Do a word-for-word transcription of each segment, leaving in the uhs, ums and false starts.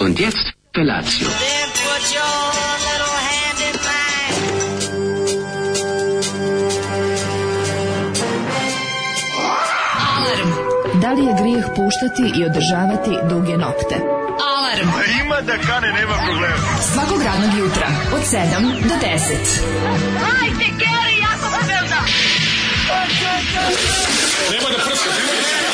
Und jetzt Felatio. Then put your little hand in mine. Alarm. Da li je grijeh puštati i održavati duge nokte? Alarm. A ima da kane, nema problema. Svakog radnog jutra od sedam do deset. Hajde, Geri, jako se velda. Nema da prska, nema da prska.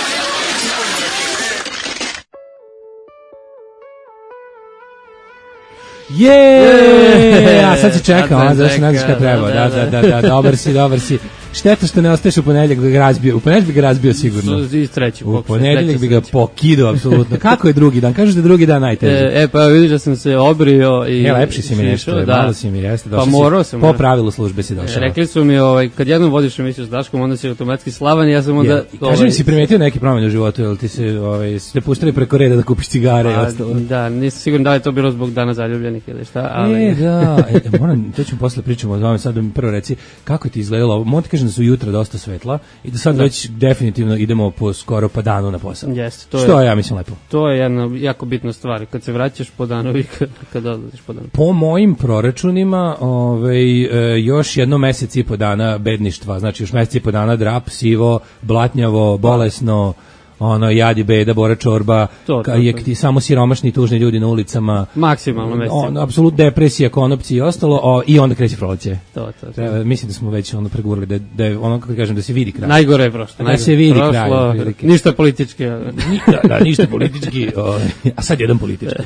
Je, a sad se čekao, a zašto ne znaš kad treba. Da, da, da, da, dobar si, dobar si. Šteta što ne ostaješ u ponedeljak da ga razbio. U ponedeljak bi ga razbio sigurno. I treći U ponedeljak bi ga pokidao apsolutno. Kako je drugi dan? Kažeš da je drugi dan najteži. E, e pa vidiš da sam se obrio i... E, lepši si mi nešto, da. malo si mi jeste. Pa morao sam. Po pravilu službe si došao. E, rekli su mi, ovaj, kad jednom vodiš emisiju s Daškom, onda si automatski slavan i ja sam onda... Ja, kaži mi, si primetio neki promjene u životu, jel ti se, ovaj, ste pustili preko reda da kupiš cigare i ostalo? Da, nisam siguran da li je to bilo zbog dana zaljubljenih ili šta, ali... E, da, e, moram, to ćemo posle pričamo o vama, sad da mi prvo reci, kako ti izgledalo, moram ti kažem da su jutra dosta svetla i da sad da. Već definitivno idemo po skoro pa danu na posao. Jeste, to što je, je, ja mislim, lepo. To je jedna jako bitna stvar, kad se vraćaš po danu i kad, kad odlaziš po danu. Po mojim proračunima, ovaj, e, još jedno mesec i po dana bedništva, znači još mesec i po dana drap, sivo, blatnjavo, bolesno, ono, jadi, beda, bora čorba, to, to, to. Je ti samo siromašni i tužni ljudi na ulicama. Maksimalno mesec. On, apsolutno depresija, konopci i ostalo, o, i onda kreće proleće. To, to, to. Treba, mislim da smo već ono pregurali, da, da je ono, kako kažem, da se vidi kraj. Najgore je prošlo. Da se vidi prošlo, kraj. Ništa politički. da, da, ništa politički, o, a sad jedan politički.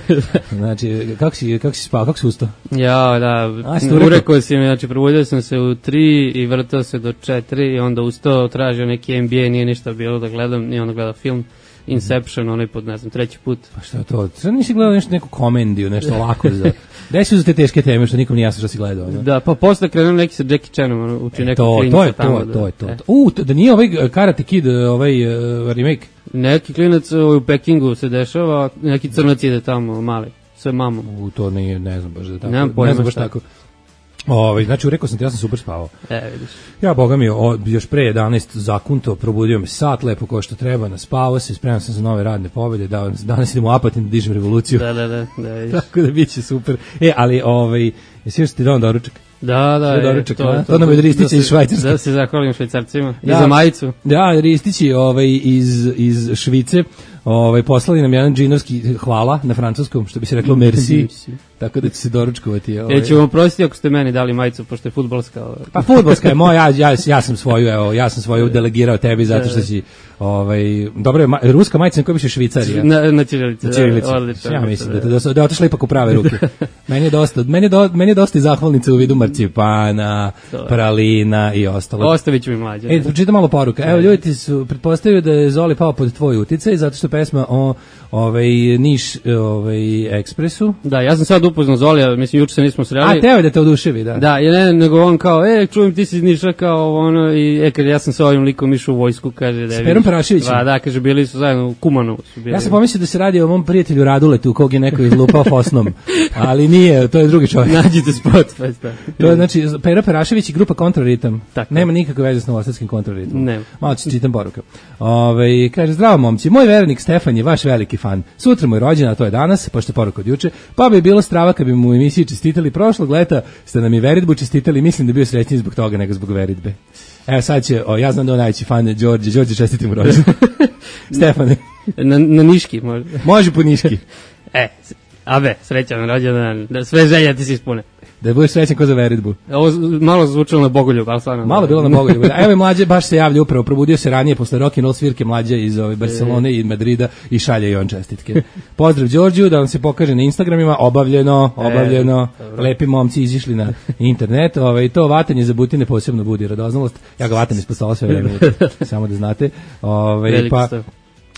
Znači, kako si, kako si spao, kako si ustao? Ja, da, urekao si mi, znači, probudio sam se u tri i vrtao se do četiri i onda ustao, tražio neki N B A, nije ništa bilo da gledam, i onda gledao film Inception, onaj pod, ne znam, treći put. Pa šta je to? Sad nisi gledao nešto, neku komediju, nešto lako za... Gde si za te teške teme, što nikom nije jasno što si gledao? Ne? Da, pa posle krenuo neki sa Jackie Chanom, ono, uči e, neku to, klinicu to je, tamo. To, da, to je, to je, e. to. U, da nije ovaj Karate Kid, ovaj uh, remake? Neki klinac u Pekingu se dešava, neki crnac ide tamo, mali, sve mamom. U, to nije, ne znam baš da tako. Nemam pojma ne znam baš šta. tako. Ovaj, znači, rekao sam ti, ja sam super spavao. E, vidiš. Ja, boga mi, o, još pre jedanaest zakunto, probudio me sat, lepo kao što treba, naspavao se, spremam sam za nove radne pobjede, da, danas idemo u Apatin da dižem revoluciju. Da, da, da, da, vidiš. Tako da bit će super. E, ali, ovaj, jesi još ti dao doručak? Da, da, je, to, to, to, to nam je Ristić iz Švajcarske. Da se zahvalim Švajcarcima i da, za majicu. Da, Ristići ovaj, iz, iz Švice ovaj, poslali nam jedan džinovski hvala na francuskom, što bi se reklo merci, tako da će se doručkovati. Ovaj. Ja ću vam prostiti ako ste meni dali majicu, pošto je fudbalska. Ovaj. Pa fudbalska je moja, ja, ja, ja sam svoju, evo, ja sam svoju delegirao tebi zato što si, ovaj, dobro je, ma, ruska majica na kojoj piše Švicarija. Na, na ćirilici. Na ćirilici. Odlično. Ja mislim da, da, da je otišla ipak u prave ruke. Meni je dosta, meni je, do, meni je dosta i zahvalnice u vidu marcipana, pralina i ostalo. Ostavit ću mi mlađe. E, pročitam malo poruka. Evo, ljudi su pretpostavili da je Zoli pao pod tvoj uticaj, zato što pesma o ovaj, Niš ovaj, ekspresu. Da, ja sam sad upoznao Zolija, mislim, juče se nismo sreli. A, teo da te oduševi, da. Da, je ne, nego on kao, e, čujem ti si iz Niša, kao ono, i e, kaže, ja sam sa ovim likom išao u vojsku, kaže da je... S Perom Paraševićem? Da, da, kaže, bili su zajedno u Kumanovu. Su bili. Ja sam pomislio da se radi o mom prijatelju Raduletu, kog je neko izlupao fosnom, ali nije, to je drugi čovjek. Nađite spot, pa sta. To je, znači, Pero Parašević i grupa Kontraritam. Tako. Nema nikakve veze s novosadskim Kontraritamom. Nema. Malo ću čitam poruka. Ove, kaže, zdravo momci, moj vernik Stefan je vaš veliki fan. Sutra mu je rođena, to je danas, pošto je poruka od juče, pa bi bilo strava kad bi mu u emisiji čestitali prošlog leta, ste nam i veritbu čestitali, mislim da je bio srećniji zbog toga nego zbog veritbe. Evo sad će, o, ja znam da je najveći fan Đorđe, Đorđe čestitim mu rođendan. Stefane. Na, na Niški može. Može po Niški. E, abe, srećan rođendan, da sve želje ti se ispune. Da budeš srećan ko za veritbu. Ovo malo zvučalo na Bogoljub, ali stvarno. Malo bilo na Bogoljub. Evo i mlađe, baš se javlja upravo, probudio se ranije posle rock and roll svirke mlađe iz ove Barcelone i Madrida i šalje i on čestitke. Pozdrav Đorđiju, da vam se pokaže na Instagramima, obavljeno, obavljeno, e, lepi momci izišli na internet, ovaj, to vatanje za butine posebno budi radoznalost, ja ga vatam ispod stola sve vreme, samo da znate. Ovaj, pa,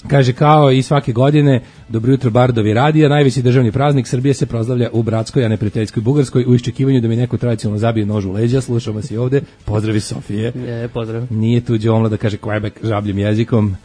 kaže, kao i svake godine, dobro jutro Bardovi radija, najveći državni praznik Srbije se proslavlja u bratskoj, a ne prijateljskoj Bugarskoj, u iščekivanju da mi neko tradicionalno zabije nož u leđa. Slušamo vas i ovde, pozdravi Sofije. Je, pozdrav. Nije tu Đomla da kaže Quebec žabljim jezikom.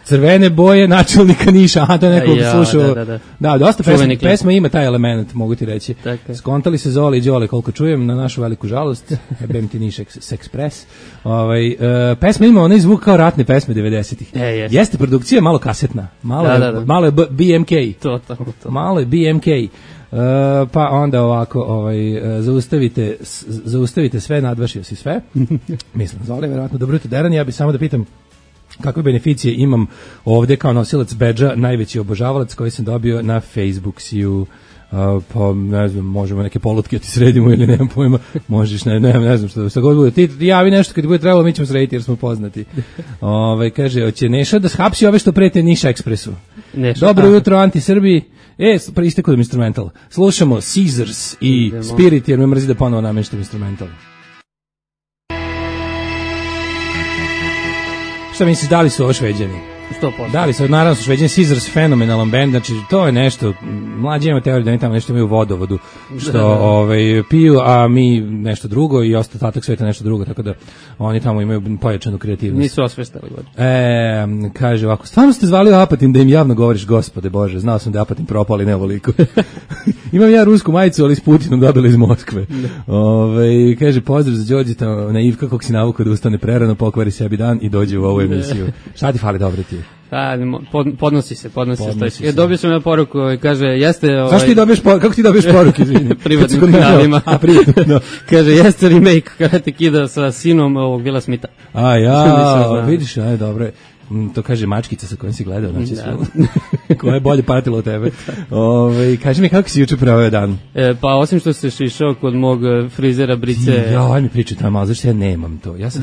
Crvene boje načelnika Niša, aha, to je neko Ja, slušao. da, da, da. Da, dosta pesma, Čuveni klip. pesma ima taj element, mogu ti reći. Tako je. Skontali se Zoli i Đole, koliko čujem, na našu veliku žalost. Bem ti Niš Express. Ovaj, uh, pesma ima onaj zvuk kao ratne pesme devedesetih. E, jeste. Jeste produkcija malo kasetna, malo, Da, je, da, da. malo je B- BMK. To, to, to. Malo je B M K. Uh, pa onda ovako, ovaj, uh, zaustavite, s- zaustavite sve, nadvašio si sve. Mislim, Zoli, verovatno, dobro jutro, Deran, ja bi samo da pitam kakve beneficije imam ovde kao nosilac bedža, najveći obožavalac koji sam dobio na Facebooksiju. Uh, pa ne znam, možemo neke polutke ti sredimo ili nemam pojma, možeš, ne, ne, ne znam što, što god bude, ti javi nešto kad ti bude trebalo, mi ćemo srediti jer smo poznati. Ove, kaže, hoće Neša da shapsi ove što prete Niša Ekspresu. Neša, Dobro aha. jutro, anti-Srbi. E, istekao da instrumental. Slušamo Caesars i Idemo. Spirit jer me mrzi da ponovo nameštam instrumental. Šta misliš, da li su ovo Šveđani? sto posto. Da li su, naravno su Šveđani, Caesars fenomenalan band, znači to je nešto, mlađi ima teoriju da oni tamo nešto imaju u vodovodu, što ovaj, piju, a mi nešto drugo i ostatak sveta nešto drugo, tako da oni tamo imaju pojačanu kreativnost. Nisu osvestali god. E, kaže ovako, stvarno ste zvali Apatin da im javno govoriš, gospode Bože, znao sam da je Apatin propao, ali ne ovoliko. Imam ja rusku majicu, ali s Putinom dobila iz Moskve. Ove, kaže, pozdrav za Đorđeta, naivka kog si navukao da ustane prerano, pokvari sebi dan i dođe u ovu emisiju. Šta ti fali, dobro ti? A, pod, podnosi se, podnosi, Podnosi se. se. E, dobio sam na poruku, ovaj, kaže, jeste... Ovaj, Zašto ti dobiješ por- kako ti dobiješ poruke, izvini? privatnim Kad si kod mene, kanalima. A, privatno, da. Kaže, jeste remake Karate Kida sa sinom ovog Vila Smitha. A ja, Nisam znao. vidiš, aj, dobro je. Mm, to kaže mačkica sa kojom si gledao, znači Da. su, koja je bolje patila od tebe. Ove, kaži mi kako si juče proveo dan? E, pa osim što se šišao kod mog e, frizera Brice... Ja, aj mi pričaj tamo, ali zašto ja nemam to? Ja sam,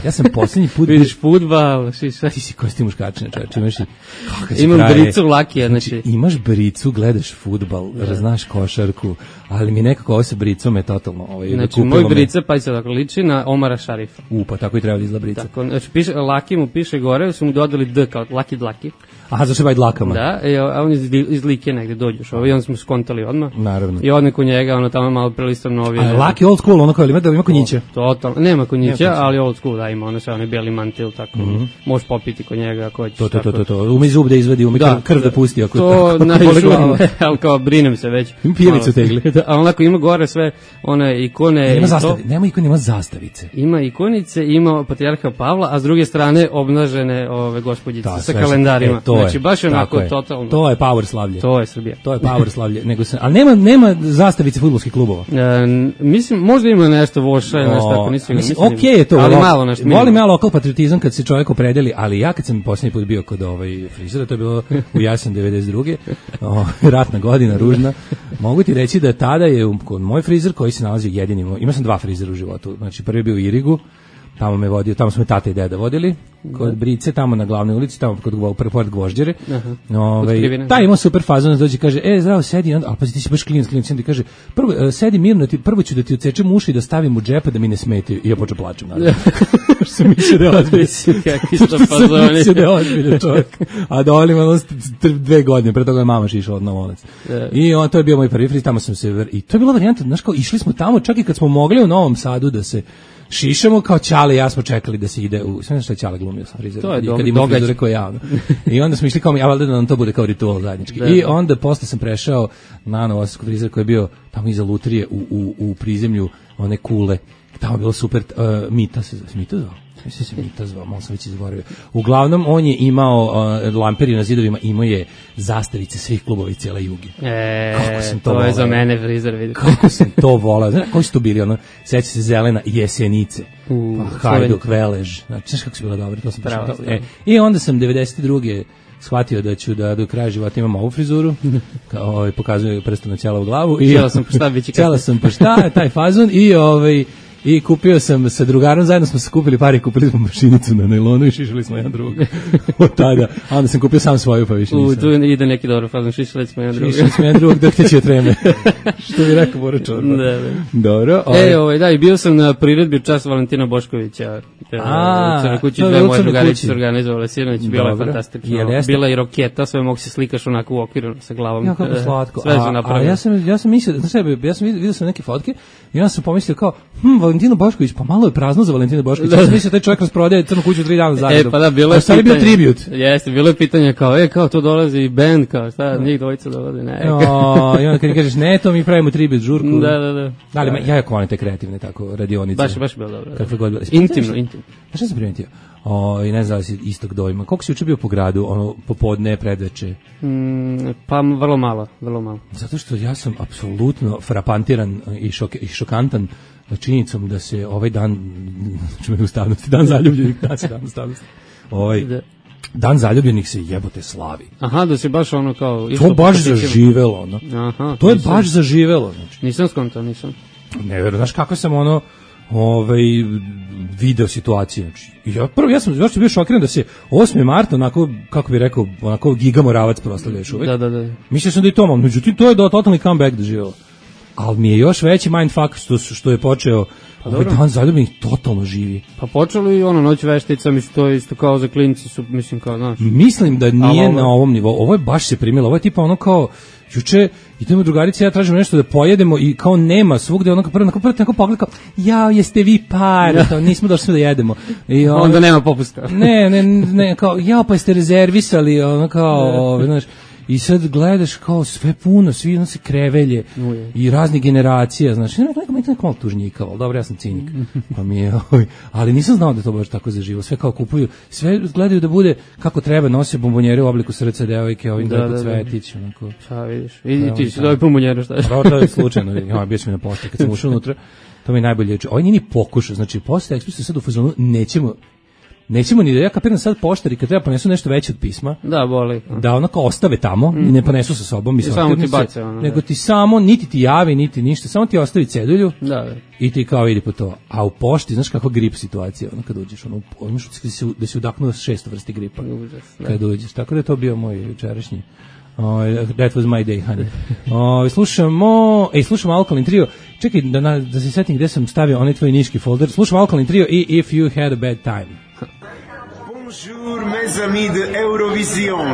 ja sam posljednji put... Vidiš fudbal, šiša. Ti si kosti muškačine, čovječ, imaš i... Oh, kad si Imam frajer, bricu Lakija, znači... imaš bricu, gledaš fudbal, znaš košarku, ali mi nekako ovo sa bricom je totalno... Ovaj, Znači, kupilo moj me- Brica, pa se tako liči na Omara Šarifa. U, pa tako i treba da izgleda brica. Tako, znači, piše, Laki mu piše gore, su mu dodali D kao Laki Dlaki. Aha, zašto je baj dlakama? Da, i, a on iz, iz Like negde dođeš, ovaj, i onda smo skontali odmah. Naravno. I odne kod njega, ono tamo malo prelistam novine. A laki old school, ono kao, ima da ima konjiće? Totalno, nema konjića, Nema konjića. ali old school, da, ima ono sve, onaj bijeli mantil, tako, možeš popiti kod njega ako hoćeš. To, to, to, tako. to, to. Umi zub da izvedi, umi krv, krv da pusti. Ako, To ako boli najviše, glava. ali kao brinem se već. Ima pijevicu Malo. tegli. Da, a onako ima gore sve one ikone. Nema i to. zastavi, nema ikon, ima zastavice. Ima ikonice, ima patrijarha Pavla, a s druge strane obnažene ove gospođice Da, sa sve kalendarima. što- e, to je, znači baš tako onako je. totalno. To je power slavlje. To je Srbija. To je power slavlje. Nego se, ali nema, nema zastavice fudbalskih klubova. E, n- mislim, možda ima nešto voša, nešto tako, nisam ga- mislim, mislim, okej je to. ali lo- malo nešto. Volim minimalno. ja lokal patriotizam kad se čovjek opredeli, ali ja kad sam posljednji put bio kod ovaj frizera, to je bilo u jesen devedeset druge O, ratna godina, ružna. Mogu ti reći da tada je u- kod moj frizer koji se nalazi jedini, moj- imao sam dva frizera u životu. Znači prvi je bio u Irigu, tamo me vodio, tamo smo me tata i deda vodili, kod Brice, tamo na glavnoj ulici, tamo kod Gvo- pre- pored Gvožđere. Ovaj, Krivine. taj ima super fazon, dođe i kaže, e, zdravo, sedi, onda, ali pazi, ti si baš klinac, klinac, onda ti kaže, prvo, e, sedi mirno, ti, prvo ću da ti ucečem uši i da stavim u džepa da mi ne smetaju. I ja počeo plačem, naravno. Što sam mislio da je ozbiljno. Kakvi Što su sam fazoni. mislio da je ozbiljno čovjek. A da volim ono st- st- dve godine, pre toga je mama šišla od Novolac. I on, to je bio moj prvi friz, tamo sam se, ver- i to je bila varijanta, znaš kao, išli smo tamo, čak i kad smo mogli u Novom Sadu da se šišamo, kao Ćale i ja smo čekali da se ide u, sve što je Ćale glumio sa frizerom. To je I dog- kad ima događaj. frizure koje javno. I onda smo išli kao, ja valjda da nam to bude kao ritual zajednički. Da, I da. onda posle sam prešao na Novosadskog frizera koji je bio tamo iza lutrije u, u, u prizemlju one kule. Tamo je bilo super, uh, Mita se zove, Mita zvao? Mislim se Mita zvao, malo sam već izgovorio. Uglavnom, on je imao uh, lamperi na zidovima, imao je zastavice svih klubova i cijela Juge. E, Kako sam to to, je voleo. za mene frizer, vidiš. Kako sam to volao. Znaš, koji su to bili? Ono, seća se Zelena, Jesenice, U, pa Hajduk, Velež. Znači, znaš kako su bila dobro, to sam Bravo, baš- bravo. e, I onda sam devedeset druge shvatio da ću da do kraja života imam ovu frizuru, kao ovaj, pokazuje prstom na ćelavu glavu. I Cijela sam pa šta biće Cijela sam pa šta, taj fazon i ovaj i kupio sam sa drugarom, zajedno smo se kupili pare, kupili smo mašinicu na nailonu i šišali smo jedan drugog od tada. A onda sam kupio sam svoju, pa više U, nisam. tu ide neki dobro fazon, šišali smo jedan drugi. Šišali smo jedan drugog dok teće treme. Što bi rekao Bora Čorba. Da, da. Dobro. ovaj- E, ovaj, da, i bio sam na priredbi čas Valentina Boškovića. A, u Crnoj kući, to je dve u moje Crnoj drugarice kući. su organizovale sinoć, bilo je Dobro. fantastično. Jel jeste? Bila je i roketa, sve mogu se slikaš onako u okviru sa glavom. Ja, kako E, slatko. Sve su A, a napravili. ja sam ja sam mislio, znaš šta, ja sam vidio, vidio sam neke fotke i onda sam pomislio kao, hm, Valentinu Bošković, pa malo je prazno za Valentinu Bošković. Ja sam mislio taj čovjek rasprodaje Crnu kuću tri dana zaredom. E, pa da, bilo je pitanje. Bio tribut. Jeste, bilo je pitanje kao, e, kao to dolazi i band, kao, šta, njih dvojica dolazi, ne. O, i onda kad kažeš, ne, to mi pravimo tribut žurku. Da, da, da. Da, ali ja jako volim te kreativne tako radionice. Baš, baš bilo dobro. Kakve god. Intimno, intimno. Znaš šta sam primetio? O, i ne znam da si istog dojma. Koliko si juče bio po gradu, ono, popodne, predveče? Mm, pa vrlo malo, vrlo malo. Zato što ja sam apsolutno frapantiran i, šok, i šokantan činjenicom da se ovaj dan, čume ustavnosti, dan zaljubljenih, dan se dan ustavnosti, ovaj, dan zaljubljenih se jebote slavi. Aha, da se baš ono kao... To baš zaživelo, ono. Aha, to je nisam, baš zaživelo. Znači. Nisam skontao, nisam. Ne verujem, znaš kako sam ono, ovaj video situacije. Znači, ja prvo ja sam baš bio šokiran da se osmog marta onako kako bih rekao, onako Giga Moravac proslavlja još uvek. Da, da, da. Mislio sam da je to, međutim to je do totalni comeback doživelo. Ali mi je još veći mindfuck što što je počeo pa ovaj dan zaljubljenih totalno živi. Pa počelo i ono noć veštica, mislim to je isto kao za klinci su, mislim kao, znaš. Mislim da nije ovo... na ovom nivou. Ovo je baš se primilo. Ovo je tipa ono kao juče idemo drugarice, ja tražim nešto da pojedemo i kao nema svugde, ono kao prvo prvo tako pogled kao jao jeste vi par, to nismo došli da jedemo. I on, onda nema popusta. Ne, ne, ne, kao jao pa jeste rezervisali, ono kao, znaš. I sad gledaš kao sve puno, svi ono se krevelje Uje. I raznih generacija, znači neko neko neko malo tužnjikavo, dobro ja sam cinik, pa mi je, ali nisam znao da to baš tako zaživo, sve kao kupuju, sve gledaju da bude kako treba, nose bombonjere u obliku srca devojke, ovim da, da, cvetić, onako. Šta vidiš, vidi ti si dobi bombonjere, šta je? Pa to je slučajno, ja bio sam na pošti kad sam ušao unutra, to mi je najbolje, ovo nije ni pokušao, znači posle ekspresije sad u fazonu nećemo Nećemo ni da ja kapiram sad poštari kad treba ponesu nešto veće od pisma. Da, boli. Da ono kao ostave tamo mm. i ne ponesu sa sobom. Mislim, samo ti bace ono. Nego ti samo, niti ti javi, niti ništa, samo ti ostavi cedulju da, da. I ti kao idi po to. A u pošti, znaš kako grip situacija, ono kad uđeš, ono, ono da si, da si udahnuo šest vrsti gripa. Užas, kad uđeš. Tako da je to bio moj jučerašnji. Oh, that was my day, honey. Oh, slušamo, ej, slušamo Alkaline Trio. Čekaj, da, na, da se setim gde sam stavio onaj tvoj niški folder. Slušamo Alkaline Trio i If You Had a Bad Time. Bonjour mes amis de Eurovision,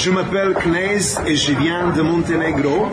je m'appelle Knez et je viens de Montenegro.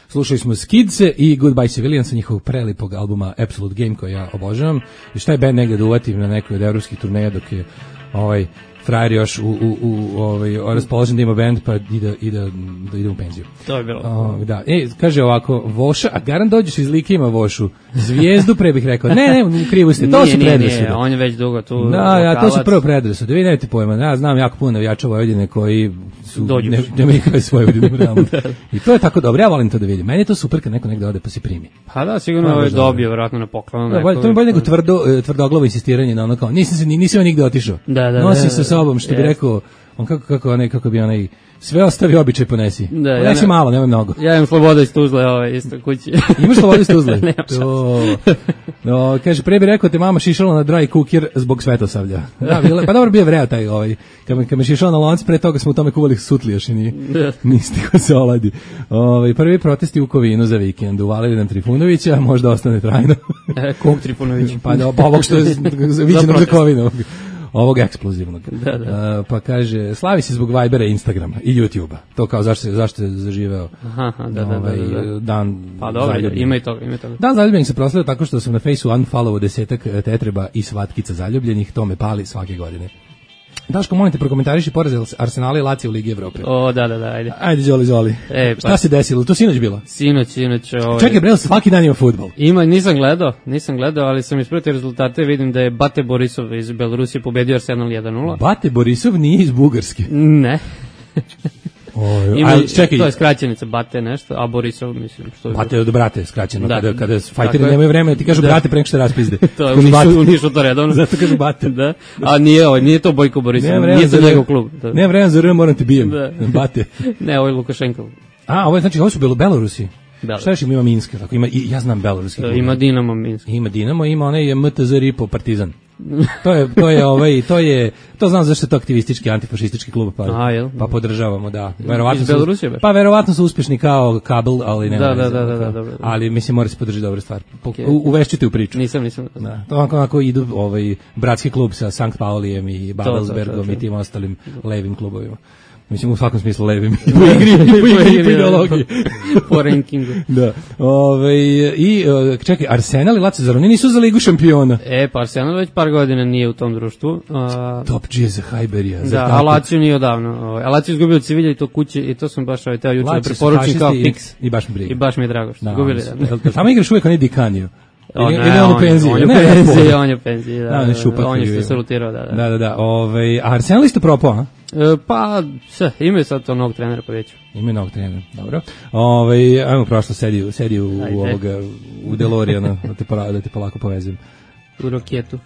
Slušali smo Skidse i Goodbye Civilian sa njihovog prelipog albuma Absolute Game koji ja obožavam. I šta je band negde da uvatim na nekoj od evropskih turneja dok je ovaj frajer još u, u, u ovaj, raspoložen da ima band pa ide, ide, da ide u penziju. To je bilo. O, da. E, kaže ovako, Voša, a garant dođeš iz Like ima Vošu. Zvijezdu pre bih rekao. Ne, ne, u krivu ste, to nije, su predrasude. Nije, on je već dugo tu. Da, ja, to su prvo predrasude. Vi nemate pojma, ja znam jako puno navijača Vojvodine koji su ne, nema nikakve svoje Vojvodine realno. I to je tako dobro, ja volim to da vidim. Meni je to super kad neko negde ode pa se primi. Pa da, sigurno ovo je dobio, vjerojatno na poklonu. Da, to mi bolje nego tvrdo, tvrdoglavo insistiranje na ono kao, nisam se, nisam nigde otišao. Da, da, nosim sa sobom, što bi rekao, on kako, kako, onaj, kako bi onaj, sve ostavi običaj ponesi. Da, ponesi ja malo, nemoj mnogo. Ja imam slobodu iz Tuzle, ovaj, isto kući. Imaš slobodu iz Tuzle? Nemam šanse. No, kaže, pre bi rekao te mama šišala na dry cooker zbog Svetosavlja. Da, bile, pa dobro bio vreo taj, ovaj, kad me, kad me šišala na lonci, pre toga smo u tome kuvali sutlioš i ni, nisti ko se oladi. Ovaj, prvi protesti u Kovinu za vikend, uvalili nam Trifunovića, možda ostane trajno. E, kog Trifunovića? Pa da, pa ovog što je viđenog za Kovinu. Ovog eksplozivnog. Da, da. Uh, pa kaže, slavi se zbog Vibera, Instagrama i YouTubea. To kao zašto, zašto je zaživeo Aha, da, ovaj, da, da, da. dan pa dobro, ima i toga, ima i toga. Dan zaljubljenih se proslavio tako što sam na Faceu unfollowo desetak tetreba i svatkica zaljubljenih, to me pali svake godine. Daško, molim te, prokomentariši poraz Arsenala i Lazio u Ligi Evrope. O, da, da, da, ajde. Ajde, Zoli, Zoli. E, pa. Šta se desilo? To sinoć bilo? Sinoć, sinoć. Ovaj... Čekaj, bre, svaki dan ima fudbal. Ima, nisam gledao, nisam gledao, ali sam ispratio rezultate, vidim da je Bate Borisov iz Belorusije pobedio Arsenal jedan nula. Bate Borisov nije iz Bugarske? Ne. Oj, ima, ali čekaj, to je skraćenica Bate nešto, a Borisov mislim što je. Bate je od brate skraćeno, da, kada kada fajteri nemaju vremena, ti kažu da. Brate pre nego što raspizde. To je unišu, unišu to redovno. Zato kažu Bate. Da. A nije, ovaj, nije to Bojko Borisov, nije to njegov klub. Da. Nema vremena za R, moram te bijem. Da. Bate. Ne, ovo je Lukašenkov. A, ovo je znači ovo su bilo Belorusi. Belarus. Šta još ima Minsk, tako ima i ja znam beloruski. Da, ima Dinamo Minsk. Ima Dinamo, ima onaj M T Z Ripo Partizan. to je to je ovaj to je to znam zašto je to aktivistički antifašistički klub pa A, pa podržavamo da. Verovatno su Belorusije, pa verovatno su uspešni kao kabel, ali ne. Da, da, da, da, da, dobro. Ali mislim mora se podržati dobra stvar. Okay. Uvešćite u priču. Nisam, nisam. Da. To onako, onako idu ovaj bratski klub sa Sankt Paulijem i Babelsbergom i tim ostalim levim klubovima. Mislim, u svakom smislu levim. I po igri, i po igri, i po ideologiji. Po rankingu. Da. Ove, I, čekaj, Arsenal i Lazio, zar oni nisu za Ligu šampiona? E, pa Arsenal već par godina nije u tom društvu. A... Top G za Hajberija. Da, a Lazio nije odavno. A Lazio izgubio od Sevilja i to kuće, i to sam baš ovaj teo juče da preporučim kao fiks. I, I baš mi briga. I baš mi je drago što izgubili. Da. Tamo igraš uvijek onaj Dikanio. O, Ili ne, on u penziji. On je u penziji, on je u penziji, da. Da, on je šupak. On je što se rotirao, da, da. Da, da, da. Ove, a Arsenal isto propao, a? E, pa, sve, imaju sad to novog trenera pa već. Imaju novog trenera, dobro. Ove, ajmo prošlo, sedi, sedi u, u ovoga, u DeLoreana, da te, pola, da te polako povezim. U roketu.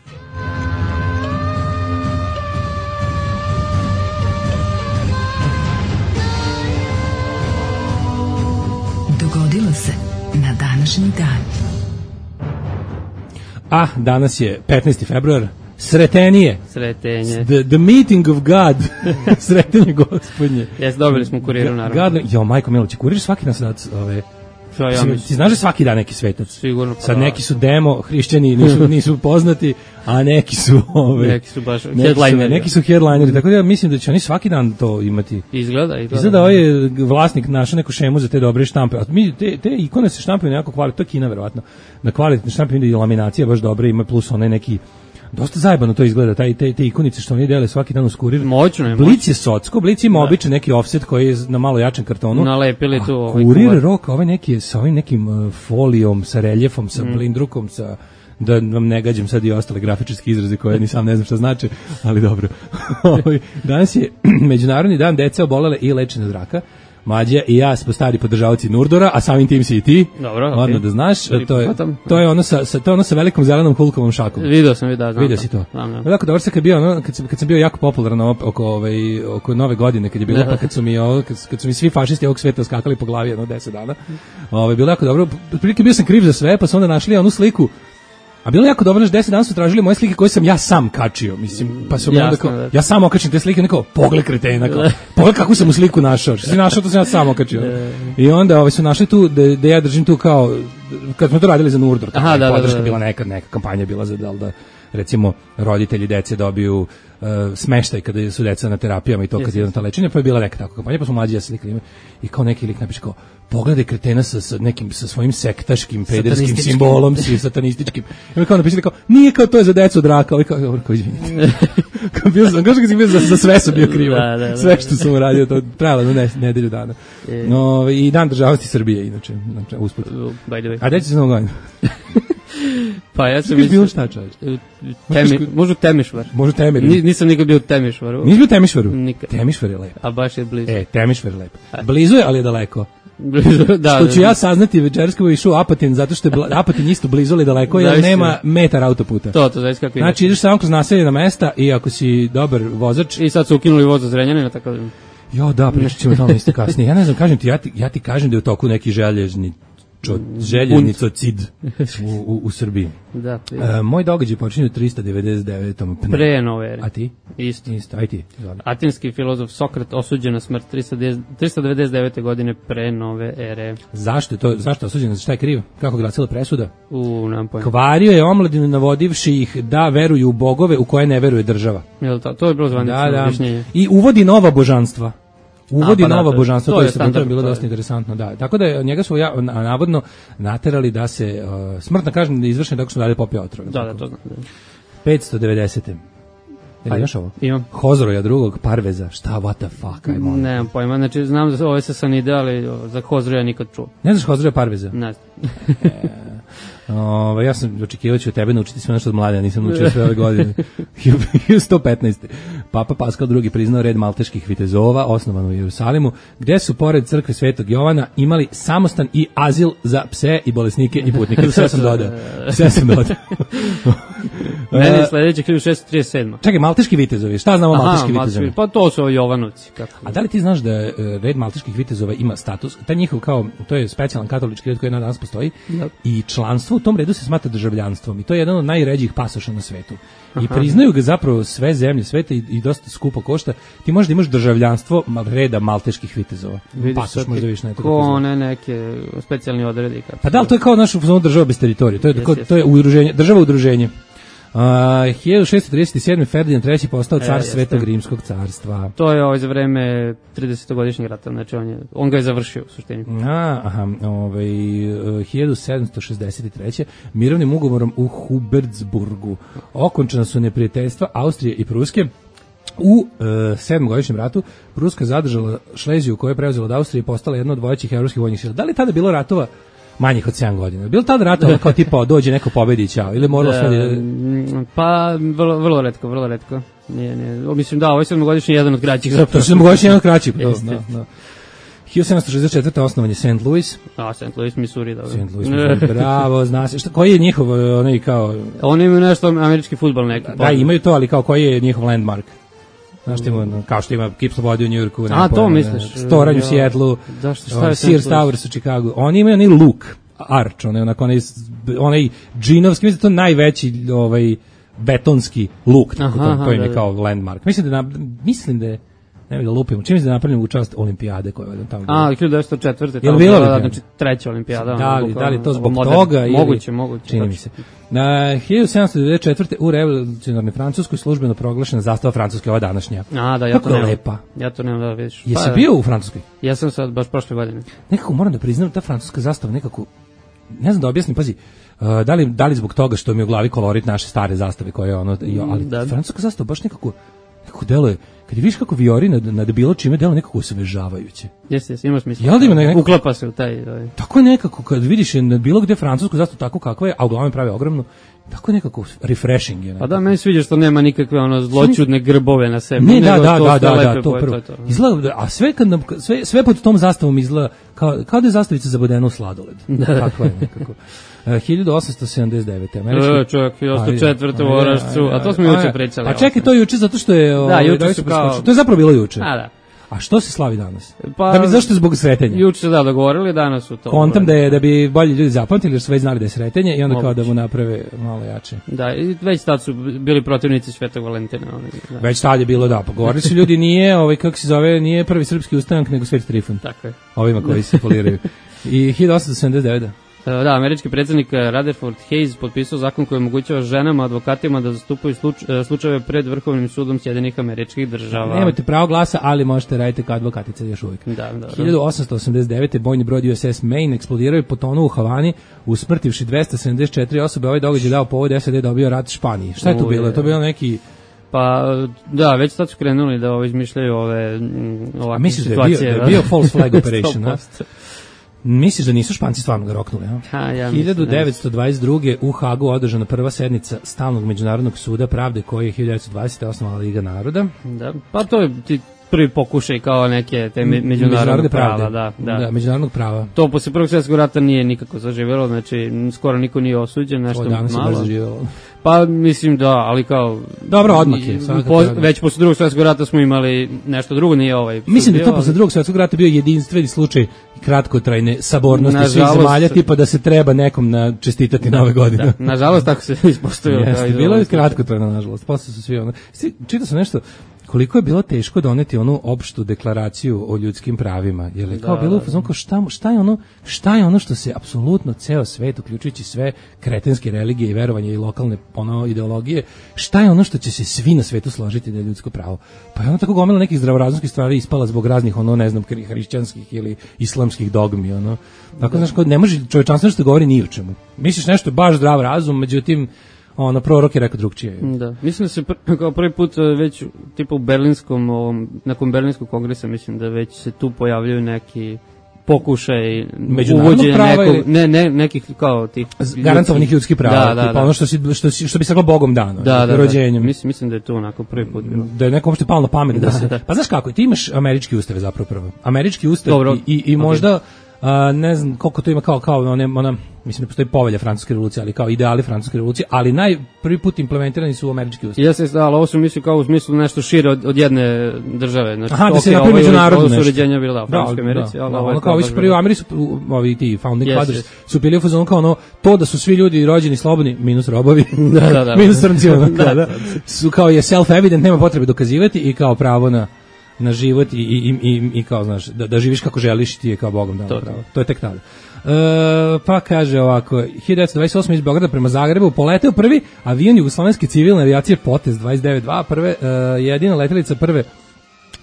Dogodilo se na današnji dan. A, danas je petnaesti februar. Sretenije. Sretenje. The, the meeting of God. Sretenje gospodnje. Jes, dobili smo u kuriru, naravno. God, jo, majko Miloć, kurir svaki nas rad, ove... Ja, ja ti, ti znaš da svaki dan neki svetac? Sigurno. Sad neki su demo, hrišćani, nisu, nisu poznati, a neki su ove... Neki su baš headlineri. Neki su headlineri, tako da ja mislim da će oni svaki dan to imati. Izgleda, izgleda. Izgleda ovaj je vlasnik našao neku šemu za te dobre štampe. A mi, te, te ikone se štampaju nekako kvalitetno, to je Kina verovatno. Na kvalitetne štampe ide i laminacija baš dobra, ima plus onaj neki... Dosta zajebano to izgleda, taj, te, te ikonice što oni dele svaki dan uz kurir. Moćno je. Blic je socko, Blic ima običan neki offset koji je na malo jačem kartonu. Nalepili tu ovaj kurir kuvar. Rok, ovaj neki je sa ovim nekim uh, folijom, sa reljefom, sa mm. blindrukom, sa... Da vam ne gađam sad i ostale grafičarske izraze koje ni sam ne znam šta znači, ali dobro. Danas je Međunarodni dan dece obolele i lečene od raka. Mlađa i ja smo stari podržavaoci Nurdora, a samim tim si i ti. Dobro, okej. Odmah da znaš, to je, to je ono sa, sa, to je ono sa velikom zelenom Hulkovom šakom. Video sam, vidio, znam. Vidio si to. Dakle, dobro se kad bio, ono, kad sam, kad sam bio jako popularan oko, ovaj, oko nove godine, kad je bilo, pa kad su mi, ovo, kad, kad su mi svi fašisti ovog sveta skakali po glavi jedno deset dana, ovaj, bilo jako dobro. Prilike bio sam kriv za sve, pa su onda našli onu sliku. A bilo jako dobro, deset dana su tražili moje slike koje sam ja sam kačio, mislim, pa su onda kao, ja sam okačim te slike, neko, pogled kretena, kao, pogled kakvu sam u sliku našao, što si našao, to sam ja sam okačio. I onda ovaj, su našli tu, da, da ja držim tu kao, kad smo to radili za Nurdor, tako je podrška bila nekad, neka kampanja bila za da, da recimo, roditelji dece dobiju uh, smeštaj kada su deca na terapijama i to kad je na ta lečenje, pa je bila neka tako kampanja, pa smo mlađi ja slikali i kao neki lik napiše kao, pogledaj kretena sa, sa nekim, sa svojim sektaškim, pederskim simbolom, si satanističkim. I on kao napisali kao, nije kao to je za decu od raka, ovaj kao, dobro, kao izvinite. Kao bio sam, kao što sam bio za, za sve sam bio krivo. Da, da, da. Sve što sam uradio, to trajalo na ne, nedelju dana. Je. No, i dan državnosti Srbije, inače, znači, usput. By the way. A deći se novo godinu? Pa ja sam mislio... bilo šta, čovječ? Temi, možu Temišvar. Možu Temir. Ni, nisam nikad bio u Temišvaru. Nisi bio u Temišvaru? Nikad. Temišvar je lepo. A baš je blizu. E, Temišvar je lepo. Blizu je, ali je daleko. Blizu, da. Što ću ja saznati večeras kako je išao Apatin, zato što je Apatin isto blizu, ali daleko, jer nema metar autoputa. To, to, znači kako ide. Znači, ideš samo kroz naseljena mesta i ako si dobar vozač... I sad su ukinuli voz za Zrenjanina, tako da... Jo, da, pričat ćemo tamo isto kasnije. Ja ne znam, kažem ti, ja ti, ja ti kažem da je u toku neki željezni željeznicocid u, u, u Srbiji. Da, e, moj događaj počinje u tristo devedeset devetom pre nove ere. A ti? Isto. Isto, aj ti. Zvala. Atinski filozof Sokrat osuđen na smrt tristo devedeset devete godine pre nove ere. Zašto je to? Zašto je osuđen? Šta je kriv? Kako glasila presuda? U, nemam pojma. Kvario je omladinu navodivši ih da veruju u bogove u koje ne veruje država. Jel to? To je bilo zvanično da, objašnjenje. Da. I uvodi nova božanstva. Uvodi A, pa nova da, božanstva, to, to je standard, bilo dosta interesantno, da. Tako da njega su ja, navodno naterali da se uh, smrtna kazna izvršena tako što dalje popio otrov. Da, da, to znam. Da. petsto devedesete. Ili imaš ovo? Imam. Hozoroja drugog, Parveza, šta, what the fuck, ajmo. Nemam pojma, znači znam da ove se sanide, ali za Hozoroja nikad čuo. Ne znaš Hozoroja Parveza? Ne znam. O, ja sam očekivao ću od tebe naučiti sve nešto od mlade, nisam naučio sve ove godine. hiljadu sto petnaeste. Papa Paskal drugi priznao red malteških vitezova, osnovan u Jerusalimu, gde su pored crkve Svetog Jovana imali samostan i azil za pse i bolesnike i putnike. Sve sam dodao. Sve sam dodao. Meni je sledeće hiljadu šessto trideset sedma. Čekaj, malteški vitezovi, šta znamo o malteški vitezovi? Pa to su Jovanovci. Kako? A da li ti znaš da red malteških vitezova ima status? Taj njihov kao, to je specijalan katolički red koji na danas postoji yep. I članstvo u tom redu se smatra državljanstvom i to je jedan od najređih pasoša na svetu. I Aha. priznaju ga zapravo sve zemlje sveta i, i dosta skupo košta. Ti možeš da imaš državljanstvo reda malteških vitezova. Pasoš možda viš ne. Ko ne neke specijalni odredi. Pa da li to je kao naša država bez teritorije? To je, yes, ko, yes. to je udruženje, država udruženje. Uh, hiljadu šessto trideset sedme. Ferdinand treći postao car e, Svetog Rimskog carstva. To je ovaj za vreme tridesetogodišnjeg rata, znači on, je, on ga je završio u suštini. A, aha, ovaj, hiljadu sedamsto šezdeset treće. mirovnim ugovorom u Hubertsburgu okončana su neprijateljstva Austrije i Pruske. U e, sedmogodišnjem ratu Pruska zadržala Šleziju koju je preuzela od Austrije i postala jedna od vodećih evropskih vojnih sila. Da li tada bilo ratova manjih od sedam godina? Bilo tada ratova kao tipa dođe neko pobedi i ćao? Ili moralo sve... Da... Pa vrlo, vrlo retko, vrlo retko. Nije, nije. Mislim da, ovo je sedmogodišnji jedan od kraćih zapravo. To je sedmogodišnji jedan od kraćih. Da, da. hiljadu sedamsto šezdeset četvrte. osnovan je Saint Louis. A, Saint Louis, Missouri, dobro. Saint Louis, Missouri, bravo, zna se. Šta, koji je njihov, onaj kao... Oni imaju nešto američki fudbal neki. Da, imaju to, ali kao koji je njihov landmark? Znaš što ima, kao što ima Kip Slobode u Njujorku, a to misliš, Storanj u Sijetlu, Sears Towers u Chicagu. Oni imaju onaj Luke Arch, onaj onako onaj onaj džinovski, mislim da to najveći ovaj betonski luk, tako to, to im je kao landmark. Mislim da mislim da je ne bih da lupimo. Čim se da napravljeno u čast olimpijade koja je tamo. A, hiljadu devetsto četvrte. Je bilo da, znači treća olimpijada. Da li, da li to zbog modern, toga ili moguće, moguće. Čini mi se. Na hiljadu sedamsto devedeset četvrte. u revolucionarnoj Francuskoj službeno proglašena zastava Francuske, ova današnja. A, da, ja kako to nemam. Lepa. Ja to nemam da vidiš. Jesi pa, bio u Francuskoj? Ja sam sad baš prošle godine. Nekako moram da priznam ta francuska zastava nekako, ne znam da objasnim, pazi, uh, da li, da li zbog toga što mi je u glavi kolorit naše stare zastave koje je ono, ali da. Francuska zastava baš nekako, nekako deluje, kad je vidiš kako viori nad, nad bilo čime, deluje nekako osvežavajuće. Jeste, jeste, ima smisla. Jel da ima nekako, uklapa se u taj... taj. Tako je nekako, kad vidiš nad bilo gde francusku zastavu tako kakva je, a uglavnom pravi ogromnu, tako je nekako refreshing je. Pa da, meni sviđa što nema nikakve ono zloćudne grbove na sebi. Ne, da, da, da, da, da, to prvo. Izgleda, a sve, kad nam, sve, sve pod tom zastavom izgleda kao, kao da je zastavica zabodena u sladoled. Tako je nekako. Uh, hiljadu osamsto sedamdeset devete. Američki... E, čovjek, hiljadu četvrte u Orašcu, a to smo juče pričali. A čekaj, to je juče zato što je... Da, juče su kao... To je zapravo bilo juče. A, da. A što se slavi danas? Pa, da bi zašto zbog sretenja? Juče se da dogovorili, danas su to. Kontam da je da bi bolji ljudi zapamtili jer su već znali da je sretenje i onda Moguće. Kao da mu naprave malo jače. Da, i već tad su bili protivnici Svetog Valentina. Da. Već tad je bilo da, pogovorili su ljudi, nije, ovaj, kako se zove, nije prvi srpski ustanak, nego Sveti Trifun. Tako je. Ovima koji se poliraju. I hiljadu osamsto sedamdeset devete. Da, američki predsjednik Rutherford Hayes potpisao zakon koji omogućava ženama, advokatima da zastupaju sluč, slučajeve pred Vrhovnim sudom Sjedinjenih Američkih Država. Nemate pravo glasa, ali možete raditi kao advokatica još uvijek. Da, da. hiljadu osamsto osamdeset devete. bojni brod U S S Maine eksplodirao i potonuo u Havani, usmrtivši dvesta sedamdeset četiri osobe. Ovaj događaj dao povod S A D dobio rat Španiji. Šta je to bilo? Je to bilo neki... Pa, da, već sad su krenuli da ovo izmišljaju ove ovakve situacije. Misliš da je bio, da je bio false flag operation, a? Misliš da nisu Španci stvarno ga roknuli, a? Ha, ja hiljadu devetsto dvadeset druge. u Hagu održana prva sednica Stalnog međunarodnog suda pravde koji je hiljadu devetsto dvadesete. osnovala Liga naroda. Da, pa to je ti prvi pokušaj kao neke te međunarodne prava, da, da. Da, međunarodnog prava. To posle Prvog svjetskog rata nije nikako zaživjelo, znači skoro niko nije osuđen, nešto malo. Pa mislim da, ali kao dobro, odmak je. Po, već posle Drugog svjetskog rata smo imali nešto drugo, nije ovaj. Mislim da to posle Drugog svjetskog rata bio jedinstveni slučaj kratkotrajne sabornosti nažalost, svih zemalja, tipa da se treba nekom na čestitati da, nove godine. Da, nažalost tako se ispostavilo. Jeste, bilo je kratkotrajno, nažalost. Posle su svi ono. Čitao sam nešto koliko je bilo teško doneti onu opštu deklaraciju o ljudskim pravima. Jer je kao da, bilo da, da. Šta, šta, je ono, šta je ono što se apsolutno ceo svet, uključujući sve kretenske religije i verovanje i lokalne ono, ideologije, šta je ono što će se svi na svetu složiti da je ljudsko pravo? Pa je ono tako gomila nekih zdravorazumskih stvari ispala zbog raznih, ono, ne znam, hrišćanskih ili islamskih dogmi. Ono. Tako, da. Znaš, ne može čovečanstvo nešto govori ni o čemu. Misliš nešto baš zdrav razum, međutim, ono, prorok je rekao drugčije. Da, mislim da se pr- kao prvi put već tipa u berlinskom, ovom, nakon berlinskog kongresa, mislim da već se tu pojavljaju neki pokušaj uvođenja nekog, ili... ne, ne, nekih kao tih garantovanih ljudskih prava, da, da, tipa da. Ono što, si, što, si, što bi se reklo Bogom dano, da, da, rođenjem. Da. Mislim, mislim da je to onako prvi put bilo. Da je neko uopšte palo na pamet da, da se... Da. Pa znaš kako, ti imaš američki ustav zapravo prvo. Američki ustav dobro, i, i, i možda... Okay. A, ne znam koliko to ima kao kao ona, ona mislim da postoji povelja francuske revolucije, ali kao ideali francuske revolucije, ali naj prvi put implementirani su u američki ustav. Jeste, da, ali ovo su misli kao u smislu nešto šire od, od jedne države, znači aha, da se napravi međunarodno nešto. Ovo su uređenja bila da, u Francuskoj Americi, da, da, ono kao ovi su prvi u Americi, ovi ti founding yes, fathers yes. su bili u fazonu kao ono, to da su svi ljudi rođeni slobodni, minus robovi, da, da, da. minus crnci, ono, da, da, su kao je self-evident, nema potrebe dokazivati i kao pravo na na život i, i, i, i kao, znaš, da, da živiš kako želiš, ti je kao Bogom dano pravo. To je tek tada. E, pa kaže ovako, hiljadu devetsto dvadeset osme iz Beograda prema Zagrebu poleteo prvi avion jugoslovenske civilne avijacije Potez dvadeset devet dva, prve, e, jedina letelica prve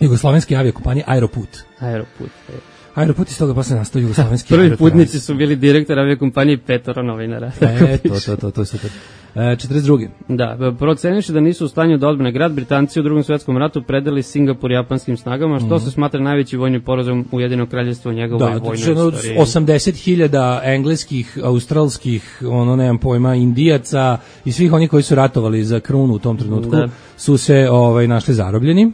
jugoslovenske aviokompanije Aeroput. Aeroput, je. Aeroput iz toga posle nastao jugoslovenski. Prvi putnici su bili direktor aviokompanije i petoro novinara. E, to, to, to, to je super. E, četrdeset druge Da, procenivši da nisu u stanju da odbrane grad, Britanci u Drugom svetskom ratu predali Singapur japanskim snagama, što mm. se smatra najveći vojni porazum Ujedinog kraljevstva u njegovoj da, vojnoj istoriji. Da, osamdeset hiljada engleskih, australskih, ono nemam pojma, Indijaca i svih oni koji su ratovali za krunu u tom trenutku da. su se ovaj, našli zarobljeni.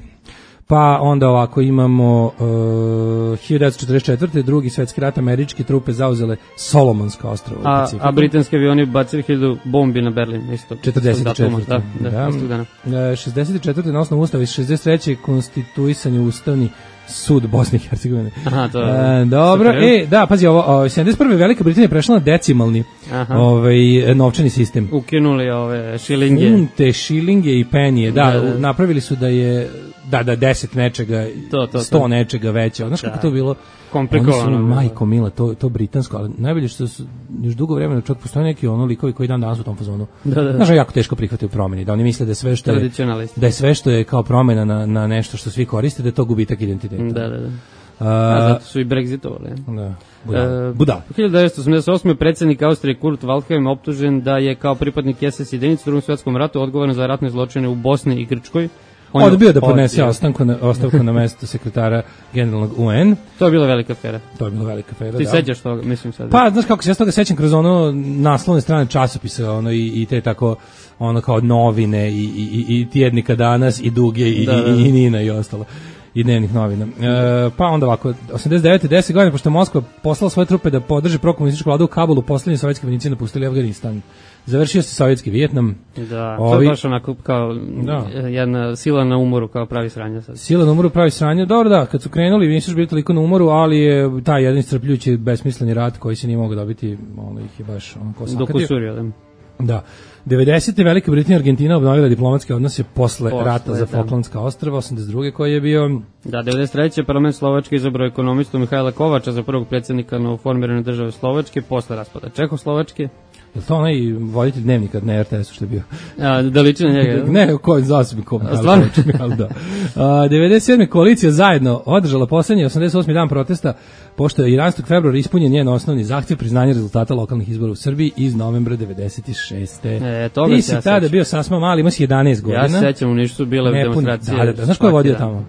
Pa onda ovako imamo uh, hiljadu devetsto četrdeset četvrte drugi svetski rat, američke trupe zauzele Solomonska ostrva. A, a britanski avioni bacili hiljadu bombi na Berlin, isto. četrdeset četvrte Da, da, da. Istog dana. šezdeset četvrte na osnovu ustava iz šezdeset treće konstituisanje ustavni sud Bosne i Hercegovine. Aha, to je. E, dobro, e, da, pazi, ovo, ovo sedamdeset prve Velika Britanija prešla na decimalni ovaj, novčani sistem. Ukinuli ove šilinge. Funte, šilinge i penije, da, da, da. Napravili su da je da, da, deset nečega, to, to, sto to. nečega veće. Znaš da. kako to bilo? Komplikovano. Oni su, majko mila, to, to britansko, ali najbolje što su još dugo vremena čak postoje neki ono likovi koji dan danas u tom fazonu. Da, da. Znaš, jako teško prihvataju promjeni, da oni misle da je sve što je, da je sve što je kao promjena na, na nešto što svi koriste, da je to gubitak identiteta. Da, da, da. A, A zato su i brexitovali. Da. Budal. Budal. hiljadu devetsto osamdeset osme predsjednik Austrije Kurt Waldheim optužen da je kao pripadnik es es jedinice u Drugom svjetskom ratu odgovoran za ratne zločine u Bosni i Grčkoj. On je odbio da podnese ostavku na, ostavku na mesto sekretara generalnog U N. To je bila velika afera. To je bila velika afera, Ti da. sećaš toga, mislim sad. Pa, znaš kako se ja s toga sećam kroz ono naslovne strane časopisa, ono i, i te tako, ono kao novine i, i, i tjednika Danas i Duge i, da, da. i, i Nina i ostalo. I dnevnih novina. E, pa onda ovako, osamdeset devete deset godine, pošto je Moskva poslala svoje trupe da podrži prokomunističku vladu u Kabulu, poslednji sovjetski vojnici napustili Afganistan. Završio se sovjetski Vijetnam. Da, Ovi, to je baš onako kao da. jedna sila na umoru, kao pravi sranja sad. Sila na umoru, pravi sranja. Dobro, da, kad su krenuli, nisu bili toliko na umoru, ali je taj jedan iscrpljujući besmisleni rat koji se nije mogao dobiti, ono ih je baš onako sakadio. Dokusurio, da. Da. devedesete Velika Britanija i Argentina obnovila diplomatske odnose posle, posle rata za Falklandska ostrva, osamdeset druge koji je bio... Da, devedeset treće parlament Slovačke izabrao ekonomistu Mihajla Kovača za prvog predsjednika novoformirane države Slovačke posle raspada Čehoslovačke. Je to onaj voditelj dnevnika na er te esu što je bio? A, da liči na njega? Ne, ko je zasebno ko Mihajla Kovač. Da. A, devedeset sedme koalicija zajedno održala poslednji osamdeset osmi dan protesta, pošto je jedanaestog februara ispunjen njen osnovni zahtjev priznanja rezultata lokalnih izbora u Srbiji iz novembra devedeset šeste E, toga Ti si ja tada bio sasma mali, imao si jedanaest godina. Ja se sećam, u Nišu su bile demonstracije. Da, da, da. Znaš ko je vodio tamo?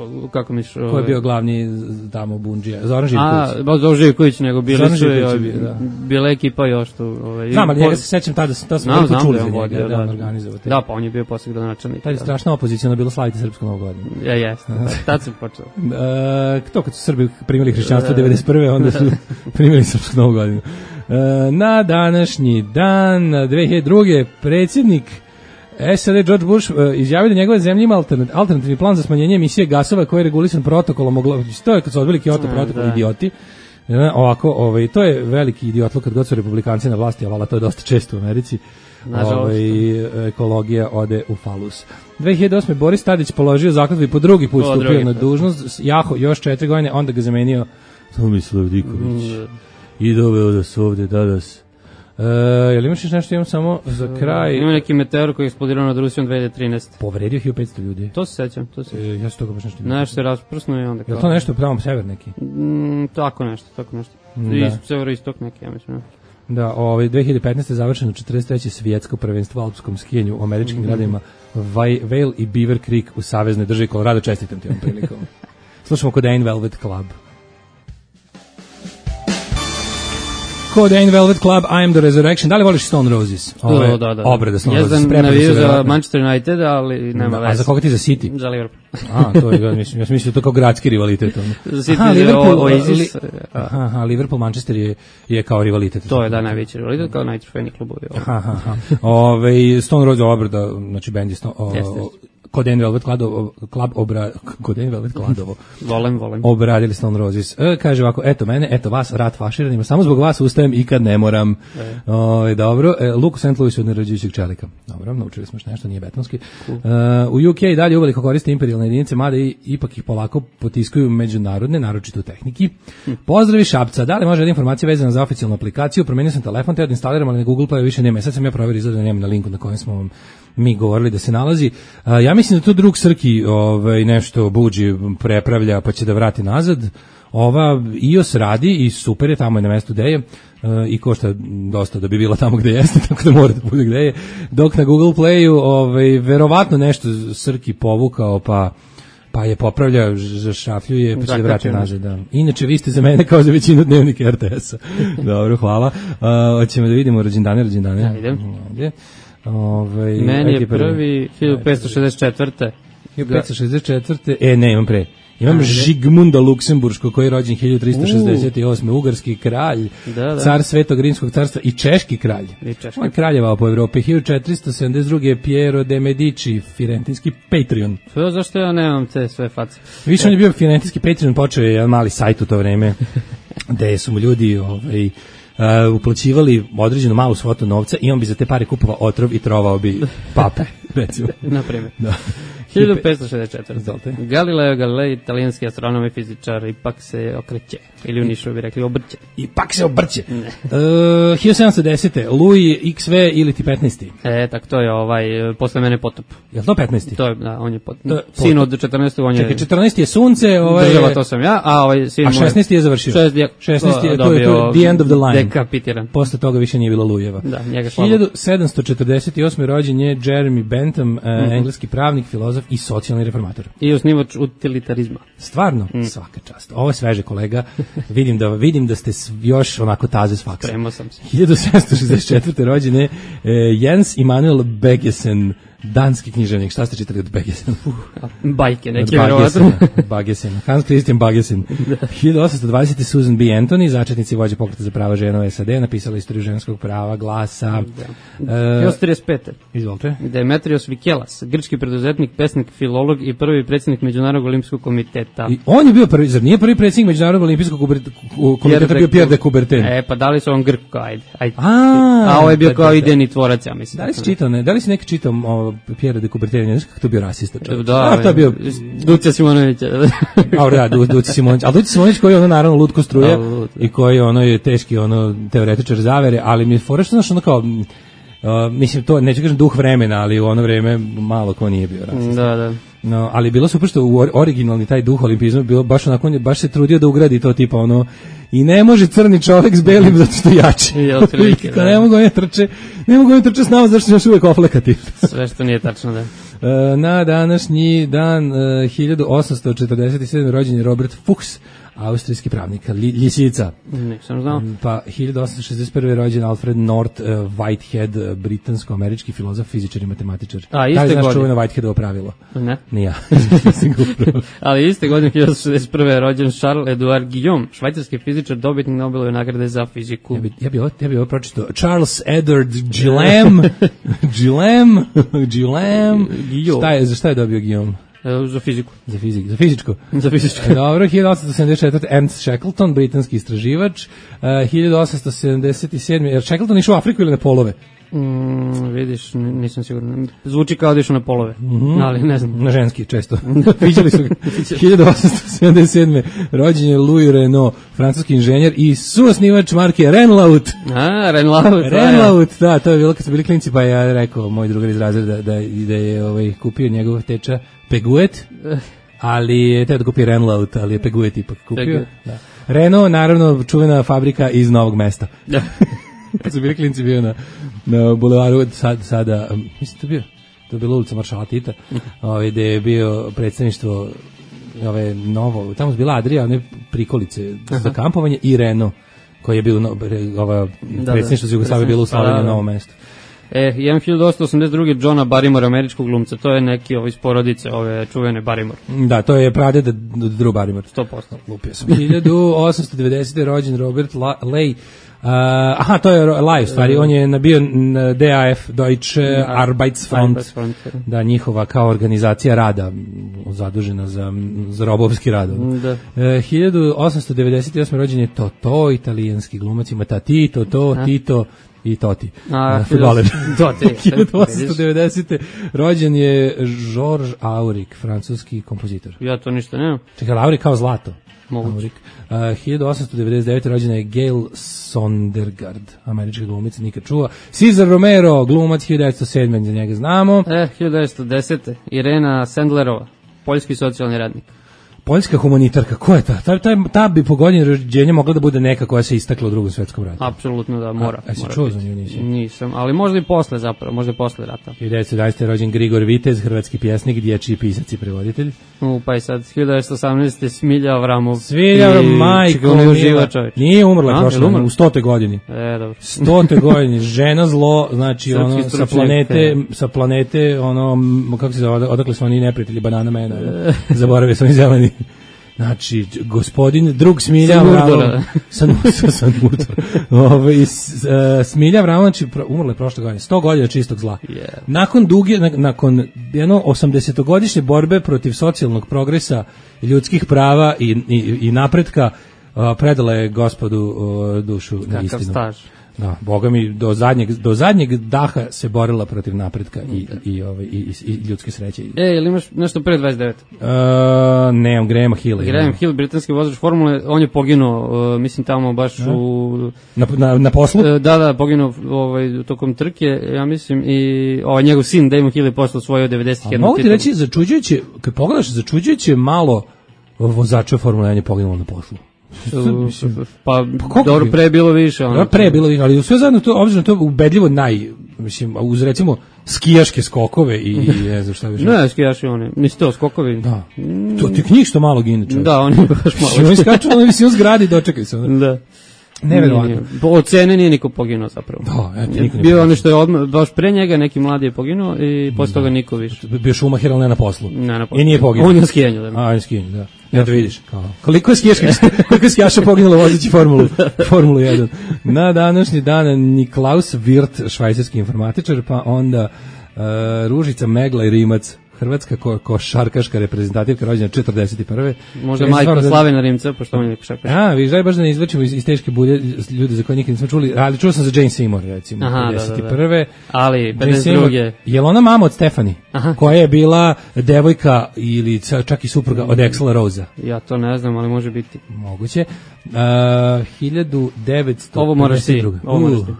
Uh, kako misliš? Ko je bio glavni tamo bundžija? Zoran Živković. A, ba Zoran Živković, nego bili su i da. Bila ekipa još tu. Ovaj, znam, ali njega se sećam tada, tada smo veliko čuli za njega, da, da, on organizovao. Da, pa on je bio posle gradonačelnik. Tada je strašna opozicija, bilo slaviti srpsku novu godinu. Ja, jeste, tad sam počeo. To kad su Srbi primili hrišćanstvo devedeset prve onda su primili srpsku novu godinu. Na današnji dan, dve hiljade druge predsjednik es a de George Bush izjavio da njegove zemlje ima alternativni plan za smanjenje emisije gasova koji je regulisan protokolom. To je kad su odbili Kyoto protokol, idioti. Ovako, ovaj, to je veliki idiotluk kad god su republikanci na vlasti, ali to je dosta često u Americi. Ovaj, ekologija ode u falus. dve hiljade osme Boris Tadić položio zakletvu i po drugi put stupio na dužnost. Jaho još četiri godine, onda ga zamenio Tomislav Diković. Mm. I doveo da su ovde danas. E, jel imaš nešto, imam samo za kraj? Ima neki meteor koji je eksplodirao nad Rusijom dve hiljade trinaeste Povredio hiljadu petsto ljudi. To se sećam, to se sećam. E, ja se toga baš nešto... Nešto je rasprsno i onda... Je to nešto pravo sever neki? Mm, tako nešto, tako nešto. Da. Severoistok neki, ja mislim. Da, ovaj, dve hiljade petnaeste završeno četrdeset treće svjetsko prvenstvo u alpskom skijanju u američkim mm-hmm. gradovima Vail i Beaver Creek u saveznoj državi Colorado. Čestitam ti ovom prilikom. Slušamo Codain Velvet Club. Codain Velvet Club, I am the Resurrection. Da li voliš Stone Roses? Ove, da, da, da. Obrada Stone ja Roses. Ja sam navio za Manchester United, ali nema veze. A za koga ti za City? Za Liverpool. A, to je, mislim, ja sam mislio to kao gradski rivalitet. Za City aha, Liverpool, o, Oasis. Li, aha, aha, Liverpool, Manchester je, je kao rivalitet. To je, da, najveći rivalitet, kao najtrofejni klubovi. Aha, aha. Ove, Stone Roses obrada, znači band je Stone, o, Codain Velvet Kladovo, Club obra, Codain Velvet Kladovo. Volem, volem. Obradili Stone Roses. E, kaže ovako, eto mene, eto vas, rat faširanima, samo zbog vas ustajem i kad ne moram. E. O, dobro, e, Luke Saint Louis od nerađujućeg čelika. Dobro, naučili smo još nešto, nije betonski. Cool. E, u U K dalje uveliko koriste imperijalne jedinice, mada i, ipak ih polako potiskuju međunarodne, naročito u tehniki. Hm. Pozdravi Šapca, da li može da informacija vezana za oficijalnu aplikaciju, promenio sam telefon, te od instaliram, ali na Google Play više nema. Sad sam ja proverio, izgleda da nema na linku na kojem smo vam mi govorili da se nalazi. A, ja mislim da to drug Srki ovaj, nešto buđi, prepravlja pa će da vrati nazad. Ova iOS radi i super je, tamo je na mestu gde je uh, i košta dosta da bi bila tamo gde jeste, tako da mora da bude gde je. Dok na Google Playu ovaj, verovatno nešto Srki povukao pa pa je popravlja, zašrafljuje, pa će da vrati nazad. Da. Inače, vi ste za mene kao za većinu dnevnika R T S-a. Dobro, hvala. Uh, hoćemo da vidimo rođendane, rođendane. Ja, idem. Ovdje. Ove, meni je prvi hiljadu petsto šezdeset četvrte. hiljadu petsto šezdeset četvrte. E, ne, imam pre. Imam Ajde. Žigmunda Luksemburško, koji je rođen hiljadu trista šezdeset osme. Uh. Ugarski kralj, da, da. Car Svetog Rimskog carstva i češki kralj. I češki. On je kraljevao po Evropi. hiljadu četiristo sedamdeset druge. Piero de Medici, firentinski Patreon. Pa zašto ja nemam te sve face? Više on je bio firentinski Patreon, počeo je jedan mali sajt u to vreme, gde su mu ljudi ovaj, Uh, uplaćivali određenu malu svotu novca i on bi za te pare kupovao otrov i trovao bi pape, recimo. Na primjer. Da. hiljadu petsto šezdeset četvrte. Galileo Galilei, italijanski astronom i fizičar, ipak se okreće. Ili u Nišu bi rekli obrće. Ipak se obrće. Uh, hiljadu sedamsto desete. Louis X V ili ti petnaesti. E, tak to je ovaj, posle mene potop. Je li to petnaesti? To je, da, on je potop. To je potop. Sin od četrnaestog on je... Čekaj, četrnaesti je sunce, ovaj... Država, to sam ja, a ovaj sin... A šesnaesti je završio. šesnaesti je, to je, to je the end of the line. Dekapitiran. Posle toga više nije bilo Louiseva. Da, njega slabo. hiljadu sedamsto četrdeset osme. rođen je Jeremy Bentham, mm -hmm. engleski pravnik, filozof i socijalni reformator. I osnivač utilitarizma. Stvarno? Mm. Svaka čast. Ovo je sveže, kolega. vidim da vidim da ste još onako taze s faksa. Spremao sam se. hiljadu sedamsto šezdeset četvrte. rođen je eh, Jens Immanuel Baggesen, danski književnik. Šta ste čitali od Baggesena? Uh, Bajke, neki vjerovatno. Baggesen. Hans Christian Baggesen. hiljadu osamsto dvadesete. Susan B. Anthony, začetnici vođe pokreta za prava žena u S A D, napisala istoriju ženskog prava, glasa. Da. Uh, hiljadu trideset pete. Izvolite. Demetrios Vikelas, grčki preduzetnik, pesnik, filolog i prvi predsjednik Međunarodnog olimpijskog komiteta. I on je bio prvi, zar nije prvi predsjednik Međunarodnog olimpijskog komiteta bio Pierre de Coubertin? E, pa dali su on Grk kao, ajde. ajde. A, A ovo je bio kao idejni tvorac, ja mislim. Da li si čitao, ne? Da li si neki čitao o Pierre de Coubertin? Ne znaš kako to bio rasista čovječ? Da, A, to je bio Duća Simonovića. Dobro, da, Du, Duća Simonović. Ali Duća Simonović koji je ono naravno lutko struje i koji ono je teški ono teoretičar zavere, ali mi je fora što znaš ono kao Uh, mislim, to, neću kažem duh vremena, ali u ono vreme malo ko nije bio rasista. Da, da. No, ali bilo super što u originalni taj duh olimpizma bilo baš onako, on je baš se trudio da ugradi to tipa ono, i ne može crni čovjek s belim zato što je jači. I otprilike, da. Ne mogu oni trče, ne mogu oni trče s nama zato što još uvijek oflekati. Sve što nije tačno, da. Uh, na današnji dan uh, hiljadu osamsto četrdeset sedme. rođen je Robert Fuchs, austrijski pravnik, li, ljisica. Nisam znao. Pa hiljadu osamsto šezdeset prve. rođen Alfred North uh, Whitehead, britansko-američki filozof, fizičar i matematičar. A, iste godine. Da li znaš čuveno Whiteheadovo pravilo? Ne. Nije ja. Ali iste godine, hiljadu osamsto šezdeset prve. rođen Charles Edouard Guillaume, švajcarski fizičar, dobitnik Nobelove nagrade za fiziku. Ja bi, ja bi ovo, ja bi ovo pročitao. Charles Edward Guillaume, Guillaume, Guillaume. Šta je, za šta je dobio Guillaume? Za fiziku. Za fiziku, za fizičko. Za fizičko. Dobro, hiljadu osamsto sedamdeset četvrte. Ernst Shackleton, britanski istraživač. Uh, hiljadu osamsto sedamdeset sedme. Jer Shackleton išao u Afriku ili na polove? Mm, vidiš, nisam siguran. Zvuči kao da išao na polove, mm-hmm. ali ne znam. Na ženski, često. Viđali su ga. hiljadu osamsto sedamdeset sedme. rođen je Louis Renault, francuski inženjer i suosnivač marke Renault. A, Renault. Renault, da, to je bilo kad su bili klinci, pa ja rekao moj drugar iz razreda da, da, da je ovaj, kupio njegov teča Peguet, ali je teo da kupi Renault, ali je Peguet ipak kupio. Da. Renault, naravno, čuvena fabrika iz Novog Mesta. Da. Kad su bili klinci bio na, na bulevaru, sad, sada, mislim to bio, to je bila ulica Maršala Tita, ovaj, gde je bio predstavništvo ove novo, tamo su bila Adrija, one prikolice za kampovanje i Renault, koji je bio no, ova predstavništvo za Jugoslavije bilo u Slavoniji na Novom mestu. E, imam hiljadu osamsto osamdeset druge. Johna Barrymore, američkog glumca, to je neki ovaj iz porodice, ove čuvene Barrymore. Da, to je pradeda Drew Barrymore. sto posto. Lupio sam. hiljadu osamsto devedesete. rođen Robert La- Lay, aha, to je live stvari, on je nabio D A F, Deutsche Arbeitsfront, da, njihova kao organizacija rada zadužena za, za robovski rad. Da. E, hiljadu osamsto devedeset osme rođen je Totò, italijanski glumac, ima Tati, Totò, Tito i Toti. A, fudbaler. Toti. hiljadu osamsto devedesete rođen je Georges Auric, francuski kompozitor. Ja to ništa nemam. Čekaj, Auric kao zlato. Moguće. Uh, hiljadu osamsto devedeset devete rođena je Gail Sondergaard, američka glumica, nikad čuva. Cesar Romero, glumac, hiljadu devetsto sedme za njega znamo. E, hiljadu devetsto desete Irena Sendlerova, poljski socijalni radnik. Poljska humanitarka, ko je ta? Ta, ta, ta bi po godini rođenja mogla da bude neka koja se istakla u drugom svetskom ratu. Apsolutno da, mora. A, a si mora čuo biti. za nju nisi? Nisam, ali možda i posle zapravo, možda i posle rata. hiljadu devetsto jedanaeste rođen Grigor Vitez, hrvatski pjesnik, dječji pisac i prevoditelj. U, pa i sad, hiljadu devetsto osamnaeste Smilja Avramov. Svilja, majko, živa čovječ. Nije umrla prošle, u stote godini. E, dobro. stote godini, žena zlo, znači ono, sa planete, sa planete, ono, kako se zove, odakle su oni neprijatelji, banana mena, zaboravio sam i zeleni. Znači, gospodin, drug Smilja Avramov, sa Smilja Avramov, znači, umrla je prošle godine, sto godina čistog zla. Yeah. Nakon duge, nakon jedno osamdesetogodišnje borbe protiv socijalnog progresa, ljudskih prava i, i, i napretka, predala je gospodu dušu na istinu. Kakav staž. Da, boga mi, do zadnjeg, do zadnjeg daha se borila protiv napretka i, i, ovaj, i, i ljudske sreće. E, ili imaš nešto pre dvadeset devete? Uh, nemam, Grahama Hilla. Graham Hill, britanski vozač formule, on je poginuo, uh, mislim tamo baš da. u... Na, na, na poslu? Uh, da, da, poginuo ovaj, tokom trke, ja mislim, i ovaj, njegov sin Damon Hill je posle osvojio devedeset jedan. A mogu ti reći, začuđujuće, kad pogledaš, začuđujuće malo vozača formule jedan je poginulo na poslu. Pa, pa dobro, pre je bilo više. Ono. Pre je bilo više, ali sve zajedno to, obzirom to ubedljivo naj, mislim, uz recimo skijaške skokove i ne znam šta više. Ne, skijaši oni, nisi to skokovi. Da, to ti knjih što malo gine čovjek. Da, oni baš malo. Oni skaču na visinu zgradi, dočekaj se. Da. Neverovatno. Od cene nije niko poginuo zapravo. Da, eto, niko bio ono što je odmah, baš pre njega neki mladi je poginuo i posle toga niko više. Bio Schumacher, ali ne na poslu. Ne na poslu. I nije poginuo. On je na skijanju. Da. A, on je skijanju, da. Ja to vidiš. Kao. Koliko je skijaška, koliko je skijaša poginulo vozeći formulu, formulu jedan. Na današnji dan Niklaus Wirth, švajcarski informatičar, pa onda uh, Ružica Megla i Rimac, hrvatska ko, košarkaška reprezentativka, rođena četrdeset prve. Možda majka Slavena Rimca, pošto on je košarkaš. A, viš, daj baš da ne izvlačimo iz, iz teške bulje ljude za koje nikad nismo čuli, ali čuo sam za Jane Seymour, recimo, aha, pedeset prve. Da, da, da. Ali, pedeset druge. Je li ona mama od Stefani, aha, koja je bila devojka ili čak i supruga od Axela Rosea? Ja to ne znam, ali može biti. Moguće. Uh, hiljadu devetsto Ovo moraš ti, ovo moraš ti.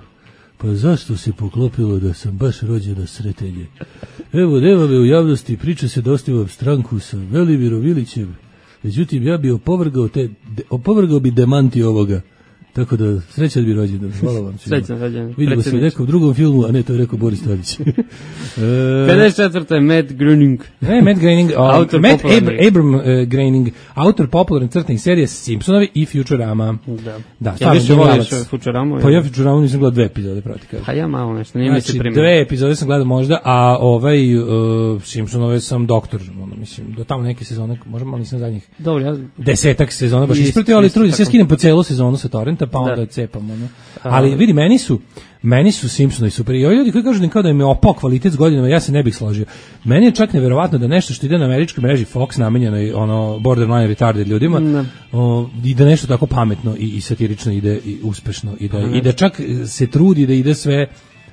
Pa zašto se poklopilo da sam baš rođena sretenje? Evo, nema me u javnosti, priča se da ostavam stranku sa Velimirom Ilićem. Međutim, ja bi opovrgao, te, de, opovrgao bi demanti ovoga. Tako da, srećan bi rođendan. Hvala vam svima. Srećan rođendan. Vidimo se u nekom drugom filmu, a ne, to je rekao Boris Tadić. e, pedeset četvrte Matt Groening. Ne, Matt Groening, um, autor Matt Abr- Abram uh, Groening, autor popularne crtenih serije Simpsonovi i Futurama. Da. Da, ja više voliš Futuramu? Pa ja Futuramu nisam gledao dve epizode, proti kažem. Pa ja malo nešto, nije znači, mi se primio. Dve epizode sam gledao možda, a ovaj uh, Simpsonove sam doktor, ono, mislim, do tamo neke sezone, možda malo nisam zadnjih dobro, ja... desetak sezona, baš ispratio, ali trudim se, ja skinem po celu sezonu sa torrenta, pa onda cepam. Ono. Ali vidi, meni su meni su Simpsonovi super. I ovi ljudi koji kažu da, kao da im je opao kvalitet s godinama, ja se ne bih složio. Meni je čak neverovatno da nešto što ide na američkoj mreži Fox namenjeno i ono borderline retarded ljudima, ne. O, i da nešto tako pametno i, i satirično ide i uspešno i da, i da čak se trudi da ide sve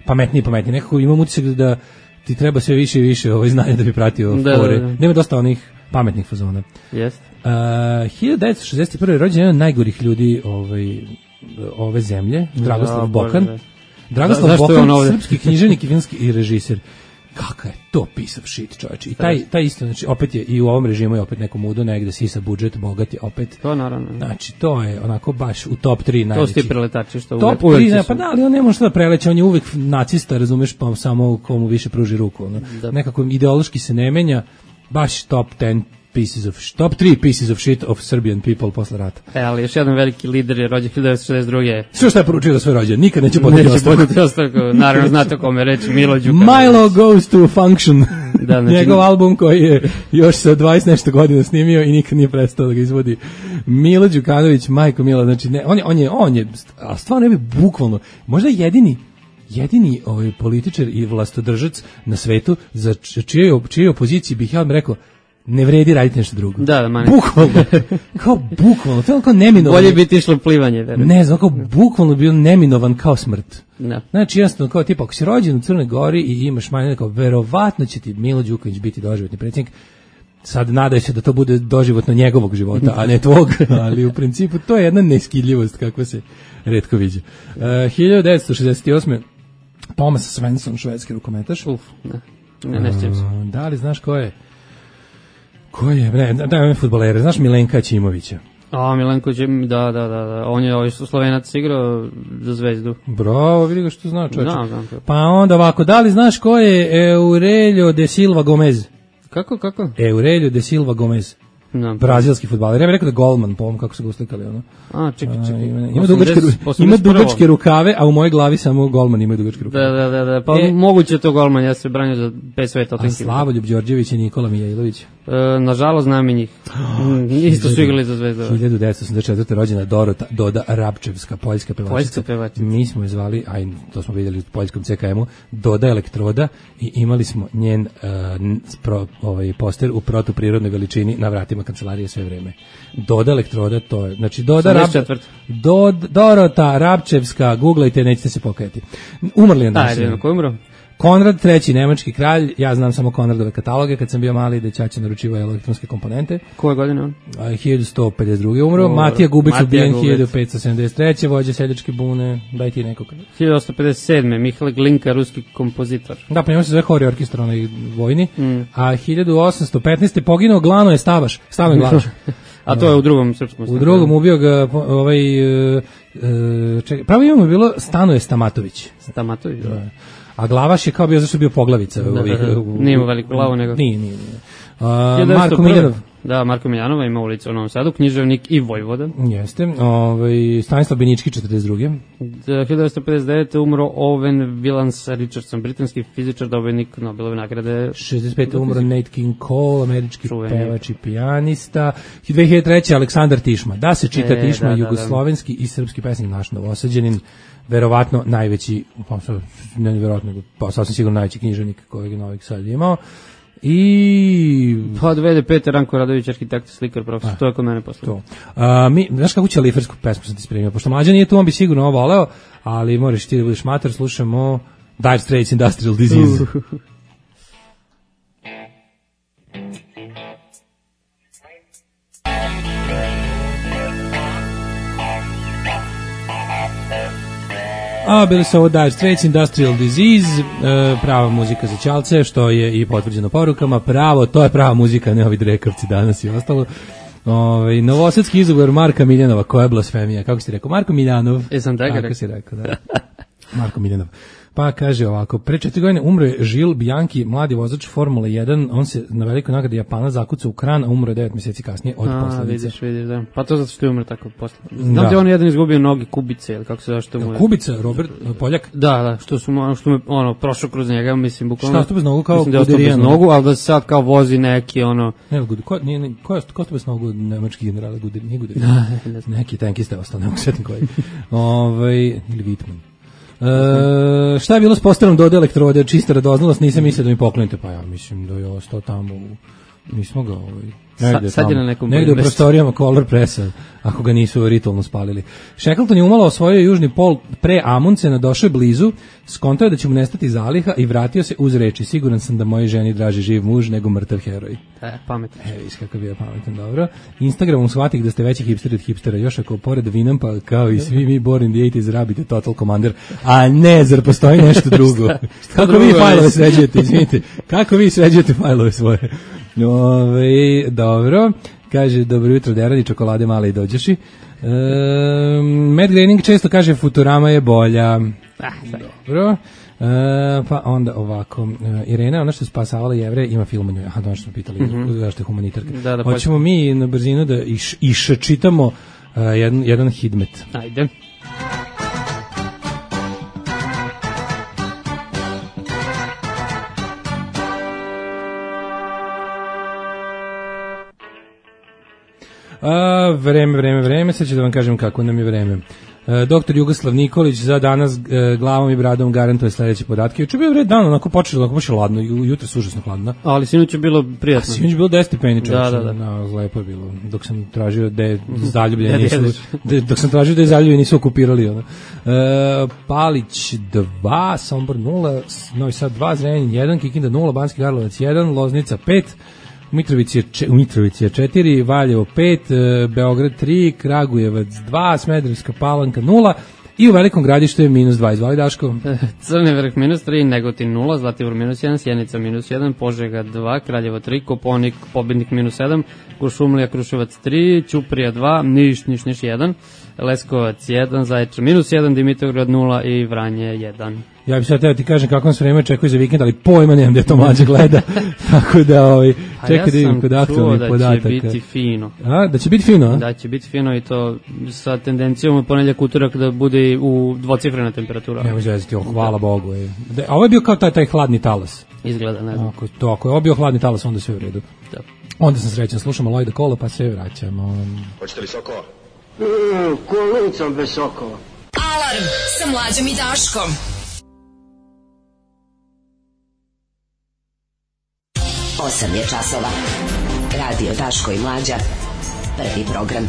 pametnije i pametnije. Nekako imam utisak da ti treba sve više i više ovaj znanja da bi pratio da, fore. Da, da. Nema dosta onih pametnih fazona. Jeste. Uh, hiljadu devetsto šezdeset prve rođen jedan od najgorih ljudi ovaj ove zemlje, Dragoslav da, Bokan. Da. Dragoslav Bokan, srpski književnik i filmski i režiser. Kakav je to piece of shit, čovječe. I taj, taj isto, znači, opet je i u ovom režimu je opet neko mudo, negde sisa budžet, bogat je opet. To naravno. Znači, to je onako baš u top tri najveći. To su ti preletači što top uvek. tri, ne, pa da, ali on ne može što da preleće, on je uvek nacista, razumeš, pa samo komu više pruži ruku. Ono. Nekako ideološki se ne menja, baš top ten pieces of top three pieces of shit of Serbian people posle rata. E, ali još jedan veliki lider je rođen hiljadu devetsto šezdeset druge. Sve što je poručio da sve rođen, nikad neće podneti ostavku. Neće podneti ostavku, naravno znate kome reći, Milo Đukanović. Milo goes to function. Da, znači, njegov album koji je još sa dvadeset nešto godina snimio i nikad nije prestao da ga izvodi. Milo Đukanović, majko Mila, znači ne, on je on je on je a stvarno je bukvalno možda jedini jedini ovaj političar i vlastodržac na svetu za čije čije opoziciji bih ja vam rekao ne vredi raditi nešto drugo. Da, da, manje. Bukvalno. Kao bukvalno, to je kao neminovan. Bolje biti išlo plivanje, verujem. Ne znam, kao bukvalno bio neminovan kao smrt. Da. Znači, jednostavno, kao tipa, ako si rođen u Crnoj Gori i imaš manje, kao, verovatno će ti Milo Đukanović biti doživotni predsjednik. Sad nadaj se da to bude doživotno njegovog života, a ne tvog, ali u principu to je jedna neskidljivost kako se retko viđa. Uh, hiljadu devetsto šezdeset osme Thomas Svensson, švedski rukometaš. Uf, ne, ne, ne sjećam se. Uh, da li znaš ko je? Ko je? Ne, da, da, fudbalere. Znaš Milenka Ćimovića? A, Milenko Ćimović, da, da, da, da. On je ovaj Slovenac igrao za Zvezdu. Bravo, vidi ga što zna čovječe. Da, znam. Pa onda ovako, da li znaš ko je Aurelio de Silva Gomez? Kako, kako? Aurelio de Silva Gomez. No. Brazilski fudbaler. Ja bih rekao da Golman, po ovom kako su ga uslikali. Ono. A, čekaj, čekaj. Ima, ima, dugačke, ima dugačke rukave, a u mojoj glavi samo Golman ima dugačke rukave. Da, da, da, da. Pa e, moguće to Golman, ja se branio za pet sveta. A Slavoljub Đorđević i Nikola Mijailović? E, nažalost, znam i njih. Isto su igrali za Zvezdu. hiljadu devetsto osamdeset četvrte rođena Dorota Doda Rabčevska, poljska pevačica. Poljska pevačica. Mi smo je zvali, aj, to smo vidjeli u poljskom C K M-u, Doda Elektroda i imali smo njen uh, pro, ovaj, poster u protuprirodnoj veličini na vratima kancelarije sve vreme. Doda Elektroda, to je, znači Doda Rab, Dod, Dorota Rabčevska, googlajte, nećete se pokajati. Umrli je danas. Ajde, ko je umro? Konrad treći, nemački kralj, ja znam samo Konradove kataloge, kad sam bio mali da ćaća naručivao elektronske komponente. Koje godine on? hiljadu sto pedeset druge umro, Dobro. Matija Gubec ubijen hiljadu petsto sedamdeset treće vođa seljačke bune, daj ti nekog. hiljadu osamsto pedeset sedme Mihail Glinka, ruski kompozitor. Da, pa njemu se zove hori orkestar onaj vojni, mm. a hiljadu osamsto petnaeste poginuo Glano je Stavaš, Stavo je Glavaš. A to je u drugom srpskom stanu. U drugom ubio ga ovaj, čekaj, pravo imamo je bilo Stanoje Stamatović. Stamatović, da. A Glavaš je kao bio, zašto je bio poglavica. Da, ovih, da, da. Nije imao veliku glavu, nego... Nije, nije, nije. Uh, Marko Miljanov. Da, Marko Miljanova ima ulicu u Novom Sadu, književnik i vojvoda. Jeste. Ovaj, Stanislav Benički, četrdeset druge hiljadu devetsto pedeset devete umro Owen Willans Richardson, britanski fizičar, dobitnik Nobelove nagrade. šezdeset pete umro Nate King Cole, američki Čuveni. pevač i pijanista. dve hiljade treće Aleksandar Tišma. Da se čita e, Tišma, da, jugoslovenski da, da. i srpski pesnik, naš novosađanin, verovatno najveći, pa ne verovatno, pa sasvim sigurno najveći književnik kojeg je Novi Sad imao. I pa dve hiljade pete Ranko Radović, arhitekt, slikar, profesor, a, to je kod mene posle. To. A, mi, znaš kako će lifersku pesmu sam ti spremio, pošto mlađa nije tu, on bi sigurno ovo voleo, ali moraš ti da budeš mater, slušamo Dire Straits, Industrial Disease. A, bili su ovo Dire Straits, Industrial Disease, e, prava muzika za ćalce, što je i potvrđeno porukama, pravo, to je prava muzika, ne ovi drekovci danas i ostalo. Ove, novosadski izgovor Marka Miljanova, koja je blasfemija, kako si rekao, Marko Miljanov. E, sam tako rekao. si rekao, da. Marko Miljanov. Pa kaže ovako, pre četiri godine umro je Žil Bianchi, mladi vozač Formule jedan, on se na velikoj nagradi Japana zakucao u kran, a umro je devet mjeseci kasnije od a, posledice. Vidiš, vidiš, da. Pa to zato što je umro tako posle. Znam da je on jedan izgubio noge Kubice, ili kako se zove što mu je... Kubica, Robert Poljak? Da, da, što su mu, što mu, ono, prošao kroz njega, mislim, bukvalno... Šta, što bez nogu kao Guderijano? Mislim da je bez nogu, ali da se sad kao vozi neki, ono... Ne, Guderijano, ko, nije, nije, ko je ko bez nogu nemački generala Guderijano? Nije Guderijano, neki tankiste ostao, ne mogu sjetiti koji. Ovaj, ili Vitman. E, šta je bilo s posterom Dode Elektrode, čista radoznalost, nisam mislio da mi poklonite, pa ja mislim da je ostao tamo, u, nismo ga ovaj, negde, Sa, sad je na nekom negde u prostorijama Color Pressa, ako ga nisu ritualno spalili. Shackleton je umalo osvojio južni pol pre Amundsena, došao je blizu, skontao je da će mu nestati zaliha i vratio se uz reči, siguran sam da mojoj ženi draži živ muž nego mrtav heroj. E, pametan. E, viš kako bio pametan, dobro. Instagramom shvatih da ste veći hipsteri od hipstera, još ako pored Vinampa, kao i svi mi Born in the eighties, rabite Total Commander, a ne, zar postoji nešto drugo? Kako vi fajlove sređujete, izvinite, kako vi sređujete fajlove svoje? Ove, dobro, kaže, dobro jutro, deradi, čokolade male i dođeši. E, Matt Groening često kaže, Futurama je bolja. Ah, dobro. E, pa onda ovako, e, Irena, ona što je spasavala Jevre, ima film o njoj. Aha, došto smo pitali, mm-hmm. zašto je humanitarka. Da, da, hoćemo pa... mi na brzinu da iš, iščitamo uh, jedan, jedan hidmet. Ajde. A, vreme, vreme, vreme, sad ću da vam kažem kako nam je vreme. E, doktor Jugoslav Nikolić za danas e, glavom i bradom garantuje sledeće podatke. Juče je bio red dan, onako počelo, onako baš je ladno, jutro je užasno hladno. Ali sinoć je bilo prijatno. A sinoć je bilo deset stepeni, čovječe. Da, da, da. No, lepo je bilo. Dok sam tražio da je zaljubljeni nisu, de, dok sam tražio da je zaljubljeni nisu okupirali. Ono. E, Palić dva, Sombor nula, Novi Sad dva, Zrenjanin jedan, Kikinda nula, Banski Karlovac jedan, Loznica pet, U Mitrovici je, če, u Mitrovici je četiri, Valjevo pet, Beograd tri, Kragujevac dva, Smederevska Palanka nula i u Velikom Gradištu je minus dva. Izvali Daško. Crni vrh minus tri, Negotin nula, Zlatibor minus jedan, Sjenica minus jedan, Požega dva, Kraljevo tri, Koponik, Pobednik minus sedam, Kuršumlija, Kruševac tri, Ćuprija dva, Niš, Niš, Niš jedan, Leskovac jedan, Zaječar minus jedan, Dimitrovgrad nula i Vranje jedan. Ja bih sad teo ti kažem kako nas vreme očekuje za vikend, ali pojma nemam da je to mlađe gleda. Tako da, ovaj, čekaj da vidim kod aktualnih podataka. Ja sam čuo da će biti fino. A, da će biti fino, a? Da će biti fino i to sa tendencijom u ponedjeljak utorak da bude u dvocifrena temperatura. Nemo zvezati, oh, hvala da. Bogu. Je. Da, a ovo je bio kao taj, taj hladni talas. Izgleda, ne znam. Ako, to, ako je ovo bio hladni talas, onda sve u redu. Da. Onda sam srećan, slušamo Lojda Kola, pa sve vraćamo. Hoćete li sokova? Mm, kolicom bez sokova. Alarm sa Mlađom i Daškom. osam je časova. Radio Daško i Mlađa. Prvi program.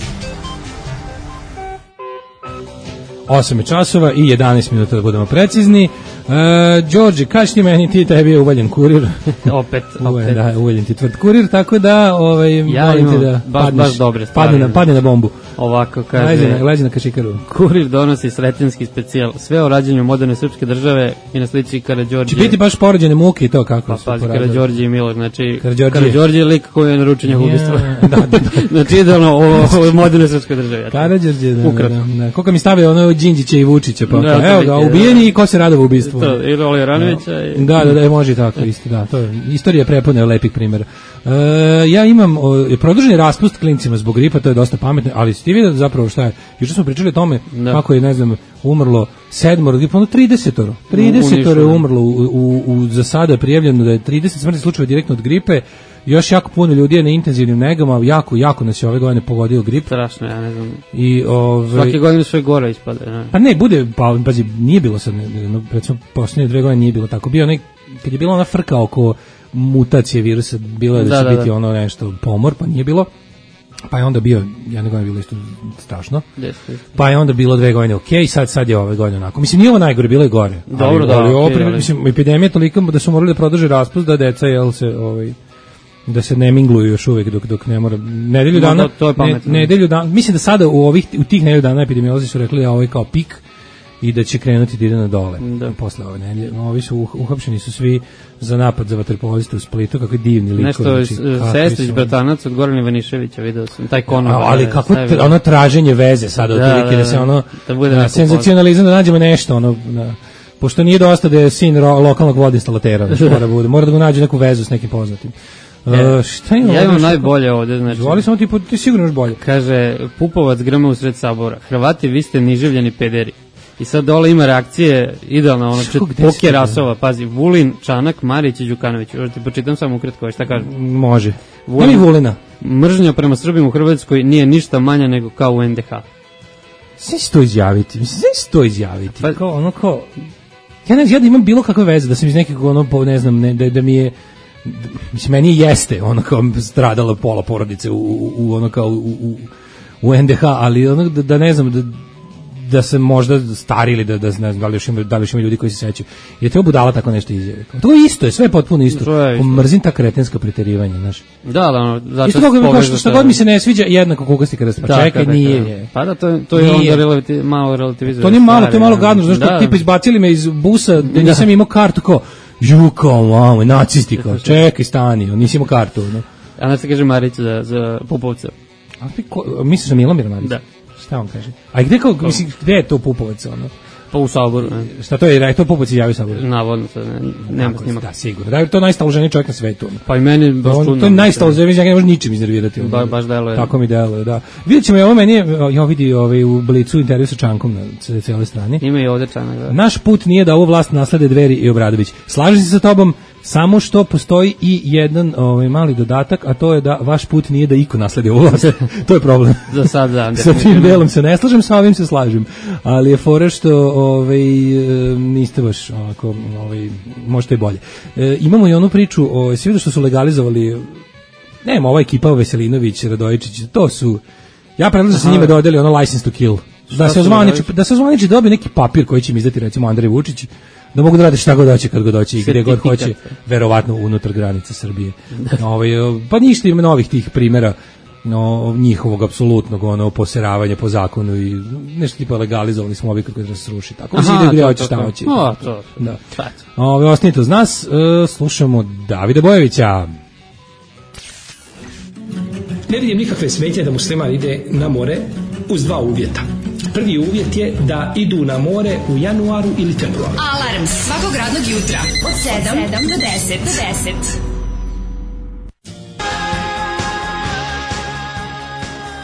osam je časova i jedanaest minuta da budemo precizni. E, Đorđe, kaži ti meni, ti tebi je uvaljen kurir. opet, opet. Da, uvaljen ti tvrd kurir, tako da ovaj, ja molim te imam da baš, padneš, baš dobre stvari. padne na, padne na bombu. Ovako kaže, leđe na, leđe na kašikaru. Kurir donosi sretenski specijal, sve o rađenju moderne srpske države i na slici Karađorđe. Će biti baš porođene muke i to kako pa, su pazi, poradili. Karađorđe i Milog, znači Karađorđe je lik koji je naručen njegovo ubistvo. da, da, da. Znači idealno o, o moderne srpske države. Karađorđe, da, ukratko. da, da. Koliko mi stave ono Đinđića i Vučića, pa, da, pa evo ga, ubijeni i ko se radova u ubistvu. To, ili Olija Ranovića. I... Da, da, da, može i tako, isto, da. To je, istorija prepune lepih primjera. E, ja imam o, produženi raspust klincima zbog gripa, to je dosta pametno, ali ste vidio zapravo šta je, juče smo pričali o tome da. Kako je, ne znam, umrlo sedmoro, gripa, ono tridesetoro, tridesetoro je umrlo, u, u, u, za sada je prijavljeno da je trideset smrtnih slučajeva direktno od gripe, još jako puno ljudi je na intenzivnim negama, jako, jako nas je ove godine pogodio grip. Strašno, ja ne znam. I, ove, svake godine sve gore ispada. Ne? Pa ne, bude, pa, pazi, nije bilo sad, no, recimo, posljednje dve godine nije bilo tako. Bio onaj, kad je bila ona frka oko mutacije virusa, bilo je da, da će da, biti da. ono nešto pomor, pa nije bilo. Pa je onda bio, jedne godine bilo isto strašno. Jeste, jeste. Pa je onda bilo dve godine ok, sad sad je ove godine onako. Mislim, nije ovo najgore, bilo je gore. Dobro, ali, da. Ali, Okay, opet, ali. mislim, epidemija toliko da su morali da produže raspust da deca, jel se, ovaj, da se ne mingluju još uvek dok dok ne mora nedelju dana. No, to, to je pametno. Ne, nedelju dana. Mislim da sada u ovih u tih nedelju dana epidemiolozi su rekli da ovo je kao pik i da će krenuti da ide na dole. Da. Posle ove nedelje. Ovi su uh, uhapšeni su svi za napad za vaterpoliste u Splitu, kakvi divni likovi. Nešto znači, Sestrić, bratanac od Gorana Ivaniševića, video sam taj kono. Ali kako tra, ono traženje veze sada da, otprilike da, da se ono da bude da, senzacionalizam da nađemo nešto ono da, pošto nije dosta da je sin ro, lokalnog vodoinstalatera, znači mora bude, mora da mu nađe neku vezu s nekim poznatim. E, uh, šta ima ja imam najbolje ovde, znači. Zvali samo ti, ti sigurno još bolje. Kaže, Pupovac grme u sred sabora. Hrvati, vi ste niživljeni pederi. I sad dole ima reakcije, idealno, ono, poke rasova, pazi, Vulin, Čanak, Marić i Đukanović. Još ti počitam samo ukratko, šta kaže? Može. Vulin, Nemi Vulina. Mržnja prema Srbima u Hrvatskoj nije ništa manja nego kao u en de ha. Sve se to izjaviti, sve se to izjaviti. Pa, kao, ono, kao, ja ne znam, ja da imam bilo kakve veze, da sam iz nekog, ono, ne znam, ne, da, da mi je, mislim, meni jeste, ono, kao, stradala pola porodice u, u, u ono, kao, u, u, u en de ha, ali, ono, da, da ne znam, da, da se možda stari ili da, da ne znam, da li još ima, da li još ima ljudi koji se sećaju. Je to budala tako nešto izjave. To je isto, je sve potpuno isto. isto. Mrzim ta kretenska preterivanja, znaš. Da, da, ono, zato isto kako što, što god mi se ne sviđa, jednako kukasti kada se, pa da, čekaj, da, nije. Je. Pa da, to, to je onda relati, malo relativizuje. To nije malo, to je malo gadno, znaš, da. Tipa izbacili me iz busa, da nisam imao kartu, kao, ju, kao, mamo, nacisti, kao, čekaj, stani, nisi imao kartu, no. A nas se kaže Marić za, za Pupovca. A ti ko, misliš na Milomir Marić? Da. Šta on kaže? A gde, kao, mislim, gde je to Pupovac, ono? Pa u Saboru, ne. Šta to je, je to Pupovac izjavio Saboru? Navodno, to ne, nema snimak. Da, sigurno. Da je to najstaloženiji čovjek na svetu. Ono. Pa i meni baš čudno. To je najstaloženiji, ja ga ne može ničim iznervirati. Ono. Ba, baš deluje. Tako mi deluje, da. Vidjet ćemo, ovo meni je, ja vidi ovaj, u Blicu intervju sa Čankom na cijeloj strani. Ima i ovde Čanak, da. Naš put nije da ovu vlast naslede Dveri i Obradović. Slažem se sa tobom, Samo što postoji i jedan ovaj, mali dodatak, a to je da vaš put nije da iko nasledi ovu vlast. To je problem. Za sad, da. Sa tim delom se ne slažem, sa ovim se slažem. Ali je fora što ovaj, niste baš ovako, ovaj, možete i bolje. E, imamo i onu priču, o, svi vidio što su legalizovali, nema, ova ekipa Veselinović, Radojičić, to su, ja predlažem da se njima dodeli ono license to kill. Da se ozvaniči, da se ozvaniči dobije neki papir koji će im izdati recimo Andrej Vučić, da mogu da rade šta god hoće, kad god hoće i gde god hoće, verovatno unutar granica Srbije. Ovaj, pa ništa, ima novih tih primjera, no, njihovog apsolutnog ono poseravanja po zakonu i nešto tipa legalizovali smo objekat koji da se sruši. Tako se ide gdje hoće, šta hoće. O, to, da. Ove, ostanite uz nas, uh, slušamo Davida Bojevića. Ne vidim nikakve smetnje da musliman ide na more uz dva uvjeta. Prvi uvjet je da idu na more u januaru ili februaru. Alarm svakog radnog jutra od sedam do deset. Do deset.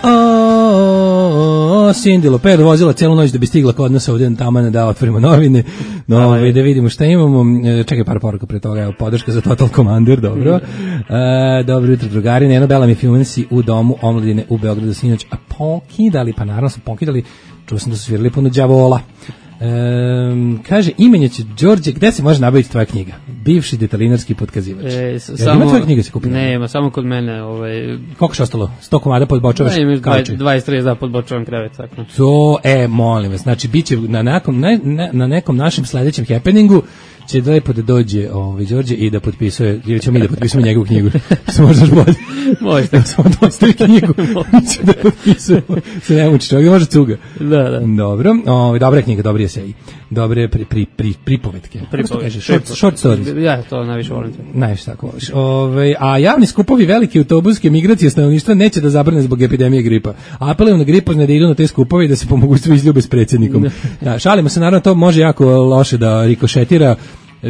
O, Cindy Lopez vozila celu noć da bi stigla kod nas ovdje tamo da otvorimo novine, no, ovaj, da vidimo šta imamo. Čekaj par poruka pre toga, evo, podrška za Total Commander, dobro. E, dobro jutro, drugari, Neno Bela mi filmansi u domu omladine u Beogradu sinoć, a pokidali, pa naravno su pokidali, čuo sam da su svirali puno đavola. Um, kaže, imenjaće Đorđe, gde se može nabaviti tvoja knjiga? Bivši detalinarski potkazivač. E, s, samo, ima tvoja knjiga se kupila? Nema, samo kod mene. Ovaj... Koliko je ostalo? sto komada podbočavaš kauče? dvadeset tri da podbočavam krevet. Tako. To, e, molim vas, znači, bit će na nekom, na, na nekom našem sledećem happeningu će lepo da dođe ovaj Đorđe i da potpisuje, ili ćemo mi da potpisujemo njegovu knjigu. Se možda bolje. Možete. Samo dostavi knjigu. Će da potpisujemo. Se ne muči čovjek, može cuga. Da, da. Dobro, ovaj dobra knjiga, dobri eseji. Dobre pri, pri, pri, pripovetke. Pripovetke. Short, short stories. Ja, to najviše volim. Najviše tako voliš. Ovaj, a javni skupovi velike autobuske migracije stanovništva neće da zabrane zbog epidemije gripa. Apelujem na gripozne da idu na te skupove i da se pomogu svi izljube s predsjednikom. Da, šalimo se, naravno, to može jako loše da rikošetira.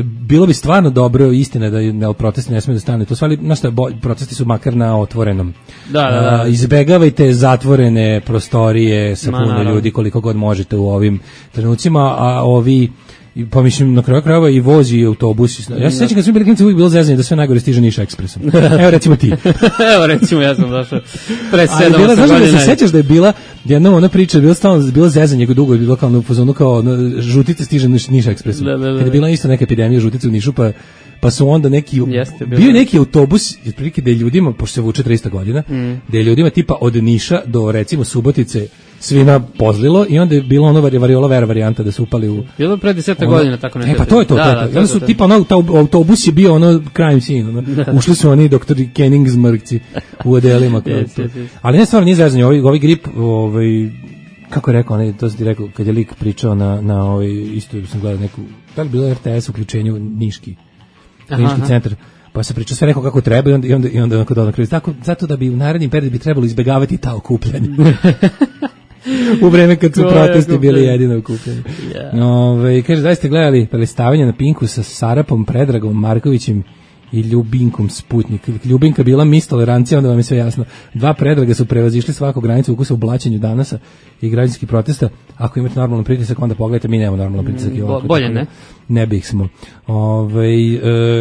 Bilo bi stvarno dobro, istina da ne, protesti ne smiju da stane. To stvari, znaš šta, protesti su makar na otvorenom. Da, da, da. Uh, izbegavajte zatvorene prostorije sa puno Ma, ljudi koliko god možete u ovim trenucima, a ovi pa mislim na kraju krajeva i vozi autobus. Ja se sećam kad smo bili klinci, uvijek bilo zezanje da sve najgore stiže Niš ekspresom. Evo recimo ti. Evo recimo ja sam došao pre sedam godina. Znaš da se sećaš da je bila jednom ona priča, bila stalno bila zezanje dugo, je bilo kao na fazonu kao žutice stiže Niš, Niš ekspresom. Da, da, da. Kad je bila isto neka epidemija žutice u Nišu, pa pa su onda neki Jeste, bio neki autobus otprilike da je ljudima, pošto se vuče trista godina, mm. da je ljudima tipa od Niša do recimo Subotice svima pozlilo i onda je bilo ono variola vera varijanta da su upali u... Bilo pre deset godina tako nešto. E pa to je to. Da, to, da, to. to, Onda su to, tipa ono, ta autobus je bio ono crime scene. Ono. Ušli su oni doktori Kenningsmrkci u odelima. yes, yes, yes. Ali ne stvarno nije zezanje, ovaj, ovaj grip, ovaj, kako je rekao, onaj, to sam ti rekao, kad je lik pričao na, na ovaj, isto sam gledao neku, da li bilo R T S uključenju Niški, Niški centar, pa se priča sve rekao kako treba i onda, i onda, i onda, onda, onda tako, zato da bi u narednim periodu bi trebalo izbegavati ta okupljanja. U vreme kad su protesti bili jedino okupljeni. Yeah. Ove, kaže, da ste gledali prelistavanje na Pinku sa Sarapom, Predragom, Markovićem i Ljubinkom Sputnik. Ljubinka bila mis tolerancija, onda vam je sve jasno. Dva Predraga su prevazišli svaku granicu ukusa u blaćenju danasa i građanskih protesta. Ako imate normalan pritisak, onda pogledajte, mi nemamo normalan pritisak. I ovako, bolje, ne? Ne bih smo. Ove,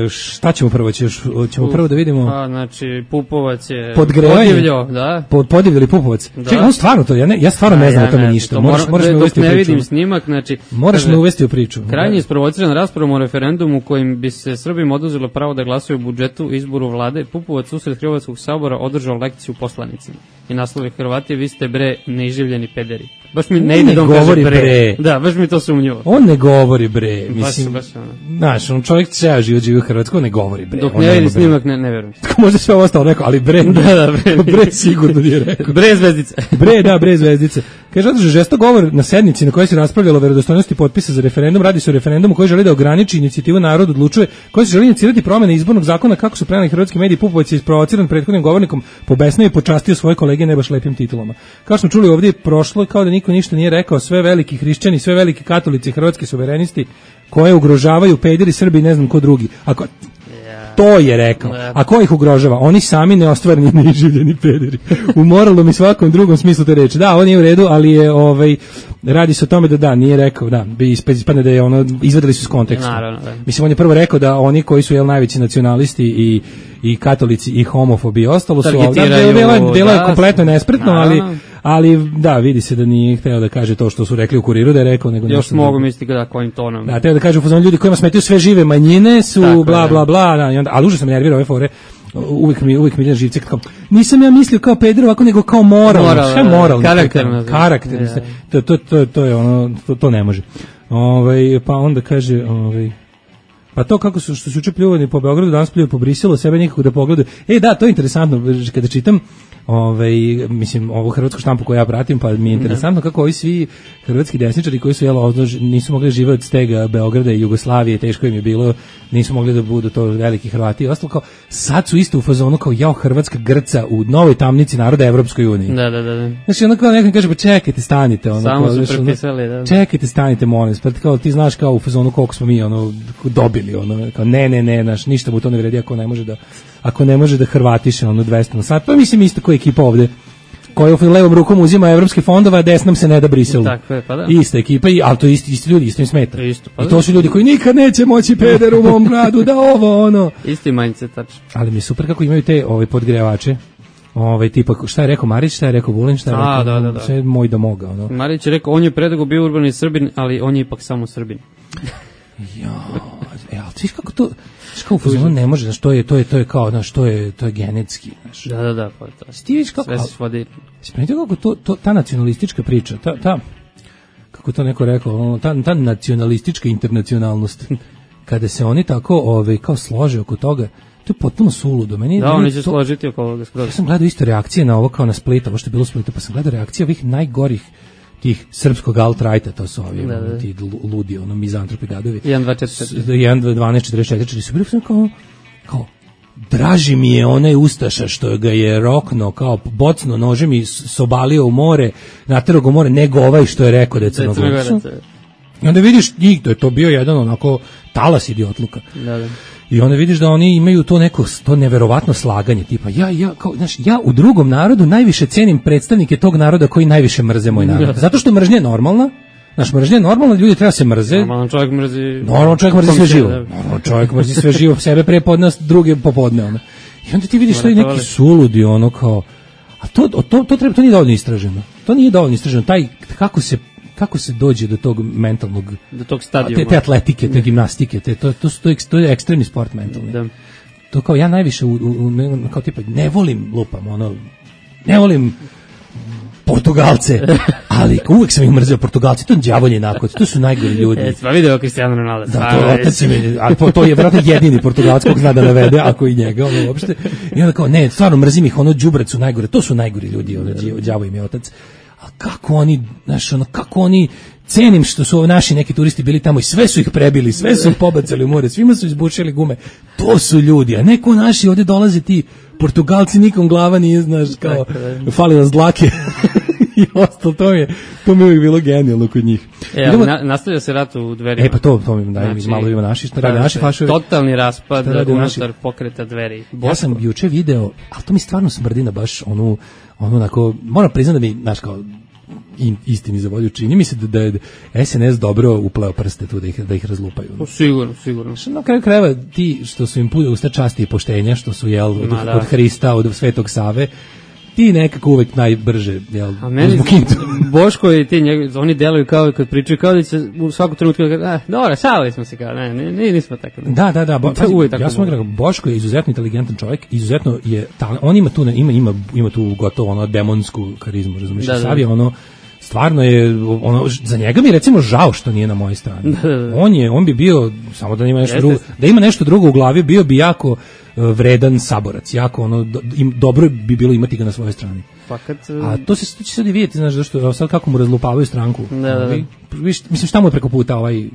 šta ćemo prvo? Ćemo, ćemo prvo da vidimo... A, znači, Pupovac je podivljio, da? Pod, podivljali Pupovac. Da. Čekaj, on stvarno to, ja, ne, ja stvarno ne znam ja, o tome ne, ništa. To moraš, moraš me uvesti u priču. Ne vidim snimak, znači... Moraš kaže, me uvesti u priču. Krajnje isprovociran raspravom o referendumu kojim bi se Srbima oduzelo pravo da glasaju u budžetu izboru vlade, Pupovac usred Hrvatskog sabora održao lekciju poslanicima. I naslovi Hrvati, vi ste bre neiživljeni pederi. Baš mi ne ide da on kaže bre. bre. Da, baš mi to sumnjivo. On ne govori bre. Mislim, baš, baš ono. Znaš, on čovjek ceo život živi u Hrvatskoj, ne govori bre. Dok ne vidi snimak, ne, ne verujem. Možda sve ovo ostalo rekao, ali bre. Da, da, bre. Bre sigurno nije rekao. Bre zvezdice. Bre, da, bre zvezdice. Kaže, održao žestok govor na sednici na kojoj se raspravljalo o verodostojnosti potpisa za referendum. Radi se o referendumu koji želi da ograniči inicijativu Narod odlučuje, koji se želi inicirati promjene izbornog zakona, kako su preneli hrvatski mediji. Pupovac je isprovociran prethodnim govornikom, pobesnio i počastio svoje kolege ne baš lepim titulama. Kao smo čuli ovdje prošlo, kao da niko ništa nije rekao, sve veliki hrišćani, sve veliki katolici, hrvatski suverenisti koje ugrožavaju pederi, Srbi i ne znam ko drugi. Ako to je rekao. A ko ih ugrožava? Oni sami neostvareni, neiživljeni pederi. U moralnom i svakom drugom smislu te reči. Da, on je u redu, ali je ovaj radi se o tome da da, nije rekao, da, bi ispadne da je ono izvadili su iz konteksta. Naravno, da. Mislim, on je prvo rekao da oni koji su jel najveći nacionalisti i i katolici i homofobi i ostalo su ovdje, delo, delo je kompletno nespretno, ali, ali da, vidi se da nije hteo da kaže to što su rekli u Kuriru da je rekao, nego još mogu misliti da kojim tonom. Da, teo da kaže u ljudi kojima smetaju sve žive manjine su tako, bla, bla, bla, da, i onda, ali užasno me nervira ove fore, uvijek mi, uvijek mi ide živce, kao, nisam ja mislio kao peder ovako, nego kao moralno, moral, sve moralno, karakterno, karakterno, ja. to, to, to, to je ono, to, to ne može. Ove, pa onda kaže, ovaj pa to kako su što su juče pljuvani po Beogradu, danas pljuju po Briselu, sebe nikako da pogledaju. E da, to je interesantno kada čitam ovaj mislim ovu hrvatsku štampu koju ja pratim, pa mi je interesantno kako ovi svi hrvatski desničari koji su jel nisu mogli živeti od stega Beograda i Jugoslavije, teško im je bilo, nisu mogli da budu to veliki Hrvati i ostalo, kao sad su isto u fazonu kao jao Hrvatska grca u novoj tamnici naroda Evropskoj uniji. Da, da, da. Znači ono kao nekom kaže pa čekajte, stanite, ono samo kao, su prepisali, da. Čekajte, stanite, molim vas, pa kao ti znaš kao u fazonu koliko smo mi ono dobili, ono kao ne, ne, ne, naš ništa mu to ne vredi ako ne može da ako ne može da Hrvatiše ono dvesta na sat, pa mislim isto kao ekipa ovde koja u levom rukom uzima evropske fondove, a desnom se ne da Briselu. Tako je, pa da. Ista ekipa, i, ali to isti, isti ljudi, isto im smeta. Isto, pa i to su ljudi koji nikad neće moći peder u mom gradu, da ovo, ono. Isti mindset, tačno. Ali mi je super kako imaju te ove podgrevače. Ovaj tipa šta je rekao Marić, šta je rekao Vulin, šta je rekao, a, da, da, da. Sve moj da moga, ono. Marić je rekao on je predugo bio urbani Srbin, ali on je ipak samo Srbin. Ja, e, ali ti kako to, kao fuzon ne može, znači to je to je to je kao, znači to je to je genetski, znači. Da, da, da, pa to. Ti vidiš kako sve se svodi. Spremite kako to, to ta nacionalistička priča, ta ta kako to neko rekao, ta ta nacionalistička internacionalnost kada se oni tako ovaj kao slože oko toga, to je potpuno suludo. Meni da, oni će to, složiti oko ovoga. Ja sam gledao isto reakcije na ovo kao na Splitu, ovo što je bilo Splitu, pa sam gledao reakcije ovih najgorih tih srpskog alt-righta, to su ovi, da, da. Ti ludi, ono, mizantropi gadovi. jedan dva četiri jedan dvanaest četrdeset četiri su bili kao, kao, draži mi je onaj ustaša što ga je rokno, kao bocno nožem i sobalio u more, naterao ga u more, nego ovaj što je rekao da je Crnogorac. I onda vidiš njih, da je to bio jedan onako talas idiotluka. Da, da. I onda vidiš da oni imaju to neko to neverovatno slaganje, tipa ja ja kao znaš, ja u drugom narodu najviše cenim predstavnike tog naroda koji najviše mrze moj narod. Zato što mržnja je normalna. Naš mržnja je normalna, ljudi treba se mrze. Normalan čovjek mrzi. Normalan čovjek mrzi sve živo. Normalan čovjek mrzi sve živo, sebe pre podne, druge popodne ono. I onda ti vidiš to i neki suludi ono kao a to to to treba to nije dovoljno istraženo. To nije dovoljno istraženo taj kako se kako se dođe do tog mentalnog, do tog stadijuma, te, te atletike, te gimnastike, te, to, to, to, to je ekstremni sport mentalni. Da. To kao ja najviše, u, u, kao tipa, ne volim, lupam, ono, ne volim Portugalce, ali uvek sam ih mrzeo Portugalci, to je đavolji nakon, to su najgori ljudi. E, pa video Cristiano Ronaldo. Da, to, otac mi, ali to je vjerojatno jedini Portugalac kog zna da navede, ako i njega, ono, uopšte. I onda kao, ne, stvarno mrzim ih, ono, đubrac su najgore, to su najgori ljudi, ono, đavo im je otac. A kako oni, znaš, ono, kako oni, cenim što su naši neki turisti bili tamo i sve su ih prebili, sve su ih pobacali u more, svima su izbušili gume, to su ljudi, a neko naši ovdje dolaze ti Portugalci, nikom glava nije, znaš, kao, fali nas dlake i ostalo, to mi je, to mi je uvijek bilo genijalno kod njih. E, ali na, nastavlja se rat u Dverima. E, pa to, to mi daj, znači, malo ima naši, šta radi naši fašovi. Totalni raspad unutar pokreta Dveri. Ja sam juče video, ali to mi stvarno smrdi na baš onu, ono onako, moram priznati da mi, znaš, kao, istini za volju, čini mi se da, da je S N S dobro upleo prste tu da ih, da ih razlupaju. No, sigurno, sigurno. Što na kraju krajeva ti što su im pune usta časti i poštenja, što su jel od, od Hrista, od Svetog Save, ti nekako uvek najbrže, jel, a meni Boško i ti njeg, oni deluju kao kad pričaju, kao da će u svaku trenutku ah, dobro, šalili smo se kao, ne, ne, nismo tako. Da, da, da, bo, pazi, ja sam rekao, Boško je izuzetno inteligentan čovjek, izuzetno je, ta, on ima tu, ima, ima, ima tu gotovo ono demonsku karizmu, razumiješ, da, Sav je ono, stvarno je, ono, za njega mi recimo žao što nije na mojoj strani. On je, on bi bio, samo da ima nešto drugo, da ima nešto drugo u glavi, bio bi jako vredan saborac, jako ono, do, im, dobro bi bilo imati ga na svojoj strani. Fakat, a to se to će sad i vidjeti, znaš, zašto, sad kako mu razlupavaju stranku. Da, da, da. Viš, mislim, šta mu je preko puta ovaj...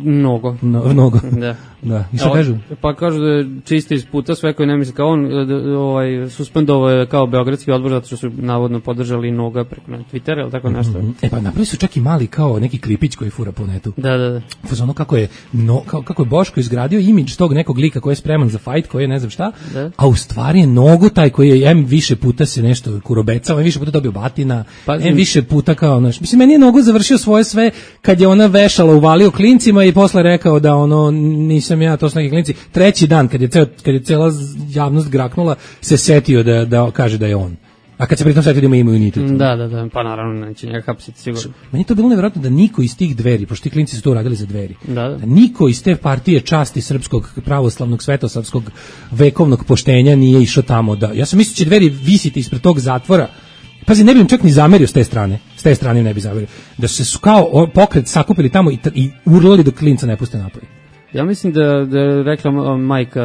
Mnogo. No, mnogo. Da. Da. I šta kažu? Pa kažu da je čiste iz puta sve koji ne misle kao on, da, ovaj, suspendovao je kao Beogradski odbor zato što su navodno podržali Noga preko Twittera ili tako nešto. Mm-hmm. E pa napravili su čak i mali kao neki klipić koji fura po netu. Da, da, da. Ono kako je, no, kao, kako je Boško izgradio imidž tog nekog lika koji je spreman za fight, koji je ne znam šta, da. A u stvari je Nogo taj koji je em više puta se nešto kurobecao, em više puta dobio batina, pa, em više puta kao, znaš, mislim, meni je Nogo završio svoje sve kad je ona vešala, uvalio klincima i posle rekao da ono, nisam ja, to su neki klinci. Treći dan, kad je, ceo, kad je cela javnost graknula, se setio da, da kaže da je on. A kad se pritom setio da ima imunitet. Da, da, da, pa naravno neće njega hapsiti sigurno. Meni je to bilo nevjerojatno da niko iz tih Dveri, pošto ti klinci su to uradili za Dveri, da, da. da niko iz te partije časti srpskog pravoslavnog svetosavskog vekovnog poštenja nije išao tamo. Da, ja sam mislio će Dveri visiti ispred tog zatvora. Pazi, ne bi im čak ni zamerio s te strane. S te strane ne bi zamerio. Da su se kao pokret sakupili tamo i, i urlali dok klinca ne puste napolje. Ja mislim da, da je rekla majka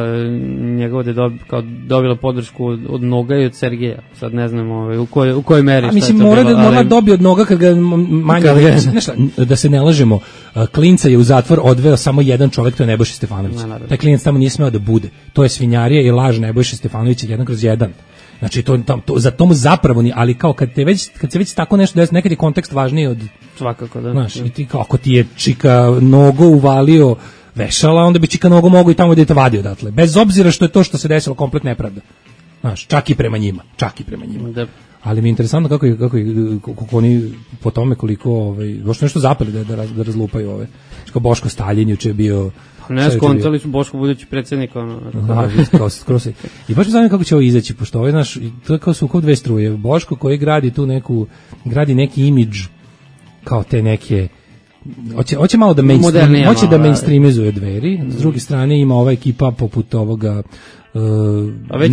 njegova da je dob, kao dobila podršku od, od Noga i od Sergeja. Sad ne znam ovaj, u, koj, u kojoj meri. A mislim, mora da mora dobiti od Noga kad ga manje... Nešta, da se ne lažemo, klinca je u zatvor odveo samo jedan čovjek, to je Nebojša Stefanović. Ne, taj klinac tamo nije smeo da bude. To je svinjarija i laž Nebojša Stefanovića jedan kroz jedan. Znači to, to, to za tomu zapravo ni, ali kao kad te već kad se već tako nešto desi, nekad je kontekst važniji od svakako, da. Znaš, i ti kao ako ti je čika Nogo uvalio vešala, onda bi čika Nogo mogao i tamo da te vadi odatle. Bez obzira što je to što se desilo komplet nepravda. Znaš, čak i prema njima, čak i prema njima. Da. Ali mi je interesantno kako je, kako je, kako oni po tome koliko ovaj baš nešto zapeli da da, da razlupaju ove. Što Boško Staljin juče je bio. Ne, skontali su Boško budući predsjednik, ono. Da, skroz, skroz. I baš me zanima kako će ovo izaći, pošto ovo je naš, to je kao su kao dve struje. Boško koji gradi tu neku, gradi neki imidž kao te neke, hoće, hoće malo da mainstream, hoće da mainstreamizuje Dveri, s druge strane ima ova ekipa poput ovoga, Uh,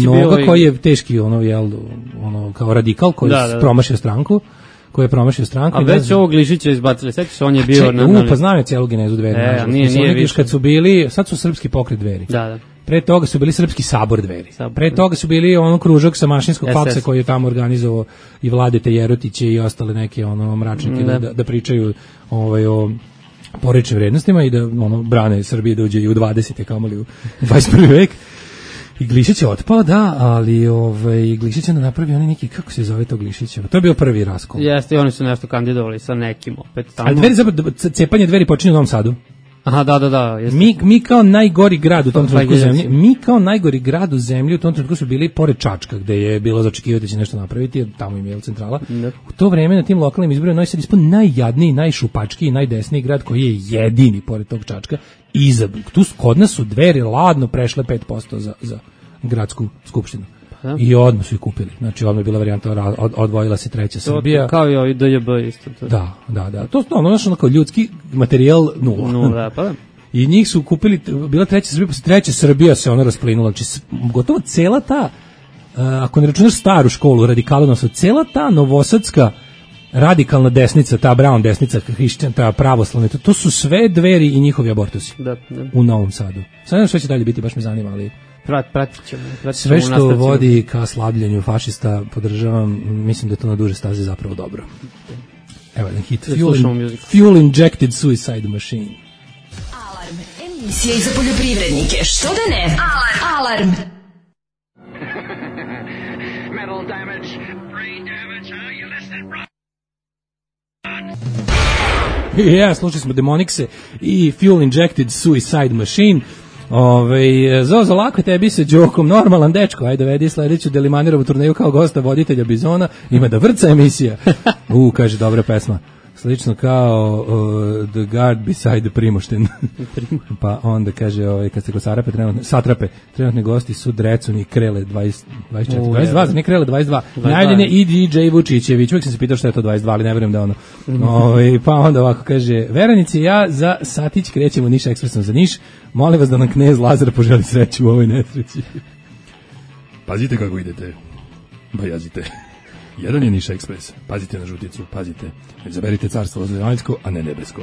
Noga koji je teški ono, jel, ono, kao radikal koji da, da. promašio stranku koji je promašio stranku. A već ovog Glišića izbacili, sećaš se, on je bio... Na, na, u, pa znam je cijelu genezu Dveri. E, nije, nije više. Kad su bili, sad su srpski pokret Dveri. Da, da. Pre toga su bili srpski sabor Dveri. Sabor. Pre toga su bili ono kružak sa mašinskog faksa koji je tamo organizovao i Vladete Jerotiće i ostale neke ono mračnike da, da, da pričaju ovaj, o porečnim vrednostima i da ono brane Srbije da uđe i u dvadesete kamoli u dvadeset prvi vek. I Glišić je otpao, da, ali ovaj, Glišić je napravio oni neki, kako se zove to Glišićevo? To je bio prvi raskol. Jeste, i oni su nešto kandidovali sa nekim opet tamo. Ali Dveri, zapravo, cepanje Dveri počinje u Novom Sadu. Aha, da, da, da. Jeste. Mi, mi kao najgori grad u tom trenutku zemlji, mi kao najgori grad u zemlji u tom trenutku su bili pored Čačka, gde je bilo za očekivati da će nešto napraviti, jer tamo im je centrala. Ne. U to vreme na tim lokalnim izborima Novi Sad ispod najjadniji, najšupačkiji, najdesniji grad koji je jedini pored tog Čačka. I za, tu kod nas su Dveri ladno prešle pet posto za, za gradsku skupštinu. Da. I odmah su ih kupili. Znači, odmah je bila varijanta, od, odvojila se treća Srbija. Kao i ovaj D J B isto. To. Da, da, da. To je ono, ono kao ljudski materijal nula. Nula, pa da. I njih su kupili, bila treća Srbija, posle treća Srbija se ona rasplinula. Znači, gotovo cela ta, uh, ako ne računaš staru školu, radikalovnost, cela ta novosadska radikalna desnica, ta Brown desnica, hrišćan, ta pravoslavna, to, to su sve Dveri i njihovi abortusi. Da, da. U Novom Sadu. Sad ne znam što će dalje biti, baš me zanima, ali... Prat, pratit ćemo, pratit sve što vodi ka slabljenju fašista podržavam, mislim da to na duže staze zapravo dobro. Evo jedan hit, fuel, in, fuel Injected Suicide Machine. Alarm, emisija za poljoprivrednike, što da ne? Alarm! Alarm! Metal damage, brain damage, how you listen, bro? Ja, slušali smo Demonixe i Fuel Injected Suicide Machine. Ove, Zozo, lako tebi sa Đokom, normalan dečko, ajde vedi sledeću Delimanirovu turneju kao gosta voditelja Bizona, ima da vrca emisija. U, kaže, dobra pesma. Slično kao uh, The Guard Beside the Primošten. Pa onda kaže, ovaj, kad se go Sarape, trenutne, Satrape, trenutni gosti su Drecun i Krele dvadeset, dvadeset četiri, dvadeset dva, za ne Krele dvadeset dva. Najavljen je i D J Vučićević, uvijek sam se pitao što je to dvadeset dva, ali ne verujem da ono. Ovaj, pa onda ovako kaže, Veranici, ja za satić krećemo Niš ekspresom za Niš, molim vas da nam knez Lazar poželi sreću u ovoj nesreći. Pazite kako idete, bajazite. Jedan je Niš ekspres, pazite na žuticu, pazite, izaberite carstvo zemaljsko, a ne nebesko.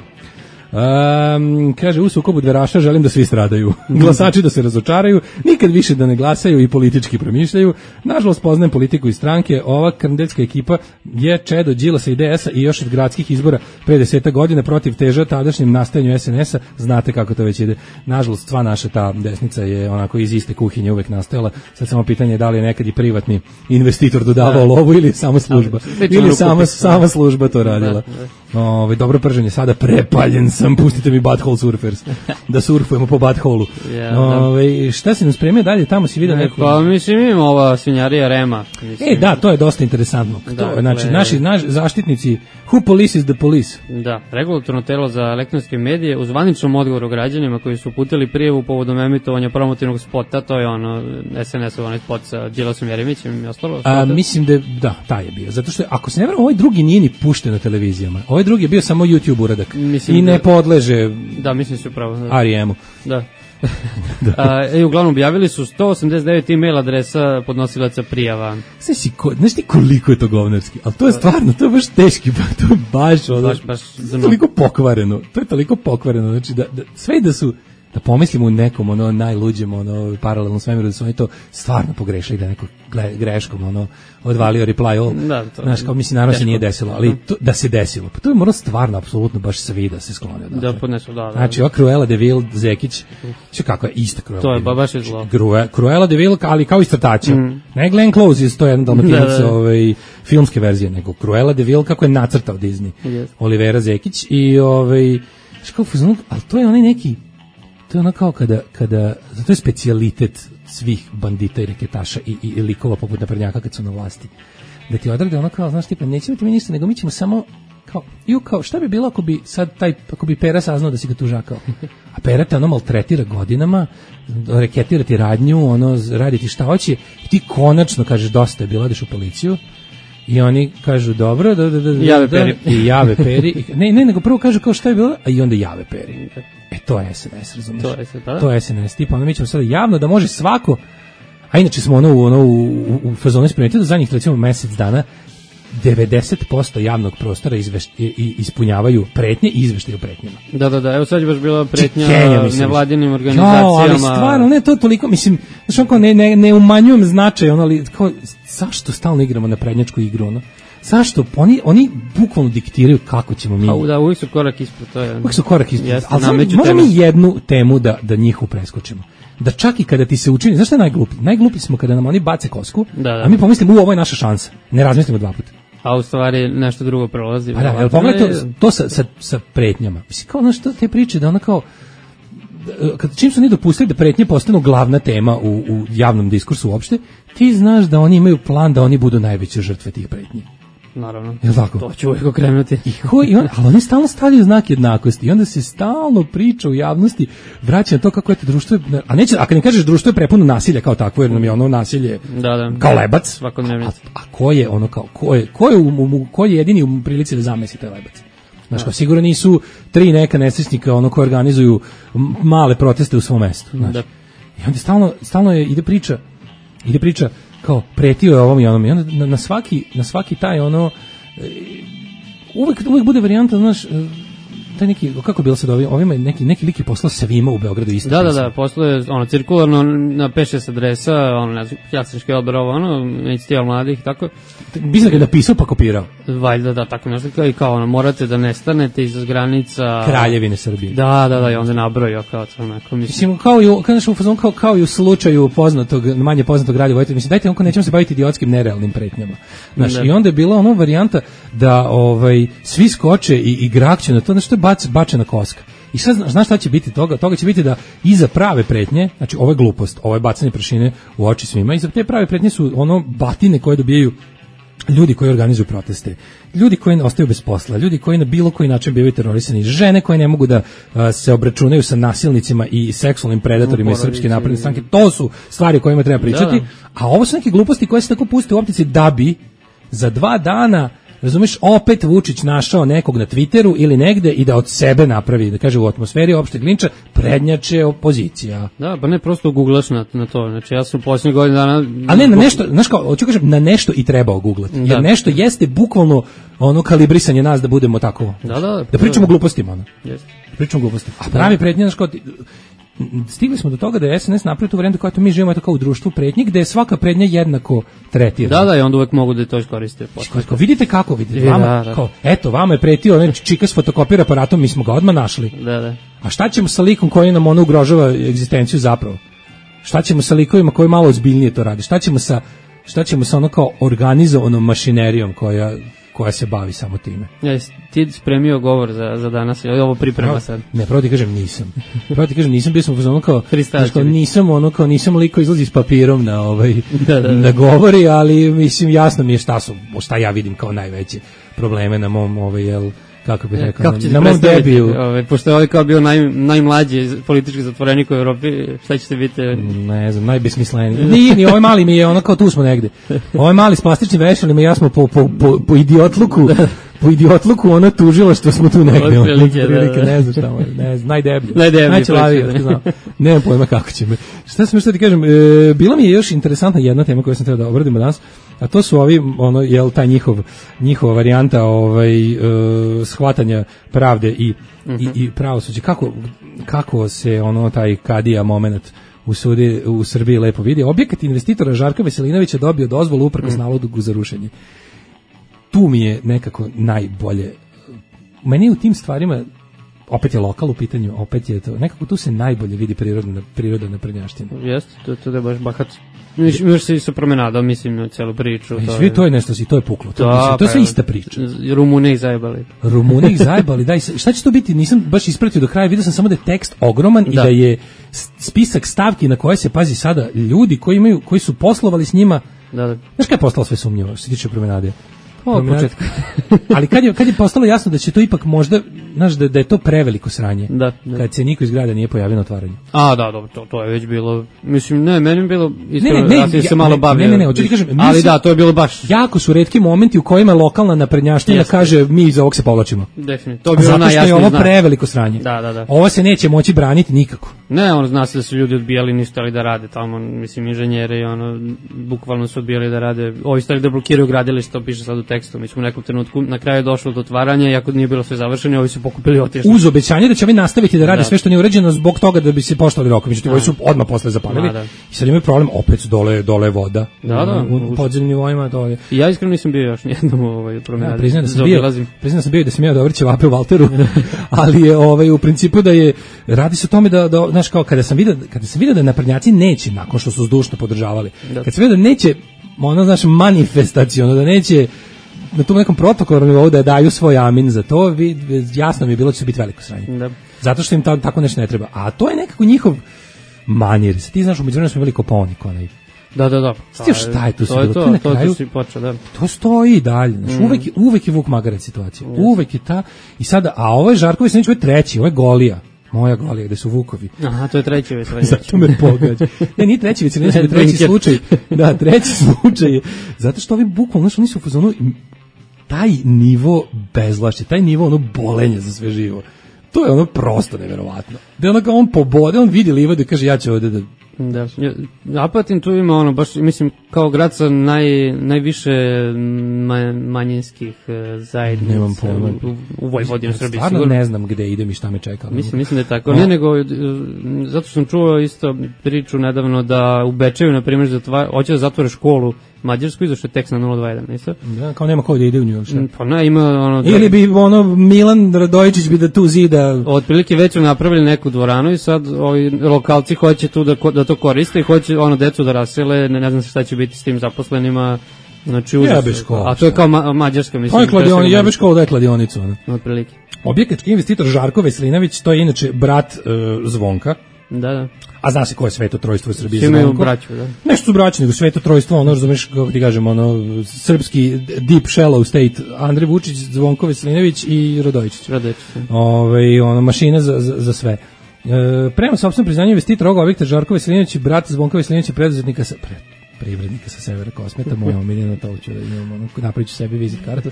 Um, kaže, u sukobu dveraša želim da svi stradaju. Glasači da se razočaraju, nikad više da ne glasaju i politički promišljaju. Nažalost, poznajem politiku i stranke. Ova krndecka ekipa je čedo Đilasa i D S-a i još od gradskih izbora pre deseta godina protiv teža tadašnjem nastajanju S N S-a. Znate kako to već ide. Nažalost, sva naša ta desnica je onako iz iste kuhinje uvek nastajala. Sad samo pitanje je da li je nekad i privatni investitor dodavao lovu ili samo služba. Ili sama, sama služba to radila. Ove, dobro prženje, sada prepaljen sam, pustite mi Butthole Surfers, da surfujemo po Butthole-u. Yeah, Ove, šta si nam spremio dalje, tamo si vidio neko... Pa mislim imamo ova svinjarija Rema. Mislim. E, da, to je dosta interesantno. Da, to, znači, le... naši, naši zaštitnici, who police is the police? Da, regulatorno telo za elektronske medije u zvaničnom odgovoru građanima koji su uputili prijavu povodom emitovanja promotivnog spota, to je ono S N S-ov onaj spot sa Đilasom Jeremićem i ostalo. A, mislim da, da, taj je bio. Zato što, ako se ne vrlo, ovaj drugi nije ni pušten na televizijama. Ovaj drugi je bio samo YouTube uradak. Mislim I ne da, podleže da, mislim se upravo. Da. R E M-u. Da. da. A, e, uglavnom objavili su sto osamdeset devet e-mail adresa podnosilaca prijava. Znaš, si ko, znaš ti koliko je to govnarski, ali to je stvarno, to je baš teški, to je baš, ono, baš, baš toliko pokvareno, to je toliko pokvareno, znači da, da sve da su, da pomislimo u nekom ono najluđem ono paralelnom svemiru da su oni to stvarno pogrešili, da neko greškom ono odvalio reply all. Da, to, znaš, kao mislim naravno se nije desilo, ali to, da se desilo. Pa to je moralo stvarno apsolutno baš svi da se sklone. Da, podnesu, da, da. Znači, ova Cruella de Vil, Zekić, što kako je ista Cruella. To je ba, baš je zlo. Cruella de Vil, ali kao iz crtača. Mm. Ne Glenn Close iz to je jedan dalmatinac da, da. Ovaj, filmske verzije, nego Cruella de Vil kako je nacrtao Disney. Yes. Olivera Zekić i ovaj, što kao, ali to je onaj neki to je ono kao kada, kada, to je specijalitet svih bandita i reketaša i, i, i likova poput naprednjaka kad su na vlasti. Da ti odrade ono kao, znaš, tipa, nećemo ti mi ništa, nego mi ćemo samo, kao, ju, kao, šta bi bilo ako bi sad taj, ako bi Pera saznao da si ga tužakao? A Pera te ono maltretira godinama, reketira ti radnju, ono, radi ti šta hoće, i ti konačno kažeš dosta je bilo, odeš u policiju, i oni kažu dobro, da, da, da, da, jave Peri. I jave Peri. Ne, ne, nego prvo kažu kao šta je bilo, a i onda jave Peri. E, to je S N S, razumiješ? To je, da? To je S N S, tipa, onda mi ćemo sada javno da može svako, a inače smo ono, ono u, u, u fazonu spremiti do zadnjih, recimo, mesec dana, devedeset posto javnog prostora izveš, ispunjavaju pretnje i izveštaju pretnjama. Da, da, da, evo sad je baš bila pretnja nevladinim organizacijama. Jo, ali stvarno, ne, to toliko, mislim, znaš, onako, ne, ne, ne umanjujem značaj, ono, ali, kao, zašto stalno igramo na prednjačku igru, ono? Zašto? Oni, oni bukvalno diktiraju kako ćemo mi... A, da, uvijek su korak ispred, to je... Uvijek su korak ispred, jeste, ali sad, možemo mi jednu temu da, da njihu preskočimo. Da čak i kada ti se učini, znaš šta je najglupi? Najglupi smo kada nam oni bace kosku, da, da. A mi pomislimo, u, ovo je naša šansa. Ne razmislimo dva puta. A u stvari nešto drugo prolazi. Pa da, jel pogledaj to, to sa, sa, sa pretnjama. Mislim, kao, znaš, to, te priče da ona kao, kad, čim su oni dopustili da pretnje postanu glavna tema u, u javnom diskursu uopšte, ti znaš da oni imaju plan da oni budu najveće žrtve tih pretnji. Naravno. Jel tako? To ću uvijek okrenuti. I ko, i on, ali oni stalno stavljaju znak jednakosti i onda se stalno priča u javnosti, vraća na to kako je to društvo, a neće, a kad ne kažeš društvo je prepuno nasilja kao takvo, jer nam je ono nasilje da, da. kao lebac, svakodnevno. A, a ko je ono kao, ko je, ko je, u, u, ko je jedini u prilici da zamesi taj lebac? Znaš, kao, sigurno nisu tri neka nesrećnika ono koji organizuju male proteste u svom mestu. Znaš. Da. I onda stalno, stalno je, ide priča, ide priča kao pretio je ovom i onom i onda na, na svaki na svaki taj ono uvek uvek bude varijanta, znaš, taj neki, kako bilo sad ovim, ovima neki neki lik je poslao svima u Beogradu isto. Da, da, da, poslao je ono cirkularno na pet šest adresa, ono ne znam, Jasenski odbor, ono, inicijativa mladih, tako. Mislim da je napisao pa kopirao. Valjda, da, tako nešto, kao i kao ono, morate da nestanete iz granica Kraljevine Srbije. Da, da, da, i onda nabrojio kao to neko, mislim. Mislim, kao i u, kao, kao, kao, kao i u slučaju poznatog, manje poznatog Rade Vojtova, mislim, dajte, onko nećemo se baviti idiotskim nerealnim pretnjama. Znaš, i onda je bila ono varijanta da ovaj, svi skoče i, i grakće na to, znači to je bac, bačena koska. I sad znaš šta će biti toga? Toga će biti da iza prave pretnje, znači ovo je glupost, ovo je bacanje prašine u oči svima, iza te prave pretnje su ono batine koje dobijaju ljudi koji organizuju proteste, ljudi koji ostaju bez posla, ljudi koji na bilo koji način bivaju terorisani, žene koje ne mogu da uh, se obračunaju sa nasilnicima i seksualnim predatorima iz Srpske napredne stranke, to su stvari o kojima treba pričati, da, da. A ovo su neke gluposti koje se tako puste u optici da bi za dva dana razumeš, opet Vučić našao nekog na Twitteru ili negde i da od sebe napravi, da kaže u atmosferi opšteg linča, prednjače opozicija. Da, pa ne, prosto googlaš na, na to, znači ja sam u posljednjih godina dana... A ne, na nešto, znaš kao, hoću kažem, na nešto i treba oguglati, jer da. Nešto jeste bukvalno ono kalibrisanje nas da budemo tako, da, da, da pričamo glupostima, ono. Jeste. Da pričamo glupostima. A pravi pretnje, znaš kao, stigli smo do toga da je S N S napravio tu varijantu kao to mi živimo tako u društvu pretnji gde je svaka prednja jednako tretirana. Da, da, i onda uvek mogu da to iskoriste. Kao, vidite kako, vidite, vama, da, da. Kao, eto, vama je pretio onaj čika s fotokopira aparatom, mi smo ga odmah našli. Da, da. A šta ćemo sa likom koji nam ono ugrožava egzistenciju zapravo? Šta ćemo sa likovima koji malo ozbiljnije to radi? Šta ćemo sa, šta ćemo sa ono kao organizovanom mašinerijom koja... koja se bavi samo time. Ja, ti spremio govor za, za danas, ili ovo priprema no, sad? Ne, pravo ti kažem nisam. Pravo ti kažem nisam, bio sam ono kao, kao nisam ono kao, nisam liko izlazi s papirom na ovaj, da, da, da. da govori, ali mislim jasno mi je šta su, šta ja vidim kao najveće probleme na mom, ovaj, jel, kako bih rekao, na, na mom debiju. Ove, pošto je ovaj kao bio naj, najmlađi politički zatvorenik u Evropi, šta ćete biti? Ne znam, najbesmisleniji. Nije, ni ovaj mali mi je ono kao tu smo negde. Ovaj mali s plastičnim vešalima i ja smo po, po, po, po idiotluku, po idiotluku ono tužilo što smo tu negde. Prilike, da, da. Ne znam šta je, ne znam, najdeblje. Najdeblje. Najčelavije, da znam. Nemam pojma kako će me. Šta sam što ti kažem, e, bila mi je još interesantna jedna tema koju sam trebao da obradimo danas, a to su ovi, ono, jel, taj njihov, njihova varijanta ovaj, e, shvatanja pravde i, uh-huh. i, i pravosuđe. Kako, kako se ono, taj kadija moment u, sudi, u Srbiji lepo vidi. Objekat investitora Žarka Veselinovića dobio dozvolu uprkos uh-huh. nalogu za rušenje. Tu mi je nekako najbolje. Meni u tim stvarima, opet je lokal u pitanju, opet je to, nekako tu se najbolje vidi prirodna, priroda naprednjaština. Jeste, to, to je baš bahat. Još se i sa promenadom, mislim, na celu priču. I svi to je nešto, i to je puklo. To, da, mislim, to je sve ista priča. Rumune ih zajebali. Rumune ih zajebali, daj, šta će to biti? Nisam baš ispratio do kraja, vidio sam samo da je tekst ogroman da. I da je spisak stavki na koje se, pazi sada, ljudi koji imaju, koji su poslovali s njima, da, da. Znaš kada je postalo sve sumnjivo, što se tiče promenade? O, početku. Ali kad je, kad je postalo jasno da će to ipak možda, znaš, da, da je to preveliko sranje, da, da. Kad se niko iz grada nije pojavio na otvaranju. A, da, dobro, to, to je već bilo, mislim, ne, meni je bilo, iskreno, ne, ne, ja sam se malo bavio. Ne, ne, ne, hoću ti kažem, ali da, to je bilo baš. Jako su retki momenti u kojima lokalna naprednjaština kaže, mi iz ovog se povlačimo. Definitivno, to je bilo zato najjasnije. Zato što je ovo znak. Preveliko sranje. Da, da, da. Ovo se neće moći braniti nikako. Ne, on zna se da su ljudi odbijali, nisu hteli da rade tamo, mislim, inženjeri, ono, bukvalno su odbijali da rade, ovi stali da blokiraju gradilište, to piše sad u tekstu, mi smo u nekom trenutku, na kraju je došlo do otvaranja, iako nije bilo sve završeno, ovi su pokupili i otišli. Uz obećanje da će ovi nastaviti da rade da. Sve što nije urađeno zbog toga da bi se poštovali rokovi, međutim, ovi su odmah posle zapalili. Da. I sad imaju problem, opet su dole, dole voda. Da, da. U, u podzemnim nivoima dole. I ja iskreno nisam bio još nijednom u ovoj promenadi. Ja, priznam da sam bio, priznam da sam bio da sam ja dobro ćevape u Valteru, ali je ovaj u principu da je radi se o tome da da znaš kao kada sam video kada sam video da naprednjaci neće nakon što su zdušno podržavali. Da. Kad sam video da neće ono znaš manifestaciono da neće na tom nekom protokolnom nivou da daju svoj amin za to, vid, jasno mi je bilo da će biti veliko sranje. Da. Zato što im ta, tako nešto ne treba. A to je nekako njihov manir. Ti znaš, u međuvremenu smo imali Kopaonik onaj. Da, da, da. Sti šta je tu to se bilo? To, to, na to, kraju, to si počeo, da. To stoji i dalje. Znaš, mm. uvek, uvek je Vuk Magarac situacija. Yes. Uvek je ta. I sada, a ovo je Žarković, neće biti treći, ovo je Golija. Moja Golija, gde su Vukovi. Aha, to je treći već. Zato me pogađa. Ne, nije treći već, ne, treći slučaj. Da, treći slučaj je. Zato što ovi bukvalno, znaš, oni su u fazonu, taj nivo bezvlašća, taj nivo ono bolenja za sve živo. To je ono prosto neverovatno. Da je ono kao on pobode, on vidi livadu i kaže ja ću ovde da... Da, Apatin tu ima ono, baš mislim kao grad sa naj, najviše ma, manjinskih zajednica. Nemam pojma. U, u Vojvodini, u Srbiji. Stvarno ne znam gde idem i šta me čeka. Mislim, mislim da je tako. No. Ne, nego, zato sam čuo isto priču nedavno da u Bečeju, na primjer, zatva, hoće da zatvore školu mađarsku, izašao je tekst na nula dva jedan, nisu? Da, kao nema ko da ide u nju. Pa ne, ima ono... Da... Ili bi ono Milan Radojičić bi da tu zida... Otprilike već su napravili neku dvoranu i sad ovi lokalci hoće tu da, da to koriste i hoće ono decu da rasele, ne, ne znam šta će biti s tim zaposlenima. Znači, jebe škola. A to je kao ma, mađarska, mislim. To je kladion, jebe škola da je kladionicu. Otprilike. Objekatski investitor Žarko Veselinović, to je inače brat uh, Zvonka. Da, da. A zna se ko je Sveto trojstvo u Srbiji? Svi imaju braću, da. Nešto su braći, nego Sveto trojstvo, ono, razumeš, kako ti kažem, ono, srpski deep shallow state, Andrej Vučić, Zvonko Veselinović i Radojičić. Radojičić. Ove, ono, mašina za, za, za sve. E, prema sopstvenom priznanju investitora ovog objekta Žarko Veselinović i brat Zvonka Veselinović preduzetnika sa... Pre, privrednika sa severa Kosmeta, moja omiljena, to ću da imam, ono, napravit ću sebi vizit kartu.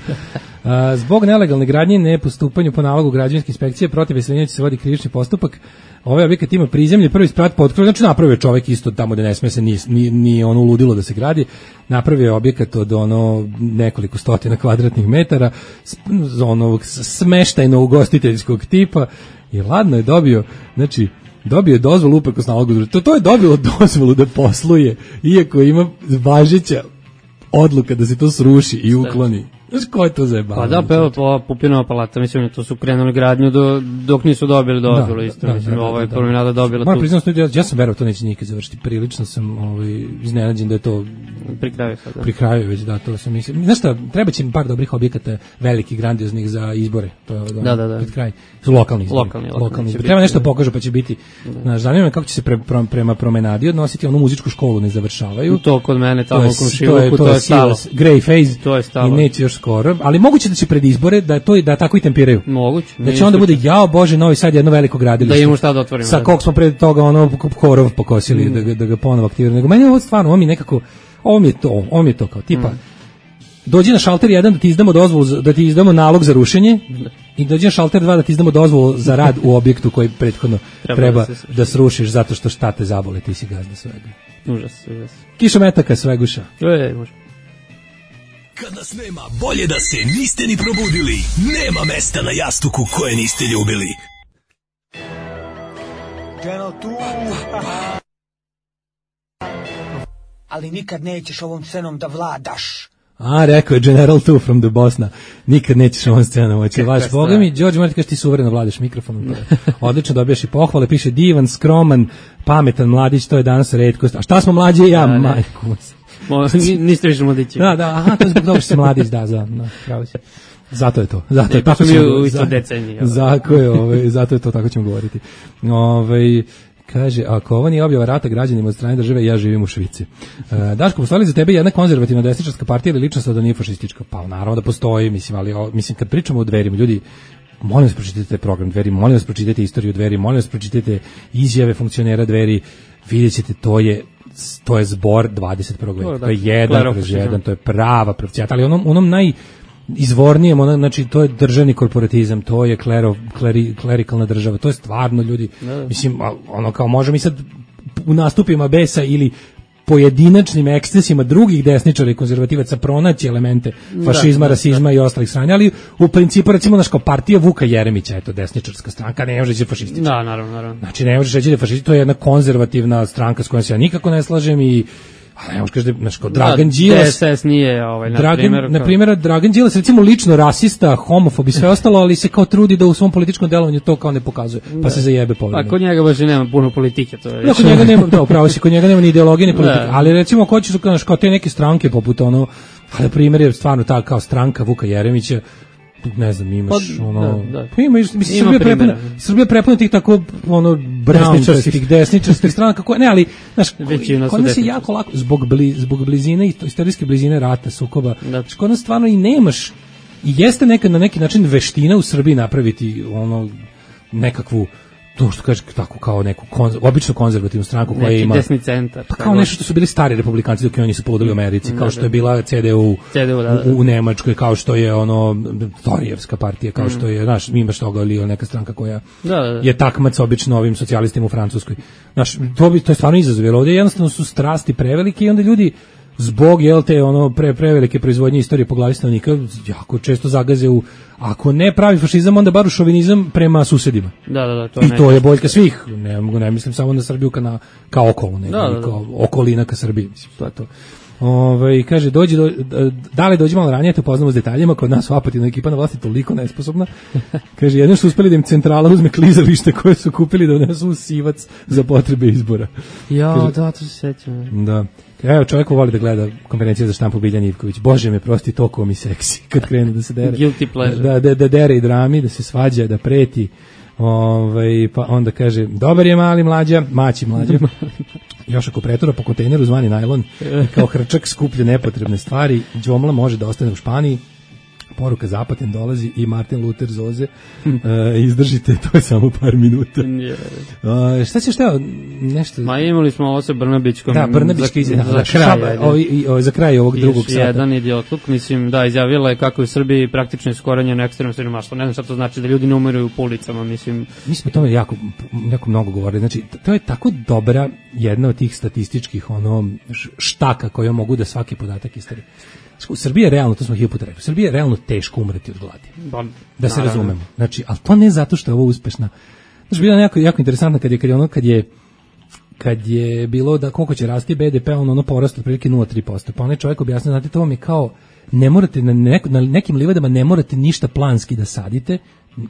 A, zbog nelegalne gradnje i nepostupanju po nalogu građevinske inspekcije protiv veselinja će se vodi krivični postupak. Ovaj objekat ima prizemlje, prvi sprat potkrovi, znači napravio čovjek isto tamo da ne sme se, ni, ni, ni ono uludilo da se gradi, napravio je objekat od ono nekoliko stotina kvadratnih metara, onog smeštajno ugostiteljskog tipa i ladno je dobio, znači dobio je dozvolu uprkos nalogu. To, to je dobilo dozvolu da posluje, iako ima važeća odluka da se to sruši i ukloni. Znaš ko je to zajebalo? Pa da, pa evo, ova Pupinova palata, mislim, to su krenuli gradnju do, dok nisu dobili dozvolu, da, isto, da, mislim, da, da, ovo je promenada dobila moram tu. Priznam, ja, ja sam verovao to neće nikad završiti, prilično sam ovaj, iznenađen da je to pri kraju sad, da. Pri kraju već, da, to sam mislim. Znaš šta, treba će mi par dobrih objekata, velikih, grandioznih za izbore, to je da, da, da. pred kraj, su lokalni izbori. Lokalni, lokalni, lokalni izbori. Treba nešto pokažu pa će biti, znaš, zanima me kako će se pre, pre, prema promenadi odnositi, onu muzičku školu ne završavaju. To kod mene tamo u Komšiluku, to je stalo. Grey phase, to je stalo. I neće još skoro, ali moguće da će pred izbore da to da tako i tempiraju. Moguće. Da će onda bude jao bože Novi Sad jedno veliko gradilište. Da imamo šta da otvorimo. Sa kog smo pred toga ono korov pokosili mm. da ga, da ga ponovo aktiviraju. Nego meni ovo stvarno, ovo mi nekako, ovo mi je to, ovo mi je to kao tipa mm. dođi na šalter jedan da ti izdamo dozvolu, da ti izdamo nalog za rušenje i dođi na šalter dva da ti izdamo dozvolu za rad u objektu koji prethodno treba, treba da, da srušiš zato što šta te zabole, ti si gazda svega. Užas, užas. Kiša metaka sveguša. Je, može. Kad nas nema, bolje da se niste ni probudili. Nema mesta na jastuku koje niste ljubili. General tu. Ali nikad nećeš ovom scenom da vladaš. A, rekao je General two from the Bosna. Nikad nećeš ovom scenom moći. Vaš Boga mi, Đorđe, morate kaži ti suvereno vladaš mikrofonom. Odlično dobijaš i pohvale, piše divan, skroman, pametan mladić, to je danas retkost. A šta smo mlađe ja, da, majku. Mo, niste više mladići. Da, da, aha, to je zbog toga što si mladić, da, za, no, pravo si. Zato je to. Zato ne, je tako mi u isto deceniji. Zato je, ovaj, zato je to, tako ćemo govoriti. Ovaj kaže, ako ovo nije objava rata građanima od strane države, ja živim u Švici. E, Daško, postoji za tebe jedna konzervativna desničarska partija ili ličnost da nije fašistička? Pa naravno da postoji, mislim, ali o, mislim, kad pričamo o Dverima, ljudi, molim vas pročitajte program Dveri, molim vas pročitajte istoriju Dveri, molim vas pročitajte izjave funkcionera Dveri, vidjet ćete, to je to je zbor dvadeset prvog veka, to je jedan kroz jedan, to je prava profecijata, ali onom, onom naj izvornijem, ono, znači to je državni korporatizam, to je klero, kleri, klerikalna država, to je stvarno ljudi, da. Mislim, ono kao može mi sad u nastupima besa ili pojedinačnim ekscesima drugih desničara i konzervativaca pronaći elemente fašizma, da, rasizma da. I ostalih stranja, ali u principu recimo naša partija Vuka Jeremića, eto desničarska stranka, ne može reći fašistička. Da, naravno, naravno. Znači ne može reći da je fašistička, to je jedna konzervativna stranka s kojom se ja nikako ne slažem i a ne možeš da znači Dragan Đilas D S S nije ovaj na Dragan, primjer na primjer Dragan Đilas recimo lično rasista, homofob i sve ostalo, ali se kao trudi da u svom političkom delovanju to kao ne pokazuje, pa da. Se zajebe povremeno. A kod njega baš nema puno politike, to je. Ja, kod njega nema, da, upravo si, kod njega nema ni ideologije ni politike, ali recimo ko će su kao te neke stranke poput ono, na primjer je stvarno ta kao stranka Vuka Jeremića, ne znam, imaš pa, ono, da, da. Pa ima, mislim, ima Srbija prepuna, Srbija prepuna tih tako, ono, brown, desničarskih stranaka, koje, ne, ali, znaš, kod nas je jako lako, zbog, bli, zbog blizine, istorijske blizine rata, sukoba, znaš, kod nas stvarno i nemaš, i jeste nekad na neki način veština u Srbiji napraviti, ono, nekakvu, to što kaže tako kao neku konz, obično konzervativnu stranku koja ima desni centar, pa kao nešto što su bili stari republikanci dok oni su poludeli u Americi, kao što je bila C D U, C D U da, da. U, u Nemačkoj, kao što je ono Torijevska partija, kao što je, znaš, imaš toga ili neka stranka koja da, da, da. je takmac obično ovim socijalistima u Francuskoj. Znaš, to bi to je stvarno izazov, jer ovdje jednostavno su strasti prevelike i onda ljudi zbog jel te ono pre prevelike proizvodnje istorije po glavi stanovnika jako često zagaze u ako ne pravi fašizam onda bar u šovinizam prema susedima. Da, da, da, to i to je boljka svih. Ne mogu ne mislim samo na Srbiju kao na kao okolo, nego da, da, da. Kao okolina ka Srbiji, mislim, to je to. Ovaj kaže dođi do, da li dođe malo ranije te upoznamo s detaljima, kod nas u Apatinu ekipa na vlasti toliko nesposobna. Kaže jedno što uspeli da im centrala uzme klizalište koje su kupili da donesu sivac za potrebe izbora. Ja, kaže, da, to se sećam. Da. Evo, čovjek voli da gleda konferencije za štampu Biljan Ivković. Bože me prosti, toliko mi seksi kad krenu da se dere. Guilty pleasure. Da, da, da dere i drami, da se svađa, da preti. Ovaj, pa onda kaže, dobar je mali mlađa, maći mlađa. Još ako pretura po kontejneru zvani najlon, kao hrčak skuplje nepotrebne stvari, đomla može da ostane u Španiji. Poruka Zapatin dolazi i Martin Luther Zoze. uh, izdržite, to je samo par minuta. Yeah. Uh, šta će šta nešto? Ma imali smo ovo sa Brnabićkom. Da, Brnabićka za, za, za, kraj, ovi, o, za kraj ovog drugog sata. Jedan idiotluk, mislim, da, izjavila je kako je u Srbiji praktično iskorenjeno ekstremno siromaštvo. Ne znam šta to znači da ljudi ne umiruju u ulicama, mislim. Mi smo o tome jako, jako mnogo govorili. Znači, to je tako dobra jedna od tih statističkih ono štaka koje mogu da svaki podatak istari. U Srbiji je realno, to smo hiljadu puta rekli, u Srbiji je realno teško umreti od gladi. Ba, da se naravno. razumemo. Znači, ali to ne zato što je ovo uspešna. Znači, bila je jako, jako interesantna kad je, kad je ono, kad je kad je bilo da koliko će rasti be de pe, ono, ono porast otprilike nula zarez tri posto. Pa onaj čovjek objasnio, znate, to vam je kao, ne morate, na, nek, na nekim livadama ne morate ništa planski da sadite,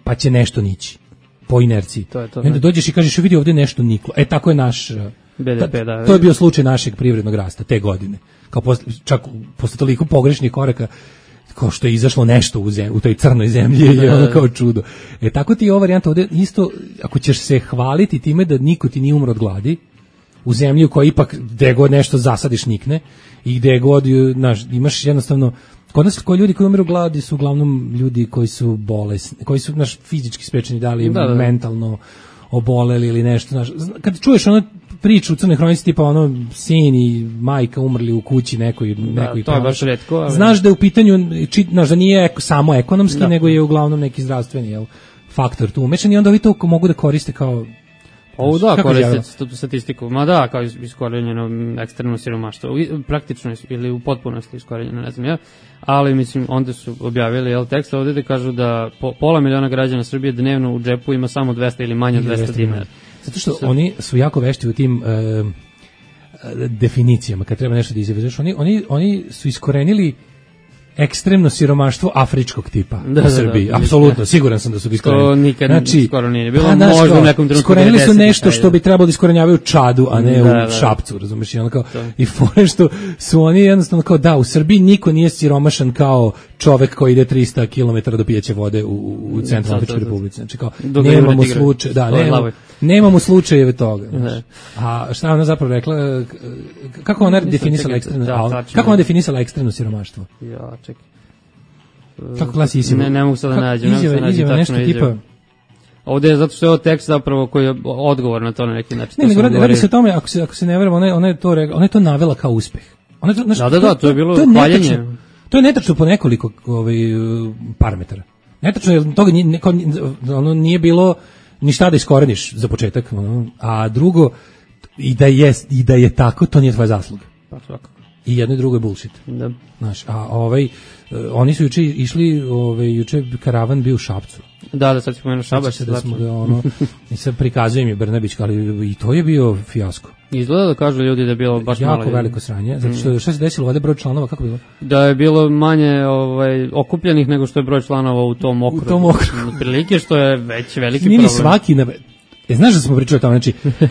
pa će nešto nići. Po inerciji. To je to, I onda dođeš i kažeš, vidi ovdje nešto niklo. E, tako je naš be de pe, da. To je bio slučaj našeg privrednog rasta te godine. Kao posle, čak posle toliko pogrešnih koraka, kao što je izašlo nešto u, zemlji, u toj crnoj zemlji, je ono kao čudo. E, tako ti je ova varijanta ovdje isto, ako ćeš se hvaliti time da niko ti nije umro od gladi, u zemlji u kojoj ipak gde god nešto zasadiš nikne, i gde god naš, imaš jednostavno, kod nas koji ljudi koji umiru gladi su uglavnom ljudi koji su bolesni, koji su naš fizički sprečeni, da li da, da. mentalno oboleli ili nešto. Naš, kad čuješ ono priču u Crnoj hronici tipa ono sin i majka umrli u kući nekoj, nekoj da, to je baš retko, ali... znaš da je u pitanju, či, znaš da nije eko, samo ekonomski, da, nego je uglavnom neki zdravstveni jel, faktor tu umešan i onda ovi to mogu da koriste kao ovo da, koriste tu statistiku, ma da, kao iskorenjeno ekstremno siromaštvo, praktično ili u potpunosti iskorenjeno, ne znam ja, ali mislim, onda su objavili jel, tekst ovdje da kažu da po, pola miliona građana Srbije dnevno u džepu ima samo dvesta ili manje od dvesta dinara. Zato što Sad. oni su jako vešti u tim uh, definicijama, kad treba nešto da izjaviti. Oni, oni, oni su iskorenili ekstremno siromaštvo afričkog tipa da, u Srbiji. Da, da, apsolutno, siguran sam da su iskorenili. To nikad znači, skoro nije bilo, pa, možda u nekom trenutku. Iskorenili su nešto što bi trebalo da iskorenjavaju u Čadu, a ne da, u da, Šapcu, razumiješ? I, ono kao, i fore što su oni jednostavno kao, da, u Srbiji niko nije siromašan kao čovek koji ide trista kilometara do pijeće vode u, u Centralnoj Afričkoj Republici. Znači kao, Dok nemamo slučaj, da, nemamo, nemamo slučajeve toga. Znači. A šta ona zapravo rekla, kako ona definisala ekstremno, da, kako ona definisala ekstremno siromaštvo? Ja, čekaj. Kako glasi izjava? Ne, ne mogu sad da nađem. Izjava, izjava nešto tipa... Ovdje je zato što je ovo tekst zapravo koji je odgovor na to na neki način. Ne, nego radi, radi se o tome, ako se, ako se ne verujem, ona, ona, je to, ona je to navela kao uspeh. Ona je to, znaš, da, da, da, to je bilo hvaljenje. To je netačno po nekoliko ovaj, parametara. Netačno je toga nije, ono nije bilo ni šta da iskoreniš za početak, ono, a drugo, i da, je, i da je tako, to nije tvoja zasluga. Pa svakako. I jedno i drugo je bullshit. Da. Znaš, a ovaj, oni su juče išli, ovaj, juče karavan bio u Šapcu. Da, da, sad ćemo jedno Šabac. Da smo ga, ono, i sad prikazujem je Brnabić, ali i to je bio fijasko. Izgleda da kažu ljudi da je bilo baš jako malo. Jako veliko sranje, zato što šta se desilo, ovdje broj članova, kako bilo? Da je bilo manje ovaj, okupljenih nego što je broj članova u tom okrugu. U tom okrugu. Prilike što je već veliki Nije problem. Svaki, na... e, znaš da smo pričali o tome, znači, uh,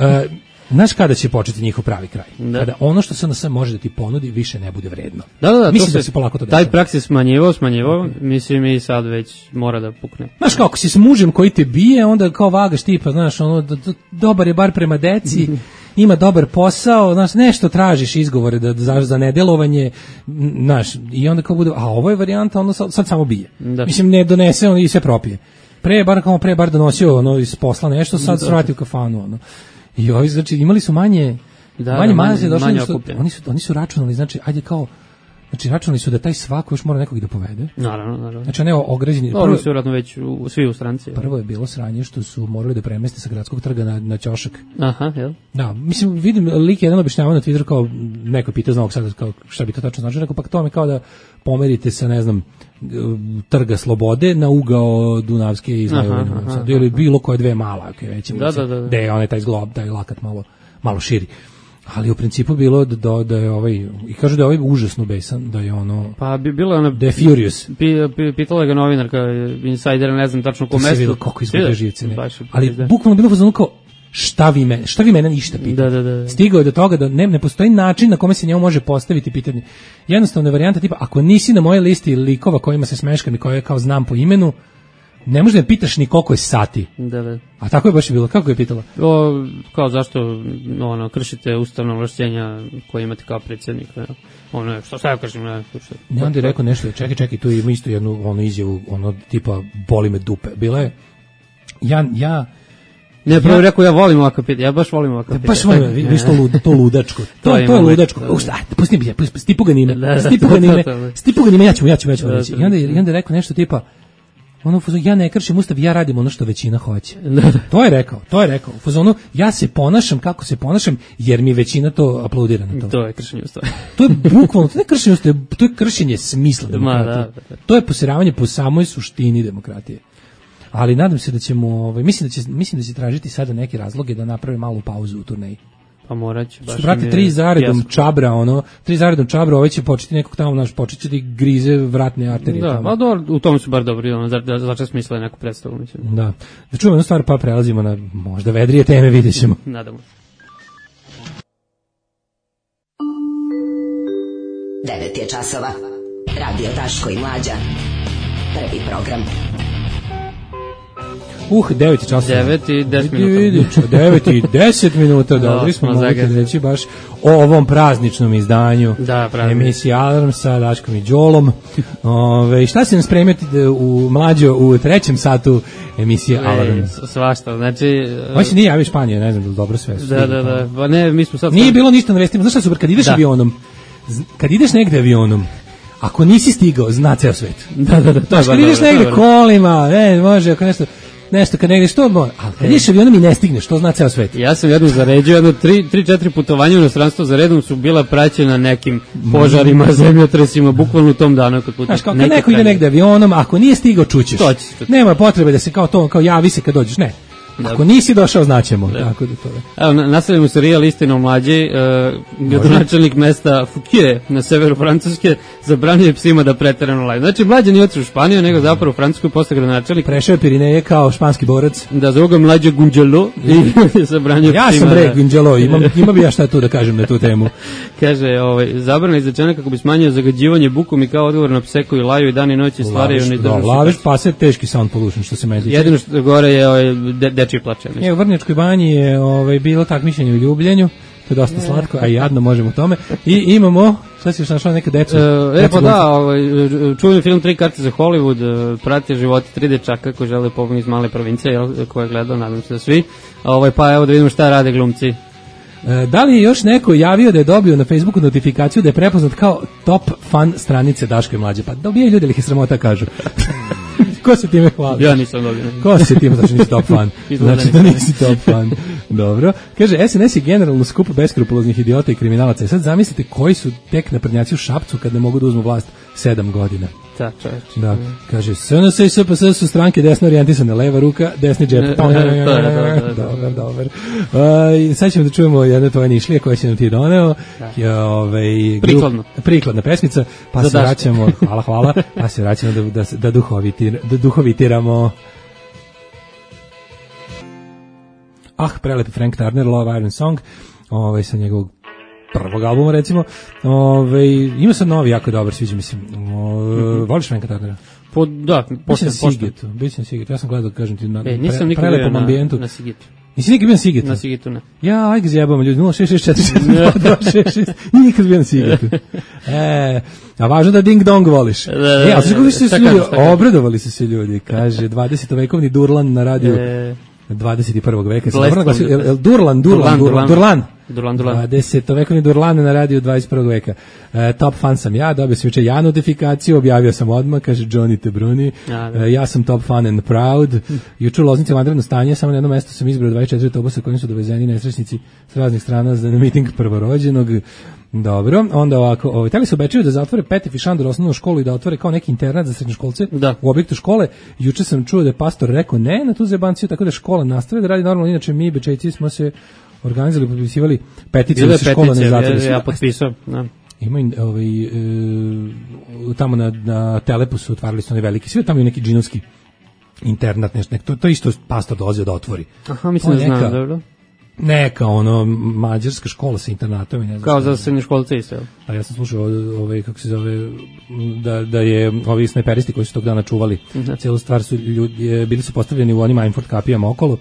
znaš kada će početi njihov pravi kraj? Da. Kada ono što se na sve može da ti ponudi više ne bude vredno. Da, da, da. Mislim se, da se polako to taj praks je smanjivao, smanjivao, mislim i sad već mora da pukne. Znaš kako, si s mužem koji te bije, onda kao vagaš tipa, znaš, ono, do, do, dobar je bar prema deci, ima dobar posao, znaš, nešto tražiš izgovore da, za, za nedelovanje, znaš, i onda kao bude, a ovo je varijanta, ono sad, sad samo bije. Da. Mislim, ne donese, on i sve propije. Pre bar, kao pre bar donosio, ono, iz posla nešto, sad se vrati u kafanu, ono. I ovi, znači, imali su manje, da, manje, manje, manje, manje što, oni, su, oni su računali, znači, ajde kao, znači, računali su da taj svako još mora nekog da povede. Naravno, naravno. Znači, ne ograđeni. Prvo su vjerojatno već u, svi u stranci. Prvo je bilo sranje što su morali da premeste sa gradskog trga na, na ćošak. Aha, jel? Da, mislim, vidim, lik je jedan objašnjavao na Twitteru kao, neko pita zna ovog sada, kao, šta bi to tačno znači, rekao, pa to mi kao da pomerite sa, ne znam, trga Slobode na ugao Dunavske i Zmajovine. Ili bilo koje dve mala, okay, već, da, da, da, da. Da je onaj taj zglob, taj lakat malo, malo širi. Ali u principu bilo da, da, da je ovaj, i kažu da je ovaj užasno besan, da je ono, pa bi bilo ono, da je furious. Pi, pi, pitala ga novinarka, insider, ne znam tačno ko mesto. To se vidio kako izgleda živce, ne. Ali da. Bukvalno bilo fazonu kao, šta vi mene, šta vi mene ništa pitate. Da, da, da. Stigao je do toga da ne, ne postoji način na kome se njemu može postaviti pitanje. Jednostavna varijanta tipa, ako nisi na mojoj listi likova kojima se smeškam i koje kao znam po imenu, ne može da pitaš ni koliko je sati. Da, da. A tako je baš bilo, kako je pitala? O, kao zašto ono, kršite ustavno ovlašćenja koje imate kao predsjednik, ne? Ono, što sad kažem, ne? Što, ne, onda je rekao nešto, čekaj, čekaj, tu ima isto jednu ono izjavu, ono tipa, boli me dupe. Bila je, ja, ja, Ne, prvo ja, rekao, ja volim ovakav pitanje, ja baš volim ovakav pitanje. Baš volim, vidiš to, lud, to ludačko, to, to, to je ludačko. Pusti mi, stipu ga nime, stipu ga nime, stipu ga nime, ja ću, ja ću, ja ću reći. I onda, i onda je rekao nešto tipa, ono, ja ne kršim ustav, ja radim ono što većina hoće. To je rekao, to je rekao. U fazonu, ja se ponašam kako se ponašam, jer mi većina to aplaudira na to. To je kršenje ustava. To je bukvalno, to je kršenje ustava, to je kršenje smisla demokratije. To je posiravanje po samoj suštini demokratije. Ali nadam se da ćemo, ovaj, mislim da će, mislim da će tražiti sada neke razloge da naprave malu pauzu u turneji. Pa morat će. Što brate, tri zaredom pjesko. Čabra, ono, tri zaredom Čabra, ovaj će početi nekog tamo, naš, počet će da grize vratne arterije. Da, a do, u tom su bar dobri, ono, za, za čas smisla neku predstavu, mislim. Da. Da čujemo jednu stvar, pa prelazimo na možda vedrije teme, vidjet ćemo. Nadamo. devet je časova. Radio Daško i Mlađa. Prvi program. Uh, devet časova. devet i deset minuta. devet i deset minuta, dobri smo, možete reći baš o ovom prazničnom izdanju. Da, emisija Alarm sa Daškom i Đolom. Ove, šta se nam spremiti u Mlađo u trećem satu emisije Alarm? E, svašta, znači... Ovo se nije javio Španije, ne znam da li dobro sve. Da, da, da, pa ne, mi smo sad... Nije bilo ništa na vestima, znaš šta super, kad ideš da. avionom, kad ideš negde avionom, ako nisi stigao, zna ceo svet. Da, da, da. To znaš, kad ideš negde kolima, ne, može, ako nešto... Nešto kad negdje što može, ali kad ideš avionom i ne stigneš, to zna ceo svet. Ja sam jednom zaređio, jedno tri, tri, četiri putovanja u inostranstvo za redom su bila praćena nekim požarima, zemljotresima, bukvalno u tom danu kad putujem. Znaš, kao kad neko ide negdje avionom, ako nije stigao, čućeš. To ćeš. Nema potrebe da se kao to, kao javi se kad dođeš, ne. Ako nisi došao, znaćemo. Tako da to je. Evo, nastavljamo serijal Istina o Mlađi. Uh, gradonačelnik mesta Fouquier na severu Francuske zabranio psima da preterano laju. Znači, Mlađa nije otišao u Španiju, nego zapravo u Francusku posle gradonačelnik. Prešao je Pirineje kao španski borac. Da, zove ga Mlađa Gunđelo i zabranio ja psima. Ja sam re Gunđelo, imam, ima bi ja šta tu da kažem na tu temu. Kaže, ovaj, zabrana izrečena kako bi smanjio zagađivanje bukom i kao odgovor na pse koji laju i dan i noć i stvaraju neizdržnu. Laviš pa se teški sound pollution što se meni tiče. Jedino što gore je ovaj, de, dečiji plače. Je, u Vrnjačkoj banji je ovaj, bilo takmičenje u ljubljenju, to je dosta slatko, a i jadno možemo o tome. I imamo, šta si još našao neka decu? E, pa da, ovaj, čuveni film Tri karte za Hollywood, prate životi tri dečaka koji žele pobegnuti iz male provincije, jel, koje je gledao, nadam se da svi. Ovaj, pa evo da vidimo šta rade glumci. E, da li je još neko javio da je dobio na Facebooku notifikaciju da je prepoznat kao top fan stranice Daško i Mlađe? Pa dobije ljudi, ali ih je sramota kažu. Ko se time hvali? Ja nisam dobio. Ko se time, znači nisi top fan. Znači da nisi top fan. Dobro. Kaže, S N S je generalno skup beskrupuloznih idiota i kriminalaca. I sad zamislite koji su tek naprednjaci u Šapcu kad ne mogu da uzmu vlast sedam godina. Da, čovječ. Da. Kaže, S N S i S P S su stranke desno orijentisane, leva ruka, desni džep. Dobar, dobar. Sad ćemo da čujemo jedne tvoje nišlije koje si nam ti doneo. Prikladno. Prikladna pesmica. Pa se vraćamo, hvala, hvala, pa se vraćamo da, da, da, duhovitir, da duhovitiramo. Ah, prelepi Frank Turner, Love Iron Song, ovaj, sa njegovog prvog albuma, recimo. Ove, ima sad novi, jako dobar, sviđa mi se. Mm-hmm. Voliš Franka Turnera? Po, da, pošto na Sigetu. Biće na Sigetu. Ja sam gledao, kažem ti, na e, nisam pre, prelepom ambijentu. Na Sigetu. Nisi nikad bio na Sigetu? Na Sigetu, ne. Ja, ajde zjebamo ljudi, nula šest šest četiri dva šest šest, nikad bio na Sigetu. E, a važno da ding dong voliš. Da, da, da, e, a sve kako su se ljudi, obradovali su se ljudi, kaže, dvadesetovekovni Durlan na radiju. E, dvadeset prvog veka. Durlan, Durlan, Durlan, Durlan. Durlan, Durlan. dvadesetovekovni Durlan na radiju dvadeset prvog veka. E, top fan sam ja, dobio sam juče ja notifikaciju, objavio sam odmah, kaže Johnny Tebruni. E, ja sam top fan and proud. Juče u Loznici vanredno stanje, samo na jednom mestu sam izbrao dvadeset četiri autobusa kojim su dovezeni nesrećnici s raznih strana za miting prvorođenog. Dobro, onda ovako, ovaj, tali se obećaju da zatvore Petef i Šandor osnovnu školu i da otvore kao neki internat za srednjoškolce da. U objektu škole. Juče sam čuo da je pastor rekao ne na tu zebanciju, tako da škola nastavi da radi normalno, inače mi Bečejci smo se organizovali, potpisivali peticiju da se škola ne zatvori. Ja, ja potpisao, da. Ima ovaj, e, tamo na, na Telepu su otvarali su oni veliki, sve tamo je neki džinovski internat, nešto, nek, to, to isto pastor dolazio da otvori. Aha, mislim da znam, dobro. Neka ono mađarska škola sa internatom i ne znam. Kao za srednjoškolce isto. A ja sam slušao ovaj kako se zove da da je ovi snajperisti koji su tog dana čuvali uh-huh. celu stvar su ljudi bili su postavljeni u onim Einford kapijama okolo.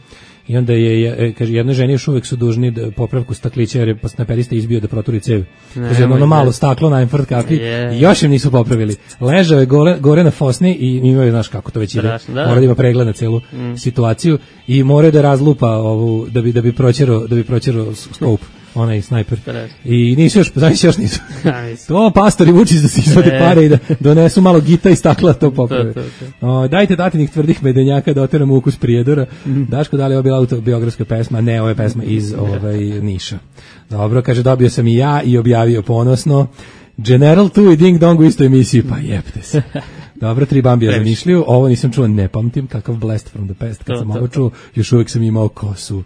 I onda je, je kaže, jednoj ženi još uvek su dužni da popravku staklića jer je snajperista izbio da proturi cev. Kaže, ono malo staklo na Einford kapi yeah. i još im nisu popravili. Ležao je gore, gore na fosni i imaju, znaš kako to već ide, da. Mora da ima pregled na celu mm. situaciju i mora da razlupa ovu, da bi, da bi proćerao, da bi proćerao scope. Onaj snajper. I nisu još, znači još nisu. To pastori Vučić da se izvode e. pare i da donesu malo gita i stakla to poprave. To, to, to. O, dajte datinih tvrdih medenjaka da oteramo ukus Prijedora. Mm. Daško, da li je ovo bila autobiografska pesma? Ne, ovo je pesma iz ovaj, Niša. Dobro, kaže, dobio sam i ja i objavio ponosno. General tu i Ding Dong u istoj emisiji. Pa jebte se. Dobro, tri Bambija za Nišliju, ovo nisam čuo, ne pamtim, kakav blast from the past, kad to, sam to, ovo čuo, još uvijek sam imao kosu.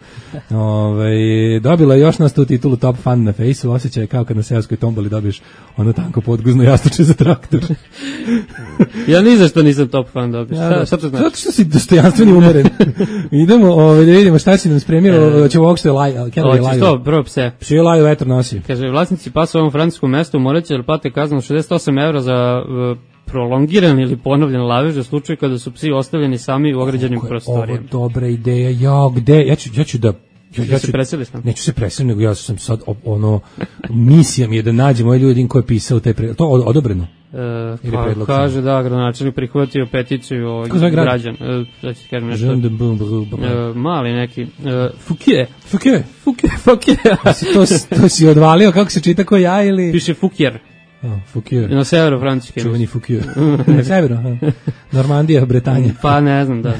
Ove, dobila je još nas tu titulu Top Fan na Fejsu, osjećaj kao kad na seoskoj tomboli dobiješ ono tanko podguzno jastuče za traktor. Ja ni za što nisam Top Fan dobio, ja, šta, šta to znači? Zato što si dostojanstveni umeren. Idemo ove, da vidimo šta si nam spremio, e, će ovog što je laj, ali kada je laju? Što, prvo pse. Psi laju, vetar nosi. Kaže, vlasnici pasa u ovom francuskom mestu morat će da plate kaznu šezdeset osam evra za uh, prolongiran ili ponovljen lavež za slučaj kada su psi ostavljeni sami u ograđenim prostorijama. Ovo dobra ideja, ja, gde, ja ću, ja ću da... Ja, ja ću, se preseliš nam? Neću se preseliti, nego ja sam sad, ono, misija mi je da nađem ovaj ljudi koji je pisao taj predlog. To je odobreno? E, pa, predlog, kaže da, gradonačelnik prihvatio peticiju ovih građana. E, da ću ti kažem nešto. E, mali neki. E, Fouquier. Fouquier? Fouquier. Fouquier. to, to si odvalio, kako se čita ko ja ili... Piše Fouquier. Oh, Fouquier. Na severu Francuske. Čuveni Fouquier. Na severu, Normandija, Bretanja. Pa ne znam, da.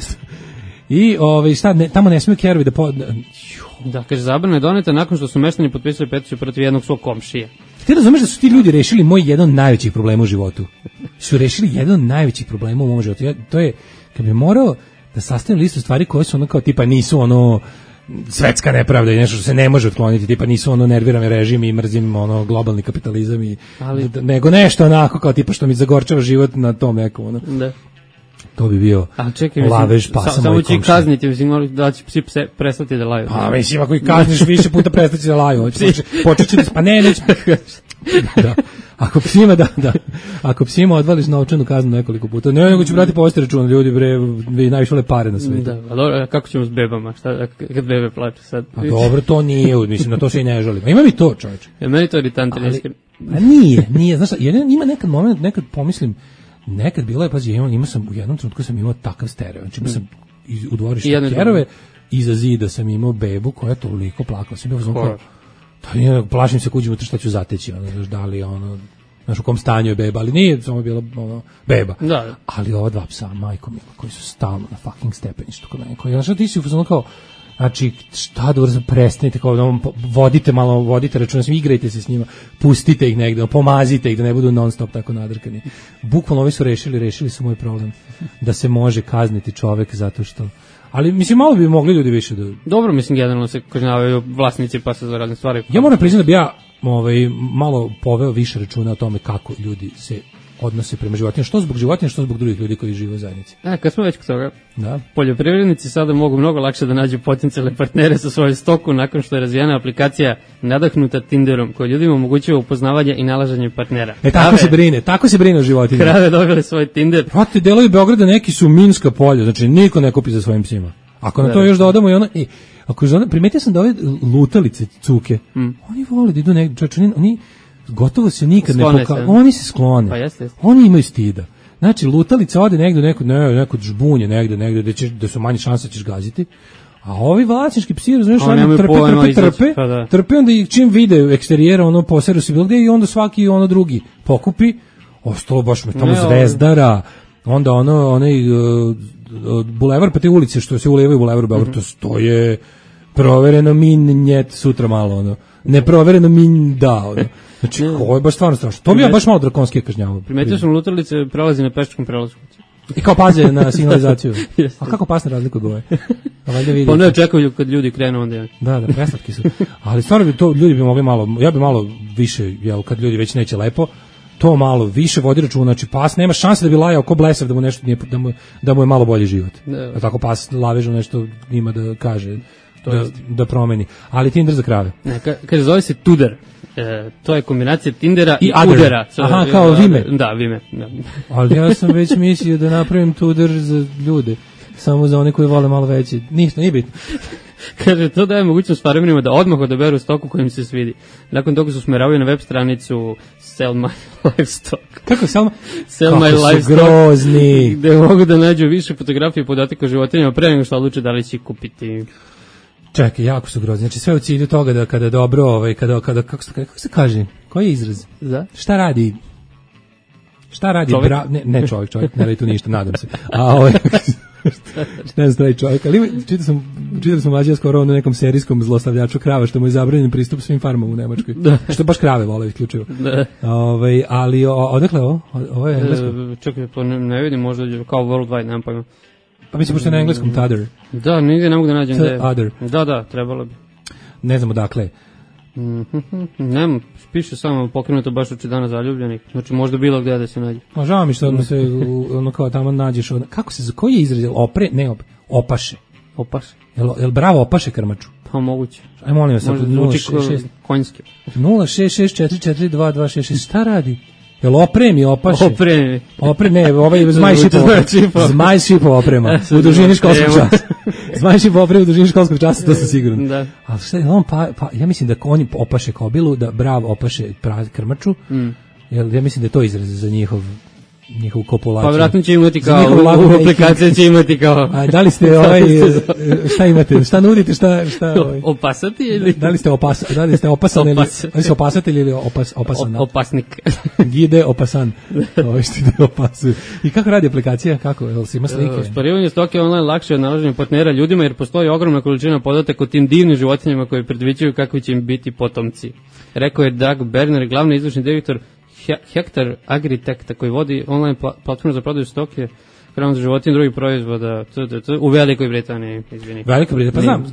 I ovaj šta ne, tamo ne smiju kerovi da po... Da, kaže, zabrana je doneta nakon što su meštani potpisali peticiju protiv jednog svog komšije. Ti razumeš da su ti ljudi rešili moj jedan od najvećih problema u životu? Su rešili jedan od najvećih problema u mom životu. Ja, to je, kad bi morao da sastavim listu stvari koje su ono kao tipa nisu ono svetska nepravda i nešto što se ne može otkloniti, tipa nisu ono nerviram režim i mrzim ono globalni kapitalizam i ali, nego nešto onako kao tipa što mi zagorčava život na tom nekom ono. Da. To bi bio čekaj, lavež pasa sa, moj komšija. Samo će kazniti, mislim, da će psi pse prestati da laju. Pa mislim, ako ih kazniš više puta prestati da laju. Počet će da... Pa ne, neće... Da. Ako psima, da, da. Ako psima odvališ novčanu kaznu nekoliko puta, ne, nego ću brati povesti računa, ljudi, bre, vi najviše le pare na svijetu. Da, a dobro, kako ćemo s bebama? Šta, kad bebe plače sad? Pa dobro, to nije, mislim, na to se i ne želim. A ima mi to, čovječe. Ja, meni to iritantno. A nije, nije, znaš, jedan, ima nekad moment, nekad pomislim, nekad bilo je, pazi, imao, imao sam, u jednom trenutku sam imao takav stereo, znači imao sam u dvorištu kerove, iza zida sam imao bebu koja je toliko plakala, sam bio zvonko, plašim se kuđimo šta ću zateći, ono, da li ono, znaš u kom stanju je beba, ali nije samo bila ono, beba, da. Ali ova dva psa, majko mila, koji su stalno na fucking stepeništu kod mene, koji, znaš, ti si ono kao, znači, šta da urzam, prestanite, kao, vodite malo, vodite računa, igrajte se s njima, pustite ih negde, pomazite ih da ne budu non stop tako nadrkani. Bukvalno ovi su rešili, rešili su moj problem, da se može kazniti čovek zato što... Ali, mislim, malo bi mogli ljudi više da... Dobro, mislim, generalno se kažnjavaju vlasnici pasa za razne stvari. Ja moram priznati da bi ja ovaj, malo poveo više računa o tome kako ljudi se odnose prema životinjama, što zbog životinja, što zbog drugih ljudi koji žive u zajednici. E, kad smo već kod toga, da. Poljoprivrednici sada mogu mnogo lakše da nađu potencijalne partnere sa svojoj stoku nakon što je razvijena aplikacija nadahnuta Tinderom, koja ljudima omogućava upoznavanje i nalaženje partnera. E, tako Krave, se brine, tako se brine o životinjama. Krave dobile svoj Tinder. Prati, delovi Beograda neki su minska polja, znači niko ne kupi za svojim psima. Ako na to još dodamo i ono, i, ako je, primetio sam da ove lutalice cuke, mm. oni vole da idu negdje, čovječ, oni, oni gotovo se nikad sklone ne pokažu, oni se sklone, pa jeste, jeste. Oni imaju stida. Znači, lutalica ode negdje, neko, ne, neko žbunje negdje, negdje, da, ćeš, da su manje šanse da ćeš gaziti, a ovi vlasnički psi, razumiješ, oni trpe, trpe, trpe, pa da. trpe, onda ih čim vide eksterijera, ono, poseru se bilo gdje i onda svaki ono drugi pokupi, ostalo baš me tamo ne, Zvezdara, onda ono, onaj uh, bulevar, pa te ulice što se ulevaju u bulevaru Beograd, mm-hmm. to je provereno min njet sutra malo, ono, neprovereno min da, ono. Znači, ovo je baš stvarno strašno. To bi ja baš malo drakonski kažnjavao. Primetio sam lutalice prelazi na pešačkom prelazu. I kao paze na signalizaciju. A kako pas ne razliku goje? Pa ne očekuju kad ljudi krenu onda je. Da, da, preslatki su. Ali stvarno bi to, ljudi bi mogli malo, ja bi malo više, jel, kad ljudi već neće lepo, to malo više vodi računa, znači pas nema šanse da bi lajao ko blesav da mu nešto nije, da mu, da mu je malo bolji život. A tako pas lavežno nešto ima da kaže. da, da promeni. Ali Tinder za krave. Ne, ka, kaže, zove se Tudor. E, to je kombinacija Tindera i, I Udera. So, Aha, kao Vime. Da, Vime. Da. Ali ja sam već mislio da napravim Tudor za ljude. Samo za one koji vole malo veće. Ništa, nije bitno. Kaže, to daje mogućnost farmerima da odmah odaberu stoku koja im se svidi. Nakon toga su usmeravaju na web stranicu Sell My Livestock. Kako Sell My, Sell Kako my su Livestock, grozni. gde mogu da nađu više fotografije i podataka o životinjama pre nego što odluče da li će kupiti. Čekaj, jako su grozni. Znači sve u cilju toga da kada dobro, ovaj, kada, kada kako, se, kako se kaže, koji je izraz? Za? Šta radi? Šta radi? Čovjek? Bra, ne, ne čovjek, čovjek, ne radi tu ništa, nadam se. A ovaj, ne znam, čovjek, ali čitao sam, čitao sam mlađe skoro ono nekom serijskom zlostavljaču krava, što mu je zabranjen pristup svim farmama u Nemačkoj. Da. Što baš krave vole isključivo. Da. Ovaj, ali o, odakle ovo? Ovo je englesko? E, čekaj, pa ne, ne vidim, možda kao worldwide, nemam pojma. Pa mislim, pošto je na engleskom Tudor. Da, nigde ne mogu da nađem gde. Tudor. Da, da, trebalo bi. Ne znamo dakle. Mm-hmm. Nema, piše samo pokrenuto baš uči dana zaljubljenih. Znači možda bilo gdje da se nađe. Ma žao mi što ono se ono kao tamo nađeš ono, kako se, koji je izraz? Opre, ne op, opaše. Opaše. Jel, jel bravo opaše krmaču? Pa moguće. Aj molim vas, nula šest šest konjski. nula šest šest četiri četiri dva dva šest šest. Šta radi? Jel opremi, opaše? Opremi. Opre, ne, ovaj zmaj šipov, zmaj šipov oprema, u dužini školskog časa. Zmaj šipov oprema u dužini školskog časa, to sam siguran. Da. Ali šta je, on pa, pa, ja mislim da konji opaše kobilu, da brav opaše krmaču, mm. Jel, ja mislim da je to izraz za njihov njihovu kopulaciju. Pa vjerojatno će imati kao, u aplikaciji će imati kao... A da li ste ovaj, šta imate, šta nudite, šta... šta ovaj? Opasati ili... Da li ste, opas, da li ste opasan ili... Da li ste opasatelj ili opas, opasan? Opasnik. Gide opasan. Ovo što ide opasuje. I kako radi aplikacija? Kako? Jel se ima slike? Sparivanje stoke online lakše od nalaženja partnera ljudima jer postoji ogromna količina podataka o tim divnim životinjama koji predviđaju kakvi će im biti potomci. Rekao je Doug Berner, glavni izvršni direktor Hektar Agritech, koji vodi online platformu za prodaju stoke, hranu za životinje i drugih proizvoda u Velikoj Britaniji, izvini. Velikoj Britaniji, pa znam,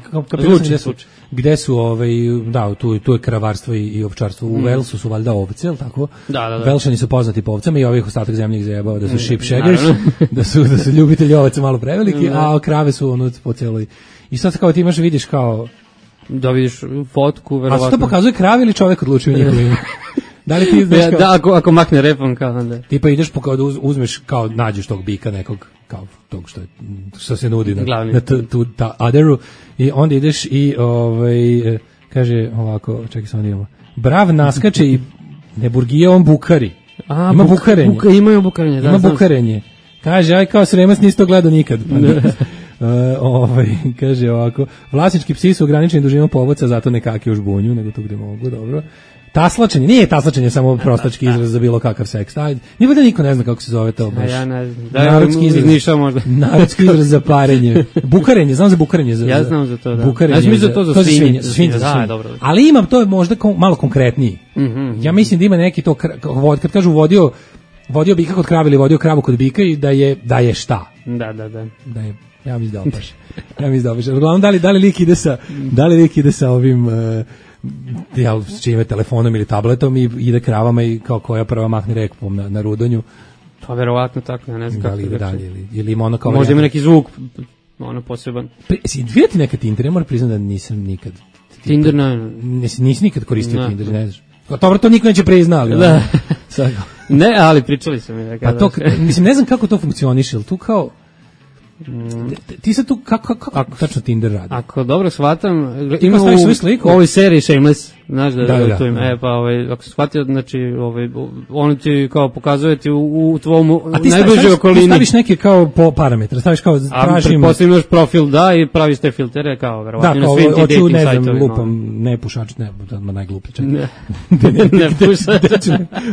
gde su, gde su ovaj, da, tu, tu je kravarstvo i, i ovčarstvo. U mm. Walesu su valjda ovce, ili tako? Da, da, da. Velšani su poznati po ovcama i ovih ostatak zemlje ih zajebao da su sheep shaggers, da su, da su ljubitelji ovaca malo preveliki, a krave su ono po celoj. I sad kao ti imaš, vidiš kao... Da vidiš fotku, verovatno. A što pokazuje krave ili čovek odlučuje njihovim? Da li ti znaš kao... Da, ako, ako makne repom kao onda. Ti pa ideš, kao da uzmeš, kao nađeš tog bika nekog, kao tog što, je, što se nudi na, na t, tu, ta aderu i onda ideš i ovaj, kaže ovako, čekaj samo idemo, brav naskače i ne burgije, on bukari. A, ima buk, bukarenje. Buka, imaju bukarenje, da. Ima bukarenje. Kaže, aj kao Sremac nisi to gledao nikad. Pa uh, ovaj, kaže ovako, vlasnički psi su ograničeni dužinom povodca, zato ne kake u žbunju, nego tu gde mogu, dobro. Taslačenje, nije taslačenje samo prostački izraz za bilo kakav seks. Ajde, nije da niko ne zna kako se zove to baš. Ja ne znam. Da, narodski izraz, ništa možda. Narodski izraz za parenje. Bukarenje, znam za bukarenje. Za, ja znam za to, da. Bukarenje, ja mislim za to za, to svinje. Za svinje, za svinje, za svinje. Dobro. Ali ima, to je možda kom, malo konkretniji. Mm-hmm. Ja mislim da ima neki to, kad kažu vodio, vodio bika kod krave ili vodio kravu kod bika i da je, da je šta. Da, da, da. Da je, ja mislim da opaš. Ja mislim da opaš. Uglavnom, da li, da li lik ide sa, da li lik ide sa ovim... Uh, jel, s čime telefonom ili tabletom i ide kravama i kao koja prva mahne rekpom na, na rudonju. Pa verovatno tako, ja ne znam kako. Da li ide dalje ili, ili ima ono kao... Možda ima neki zvuk, ono poseban. Si vidjeti neka Tinder, ja moram priznati da nisam nikad... Tinder, ne. Nisi, nisi nikad koristio ne. Tinder, ne znaš. Dobro, to niko neće priznali. Da. Ne, ali pričali su mi. Pa to, mislim, ne znam kako to funkcioniše, ali tu kao... Mm. Ti sad tu kako kako ako, tačno Tinder radi? Ako dobro shvatam, ima u ovoj seriji Shameless, znaš da, da, da, da tu ima, da. E pa ovaj ako se shvatio, znači ovaj on ti kao pokazuje ti u, u tvom najbližoj okolini. Ti staviš neke kao po parametre, staviš kao tražim. Pretpostavljam imaš profil, da, i praviš te filtere kao verovatno na svim tim dating ne sajtovima. Da, lupam, ne pušač, ne, ma najgluplji čak. Ne, ne pušač.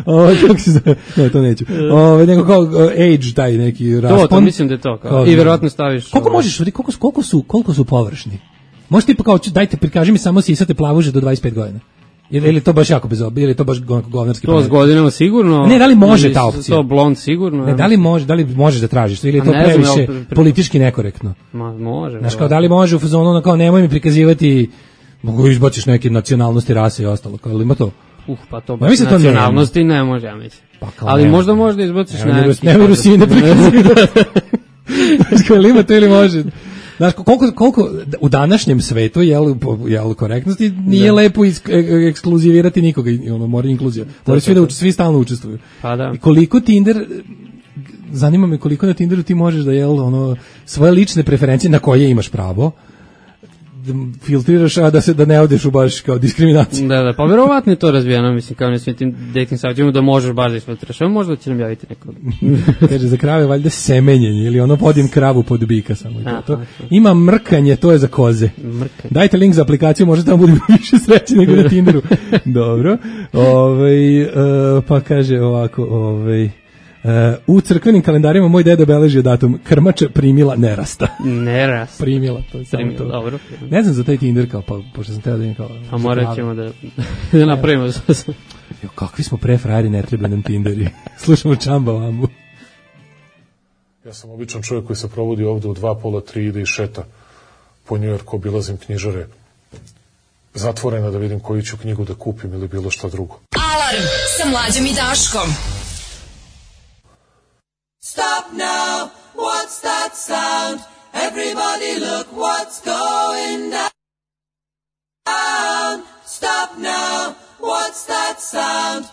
Ovo kako se zove? Ne, to neću. Ovo nego kao age taj neki raspon. To, to mislim da je to kao. I verovatno staviš. Koliko možeš, koliko koliko su koliko su površni? Možeš ti pa kao dajte prikaži mi samo sisate plavuže do dvadeset pet godina. Ili ili to baš jako bezobrazno, ili to baš govnarski. To s godinama sigurno. Ne, da li može ta opcija? To blond sigurno. Ne, da li može, da li možeš da tražiš, ili je to previše politički nekorektno? Ma može. Znaš, kao da li može u fazonu ono kao nemoj mi prikazivati, mogu izbaciš neke nacionalnosti, rase i ostalo, kao ali ima to. Uh, pa to baš ja nacionalnosti ne može, ja mislim. Pa ali ne, možda možda izbaciš neki. Ne, ne Rusine prikazivati. Znači, ima to ili može? Znaš, koliko, koliko u današnjem svetu, jel, jel korektnosti, nije da. lepo isk, ekskluzivirati nikoga, ono, mora inkluzija. Mora svi da uč, svi stalno učestvuju. Pa da. I koliko Tinder, zanima me koliko na Tinderu ti možeš da, jel, ono, svoje lične preferencije na koje imaš pravo, filtriraš, a da se da ne odeš u baš kao diskriminaciju. Da, da, pa verovatno je to razvijeno, mislim, kao na svim tim dating sajtima da možeš baš da isfiltriraš, ali možda će nam javiti neko. Kaže, za krave valjda semenjenje, ili ono vodim kravu pod bika samo. A, to. Ima mrkanje, to je za koze. Mrkanje. Dajte link za aplikaciju, možda tamo budemo više sreći nego na Tinderu. Dobro. Ove, uh, pa kaže ovako, ovaj Uh, u crkvenim kalendarima moj deda beležio datum krmača primila nerasta. Nerasta. Primila, to je samo to. Dobro. Ne znam za taj Tinder kao, pa, pošto sam teo da im kao... A morat ćemo da, da napravimo. Jo, kakvi smo prefrajeri, ne treba nam Tinderi. Slušamo Čamba Vambu. Ja sam običan čovjek koji se provodi ovde u dva, pola, tri, ide i šeta po Njujorku, obilazim knjižare zatvorena da vidim koju ću knjigu da kupim ili bilo šta drugo. Alarm sa Mlađom i Daškom. Stop now, what's that sound? Everybody look what's going down. Stop now, what's that sound?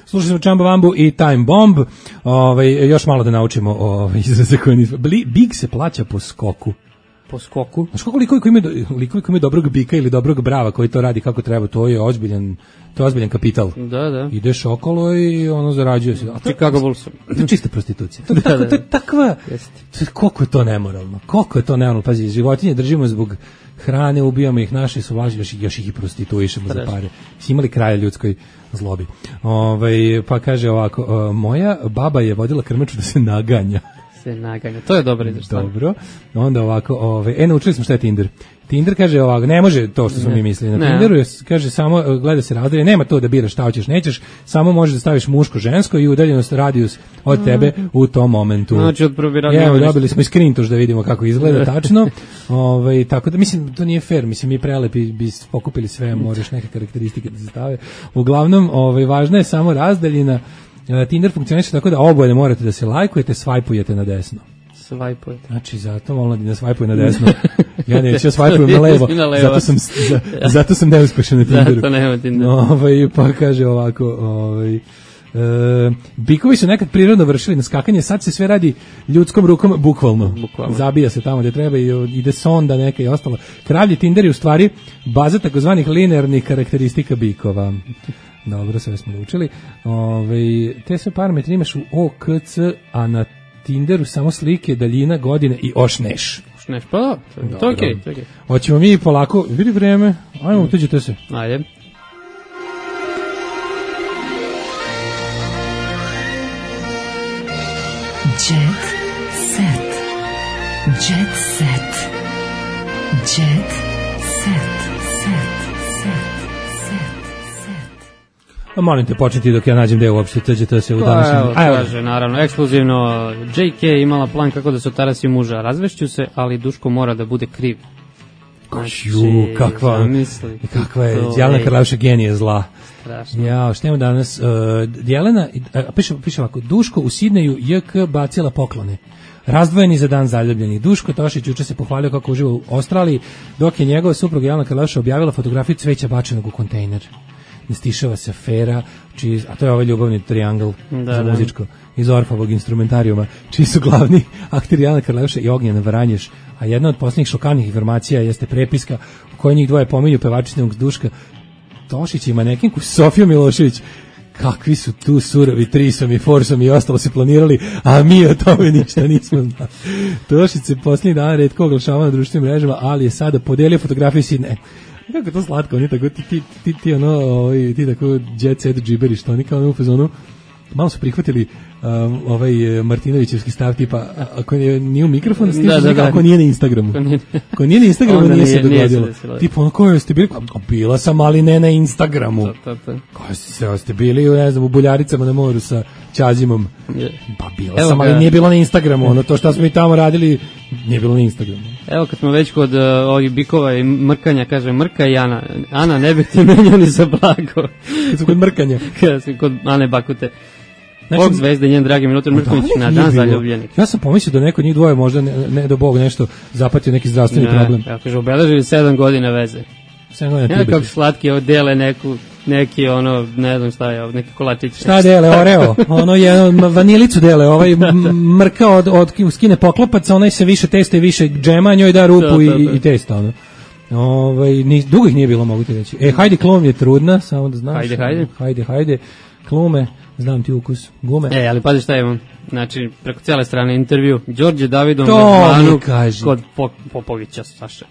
Slušali smo Čamba Vambu i Time Bomb. Ovaj, još malo da naučimo ovaj, izraze koje nismo. Big se plaća po skoku. Po skoku? Znaš koliko likovi koji imaju, likovi koji imaju dobrog bika ili dobrog brava koji to radi kako treba, to je ozbiljan, to je ozbiljan kapital. Da, da. Ideš okolo i ono zarađuje se. A to, Chicago Bullsom. To je čista prostitucija. To je, tako, to je takva, koliko je to nemoralno, koliko je to nemoralno. Pazi, životinje držimo zbog hrane, ubijamo ih, naši su važni, još, još ih i prostituišemo za pare. Si imali kraja ljudskoj zlobi. Ove, pa kaže ovako, moja baba je vodila krmaču da se naganja. Se naganja. To je dobro izraz. Dobro. Onda ovako, ove, e, naučili smo šta je Tinder. Tinder kaže ovako, ne može to što smo ne. mi mislili. Na ne. Tinderu je, kaže samo, gleda se razdalje, nema to da biraš šta hoćeš, nećeš, samo možeš da staviš muško, žensko i udaljenost, radijus od tebe u tom momentu. Znači, od Evo, dobili smo i screentoš da vidimo kako izgleda tačno. Ove, tako da, mislim, to nije fair, mislim, mi prelepi bi pokupili sve, moraš neke karakteristike da se stave. Uglavnom, ove, važna je samo razdaljina. Tinder funkcioniše tako da oboje ne morate da se lajkujete, svajpujete na desno. Svajpujete. Znači, zato molim da svajpuju na desno. Ja neću, ja svajpujem na levo. Zato sam, za, zato sam neuspešan na Tinderu. Zato nema Tinderu. Ovaj, pa kaže ovako, ovaj, e, bikovi su nekad prirodno vršili na skakanje, sad se sve radi ljudskom rukom, bukvalno. bukvalno. Zabija se tamo gde treba i ide sonda neka i ostalo. Kravlji Tinder je u stvari baza takozvanih linearnih karakteristika bikova. Dobro, sve smo naučili. Ove, te sve parametre imaš u O K C, a na Tinderu samo slike, daljina, godine i ošneš. Ošneš, pa da, to je okej. Okay, okay. Hoćemo mi polako, vidi vreme, ajmo, mm. utuđite se. Ajde. Jet set. Jet set. Jet set. Molim te, početi dok ja nađem deo uopšte T G T se u današnjem... Evo, kaže, naravno, ekskluzivno, J K imala plan kako da se otarasi muža, razvešću se, ali Duško mora da bude kriv. Znači, Ju, kakva, zamisli, kakva je, Jelena Karlavša genije zla. Strašno. Ja, što imamo danas, uh, Jelena, uh, piše, piše ovako, Duško u Sidneju J K bacila poklone. Razdvojeni za dan zaljubljenih. Duško Tošić juče se pohvalio kako uživa u Australiji, dok je njegova supruga Jelena Karlavša objavila fotografiju cveća bačenog u kontejner. Ne stišava se afera, čiji, a to je ovaj ljubavni triangl da, za muzičko da. Iz Orfovog instrumentarijuma, čiji su glavni akteri Jelena Karlavša i Ognjena Varanješ, a jedna od posljednjih šokantnih informacija jeste prepiska u kojoj njih dvoje pominju pevačinog Duška Tošića i manekinku Sofiju Milošević. Kakvi su tu surovi trisom i forsom i ostalo se planirali, a mi o tome ništa nismo znali. Tošić se posljednjih dana retko oglašava na društvenim mrežama, ali je sada podelio fotografiju Sidne. Kako je to slatko, oni tako, ti, ti, ti, ti ono, ovaj, ti tako jet set džiberi, što oni kao ono u fazonu, malo su prihvatili um, ovaj Martinovićevski stav tipa, ako je, nije u mikrofonu, da, da, da. Ako nije na Instagramu. Ako nije na Instagramu, nije, nije se dogodilo. Se tipa, ono, koje ste bili? Bila sam, ali ne na Instagramu. Koje ste, ste bili, ne znam, u Buljaricama na moru sa Ćazimom. Pa bila Evo sam, ali ga. Nije bilo na Instagramu. Ono, to što smo i tamo radili, nije bilo na Instagramu. Evo, kad smo već kod uh, ovih bikova i mrkanja, kaže, mrka i Ana. Ana, ne bih ti menjao ni za blago. Kad smo kod mrkanja. Kad smo kod Ane Bakute. Znači, Bog zvezde, njen dragi Milutin Mrkonjić na dan zaljubljenih. Ja sam pomislio da neko njih dvoje možda, ne, ne do Bog, nešto zapatio neki zdravstveni ne, problem. Ja kaže, obeležili sedam godina veze. sedam godina ja, kako slatki, ovo dele neku, neki, ono, ne znam šta je, neki kolačić. Šta dele, Oreo? Ono je, vanilicu dele, ovaj mrka od, od skine poklopaca, onaj se više testa i više džema, njoj da rupu i, i testa, ono. Ovaj, ni, dugo ih nije bilo, mogu ti reći. E, hajde, Klum je trudna, samo da znaš. Hajde, hajde. Hajde, hajde. Klume, znam ti ukus, gume. E, ali pazi šta imam. Znači, preko cijele strane intervju, Đorđe Davidom Gazmanu kod Popovića, Saša.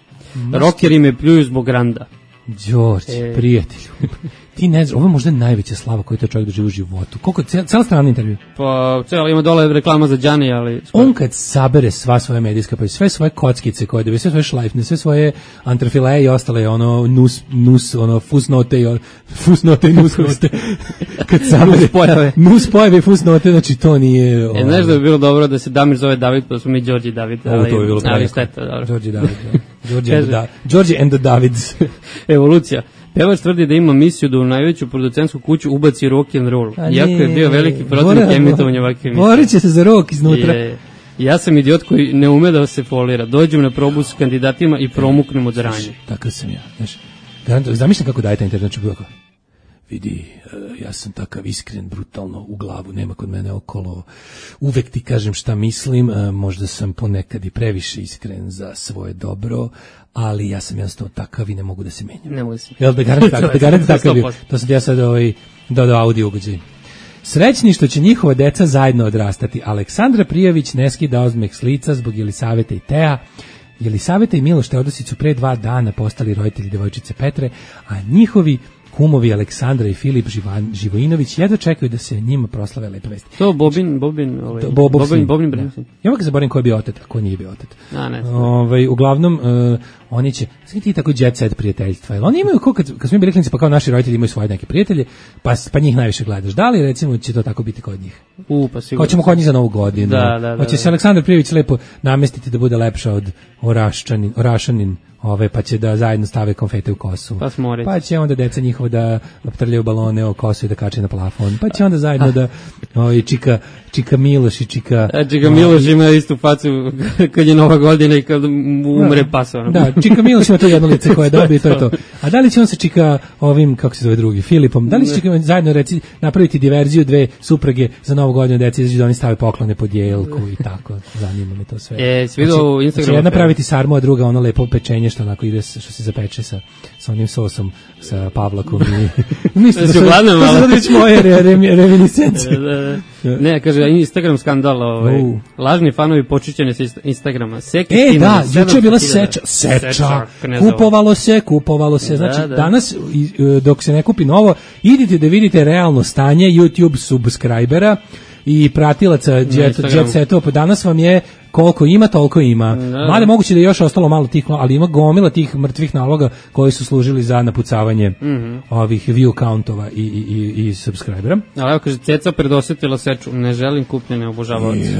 Rockeri me pljuju zbog randa. Đorđe, e. prijatelju. Ti ne znaš, ovo je možda najveća slava koju to čovjek doživi u životu. Koliko, cijela strana intervju? Pa, cijela ima dole reklama za Đani, ali... On kad sabere sva svoja medijska, pa sve svoje kockice koje dobi, sve svoje šlajfne, sve svoje antrafileje i ostale, ono, nus, nus, ono, fusnote i, fusnote i nusnote. Kad sabere... Nus pojave. Nus pojave i fusnote, znači to nije... E, znaš da bi bilo dobro da se Damir zove David, pa smo mi Đorđe David. Ovo to bi bilo ali šteta, dobro. Đorđe David, da. Đorđe and the Davids. Evolucija. Pevač tvrdi da ima misiju da u najveću producentsku kuću ubaci rock and roll. Iako je bio veliki protivnik emitovanja ovakve emisije. Borit će se za rock iznutra. Je, ja sam idiot koji ne ume da se folira. Dođem na probu s kandidatima i promuknem od ranje. Takav sam ja. Znaš, zamišljam kako daje taj internet, znači bilo kao, vidi, ja sam takav iskren, brutalno, u glavu, nema kod mene okolo, uvek ti kažem šta mislim, možda sam ponekad i previše iskren za svoje dobro, ali ja sam jednostavno takav i ne mogu da se menjam. Ne mogu da se menjam. Jel da garant takav, da garant takav bio. To sam ja sad ovaj, dodao audio ugođaj. Srećni što će njihova deca zajedno odrastati. Aleksandra Prijović ne skida ozmeh s lica zbog Jelisaveta i Teja. Jelisaveta i Miloš Teodosić su pre dva dana postali roditelji devojčice Petre, a njihovi kumovi Aleksandra i Filip Živan, Živojinović jedva čekaju da se njima proslave lepe vesti. To Bobin, Bobin, ovaj, to, Bo, Bobin, Bobin Brensin. Ja uvijek zaboravim ko je bio otet, a ko nije bio otet. A, ne. Ovaj, uglavnom, uh, oni će, sve ti tako jet set prijateljstva, jer oni imaju, ko kad, kad smo bili klinici, pa kao naši roditelji imaju svoje neke prijatelje, pa, pa njih najviše gledaš. Da li, recimo, će to tako biti kod njih? U, pa sigurno. Hoćemo kod njih za Novu godinu. Da, da, da. Hoće se Aleksandar Prijović lepo namestiti da bude lepša od Oraščanin, Orašanin, ove, pa će da zajedno stave konfete u kosu. Pa, pa će onda deca njihovo da trljaju balone o kosu i da kače na plafon. Pa će onda zajedno da ovaj, čika, čika Miloš i čika... A čika Miloš ima istu facu kad je Nova godina i kad umre da, pasovano. Da, čika Miloš ima to jedno lice koje dobije, to je to. A da li će on se čika ovim, kako se zove drugi, Filipom? Da li će čika zajedno reci, napraviti diverziju dve suprage za Novu godinu deci, izađu da oni stave poklone pod jelku i tako. Zanima me to sve. E, svi do u Instagramu. Znači, jedna praviti sarmu, a druga ono lepo pečenje što onako ide, što se zapeče sa, sa onim sosom, sa pavlakom i... Ništa, da su sad već moje re, re, reminiscencije. Da, da. Ne, kaže, Instagram skandal, ovaj, uh. lažni fanovi počićene sa Instagrama. Seki e, da, juče je bila seča, seča, seča kupovalo se, kupovalo se, znači da, da. Danas, dok se ne kupi novo, idite da vidite realno stanje YouTube subscribera i pratilaca jet, jet setova, pa danas vam je koliko ima, toliko ima. Mada moguće da je još ostalo malo tih, ali ima gomila tih mrtvih naloga koji su služili za napucavanje mm -hmm. ovih view countova i, i, i, i subscribera. Ali evo kaže, Ceca predosetila seču, ne želim kupljene obožavaoce.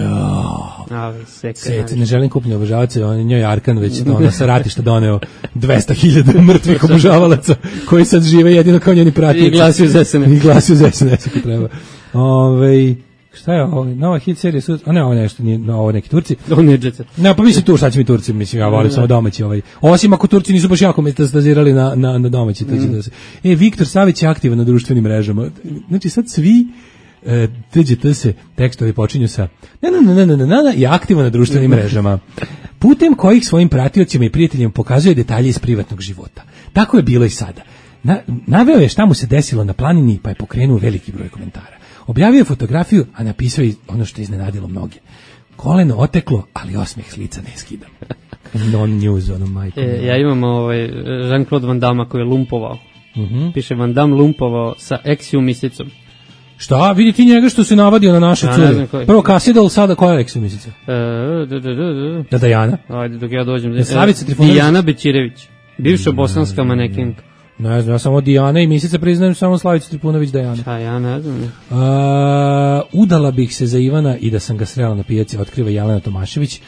Ja. Ceca, ne želim kupljene obožavaoce, on je njoj Arkan već ono, sa ratišta doneo dvesta hiljada mrtvih obožavalaca koji sad žive jedino kao njeni pratioci. I glasuju za S N S. I glasuju za S N S ako treba. Ove, šta je ovo? Nova hit serija, a ne ovo nešto, nije, ovo neki Turci. Ovo nije Jet Set. Ne, pa mislim tu šta će mi Turci, mislim, ja volim samo domaći ovaj. Osim ako Turci nisu baš jako metastazirali na, na, na domaći, to će da se... E, Viktor Savić je aktivan na društvenim mrežama. Znači sad svi e, T G T se tekstovi počinju sa na na na na na na i aktivan na društvenim mrežama. Putem kojih svojim pratiocima i prijateljima pokazuje detalje iz privatnog života. Tako je bilo i sada. Na, naveo je šta mu se desilo na planini, pa je pokrenuo veliki broj komentara. Objavio je fotografiju, a napisao je ono što je iznenadilo mnoge. Koleno oteklo, ali osmeh s lica ne skidam. Non-news, ono majko. E, ja imam ovaj, Jean-Claude Van Damme koji je lumpovao. Uh -huh. Piše Van Damme lumpovao sa Exiu misicom. Šta? Vidi ti njega što se navadio na naše cure. Prvo Kasidol, sada koja je Exiu misica? E, da, da, da, da. Da, Dajana? Ajde, dok ja dođem. E, Slavica Trifunović? Dijana Bećirević. Bivša bosanska manekinka. Ne znam, ja samo Dijana i Misica priznajem samo Slavicu Tripunović Dajana. Šta, ja ne znam. Uh, udala bih se za Ivana i da sam ga srela na pijaci, otkriva Jelena Tomašević.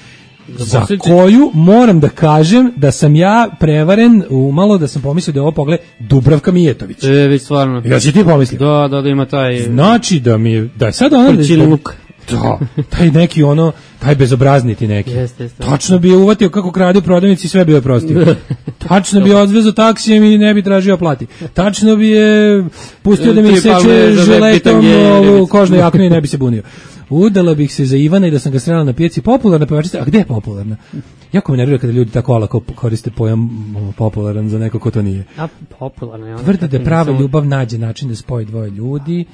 za koju moram da kažem da sam ja prevaren umalo, da sam pomislio da je ovo pogled Dubravka Mijetović. E, već stvarno. Ja si ti pomislio? Da, da, da ima taj... Znači da mi je, da je sad ono... Prčiluk. Da, taj neki ono, taj bezobrazniti neki. Jeste, jeste. Tačno bi je uvatio kako krade u prodavnici i sve bi je prostio. Tačno bi je odvezao taksijem i ne bi tražio plati. Tačno bi je pustio da mi seče žiletom ovu kožnu jaknu i ne bi se bunio. Udala bih se za Ivana i da sam ga srela na pijaci. Popularna pevačica, a gde je popularna? Jako me nervira kada ljudi tako olako koriste pojam popularan za neko ko to nije. A, popularna je ona. Tvrdi da prava ljubav nađe način da spoji dvoje ljudi.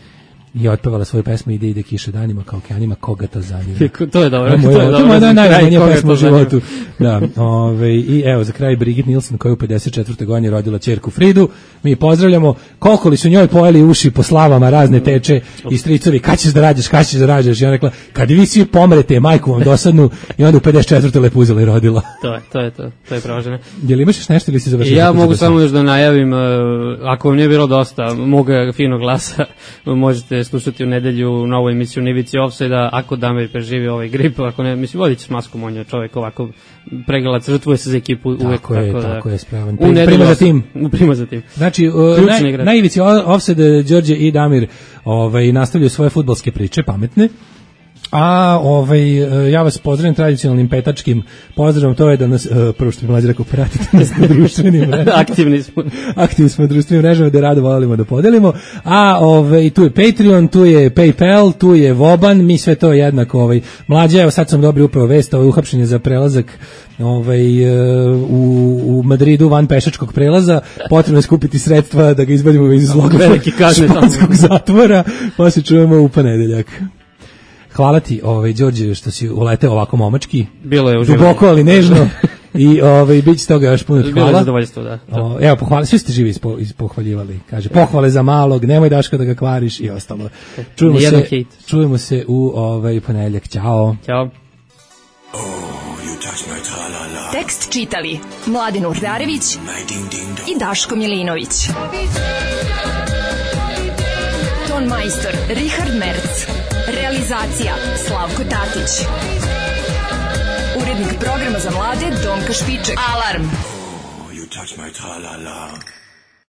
I otpevala svoju pesmu Ide, ide kiša danima kao okeanima, koga to zanima. To je dobro. To je dobro. To je najbolja pesma u životu. Da, ove, i evo za kraj Brigitte Nielsen koja u pedeset četvrtoj godini rodila ćerku Fridu. Mi pozdravljamo. Koliko li su njoj pojeli uši po slavama razne teče i stricovi, kad ćeš da rađaš, kad ćeš da rađaš. I ona rekla, kad vi svi pomrete, majku vam dosadnu, i onda u pedeset četvrtoj lepo uzela i rodila. To je, to je to. To je pravožene. Jel imaš još nešto ili si završio? Ja mogu samo još da najavim, ako vam nije bilo dosta moga finog glasa, možete slušati u nedelju novu emisiju Nivici Offside-a, ako Damir preživi ovaj grip, ako ne, mislim, vodit će s maskom, on je čovjek ovako pregalac, žrtvuje se za ekipu uvek. Tako je, tako, tako da, je, spravan. U nedelju, prima za tim. Prima za tim. Znači, naj, na Ivici Offside, Đorđe i Damir ovaj, nastavljaju svoje fudbalske priče, pametne. A ovaj, ja vas pozdravim tradicionalnim petačkim pozdravom, to je da nas, prvo što mi mlađe rekao, pratite nas na društvenim mrežama. Aktivni smo. Aktivni smo na društvenim mrežama, da rado volimo da podelimo. A ovaj, tu je Patreon, tu je PayPal, tu je Voban, mi sve to jednako. Ovaj, mlađe, evo sad sam dobio upravo vest, ovaj, uhapšen je za prelazak ovaj, u, u Madridu van pešačkog prelaza, potrebno je skupiti sredstva da ga izbavimo iz zlog španskog zatvora, pa se čujemo u ponedeljak. Hvala ti, ovaj Đorđe, što si uleteo ovako momački. Bilo je uživanje. Duboko, ali nežno. I ovaj biće toga još puno hvala. Bilo je zadovoljstvo, da. O, evo, pohvali, svi ste živi ispo, ispohvaljivali. Kaže, pohvale za malog, nemoj Daška da ga kvariš i ostalo. Čujemo se, čujemo se u ovaj ponedeljak. Ćao. Ćao. Tekst čitali Mladin Urdarević i Daško Milinović. Ton majstor Richard Merc. Realizacija Slavko Tatić. Urednik programa za mlade Donka Špiček. Alarm! Oh, you touch my tra-la-la.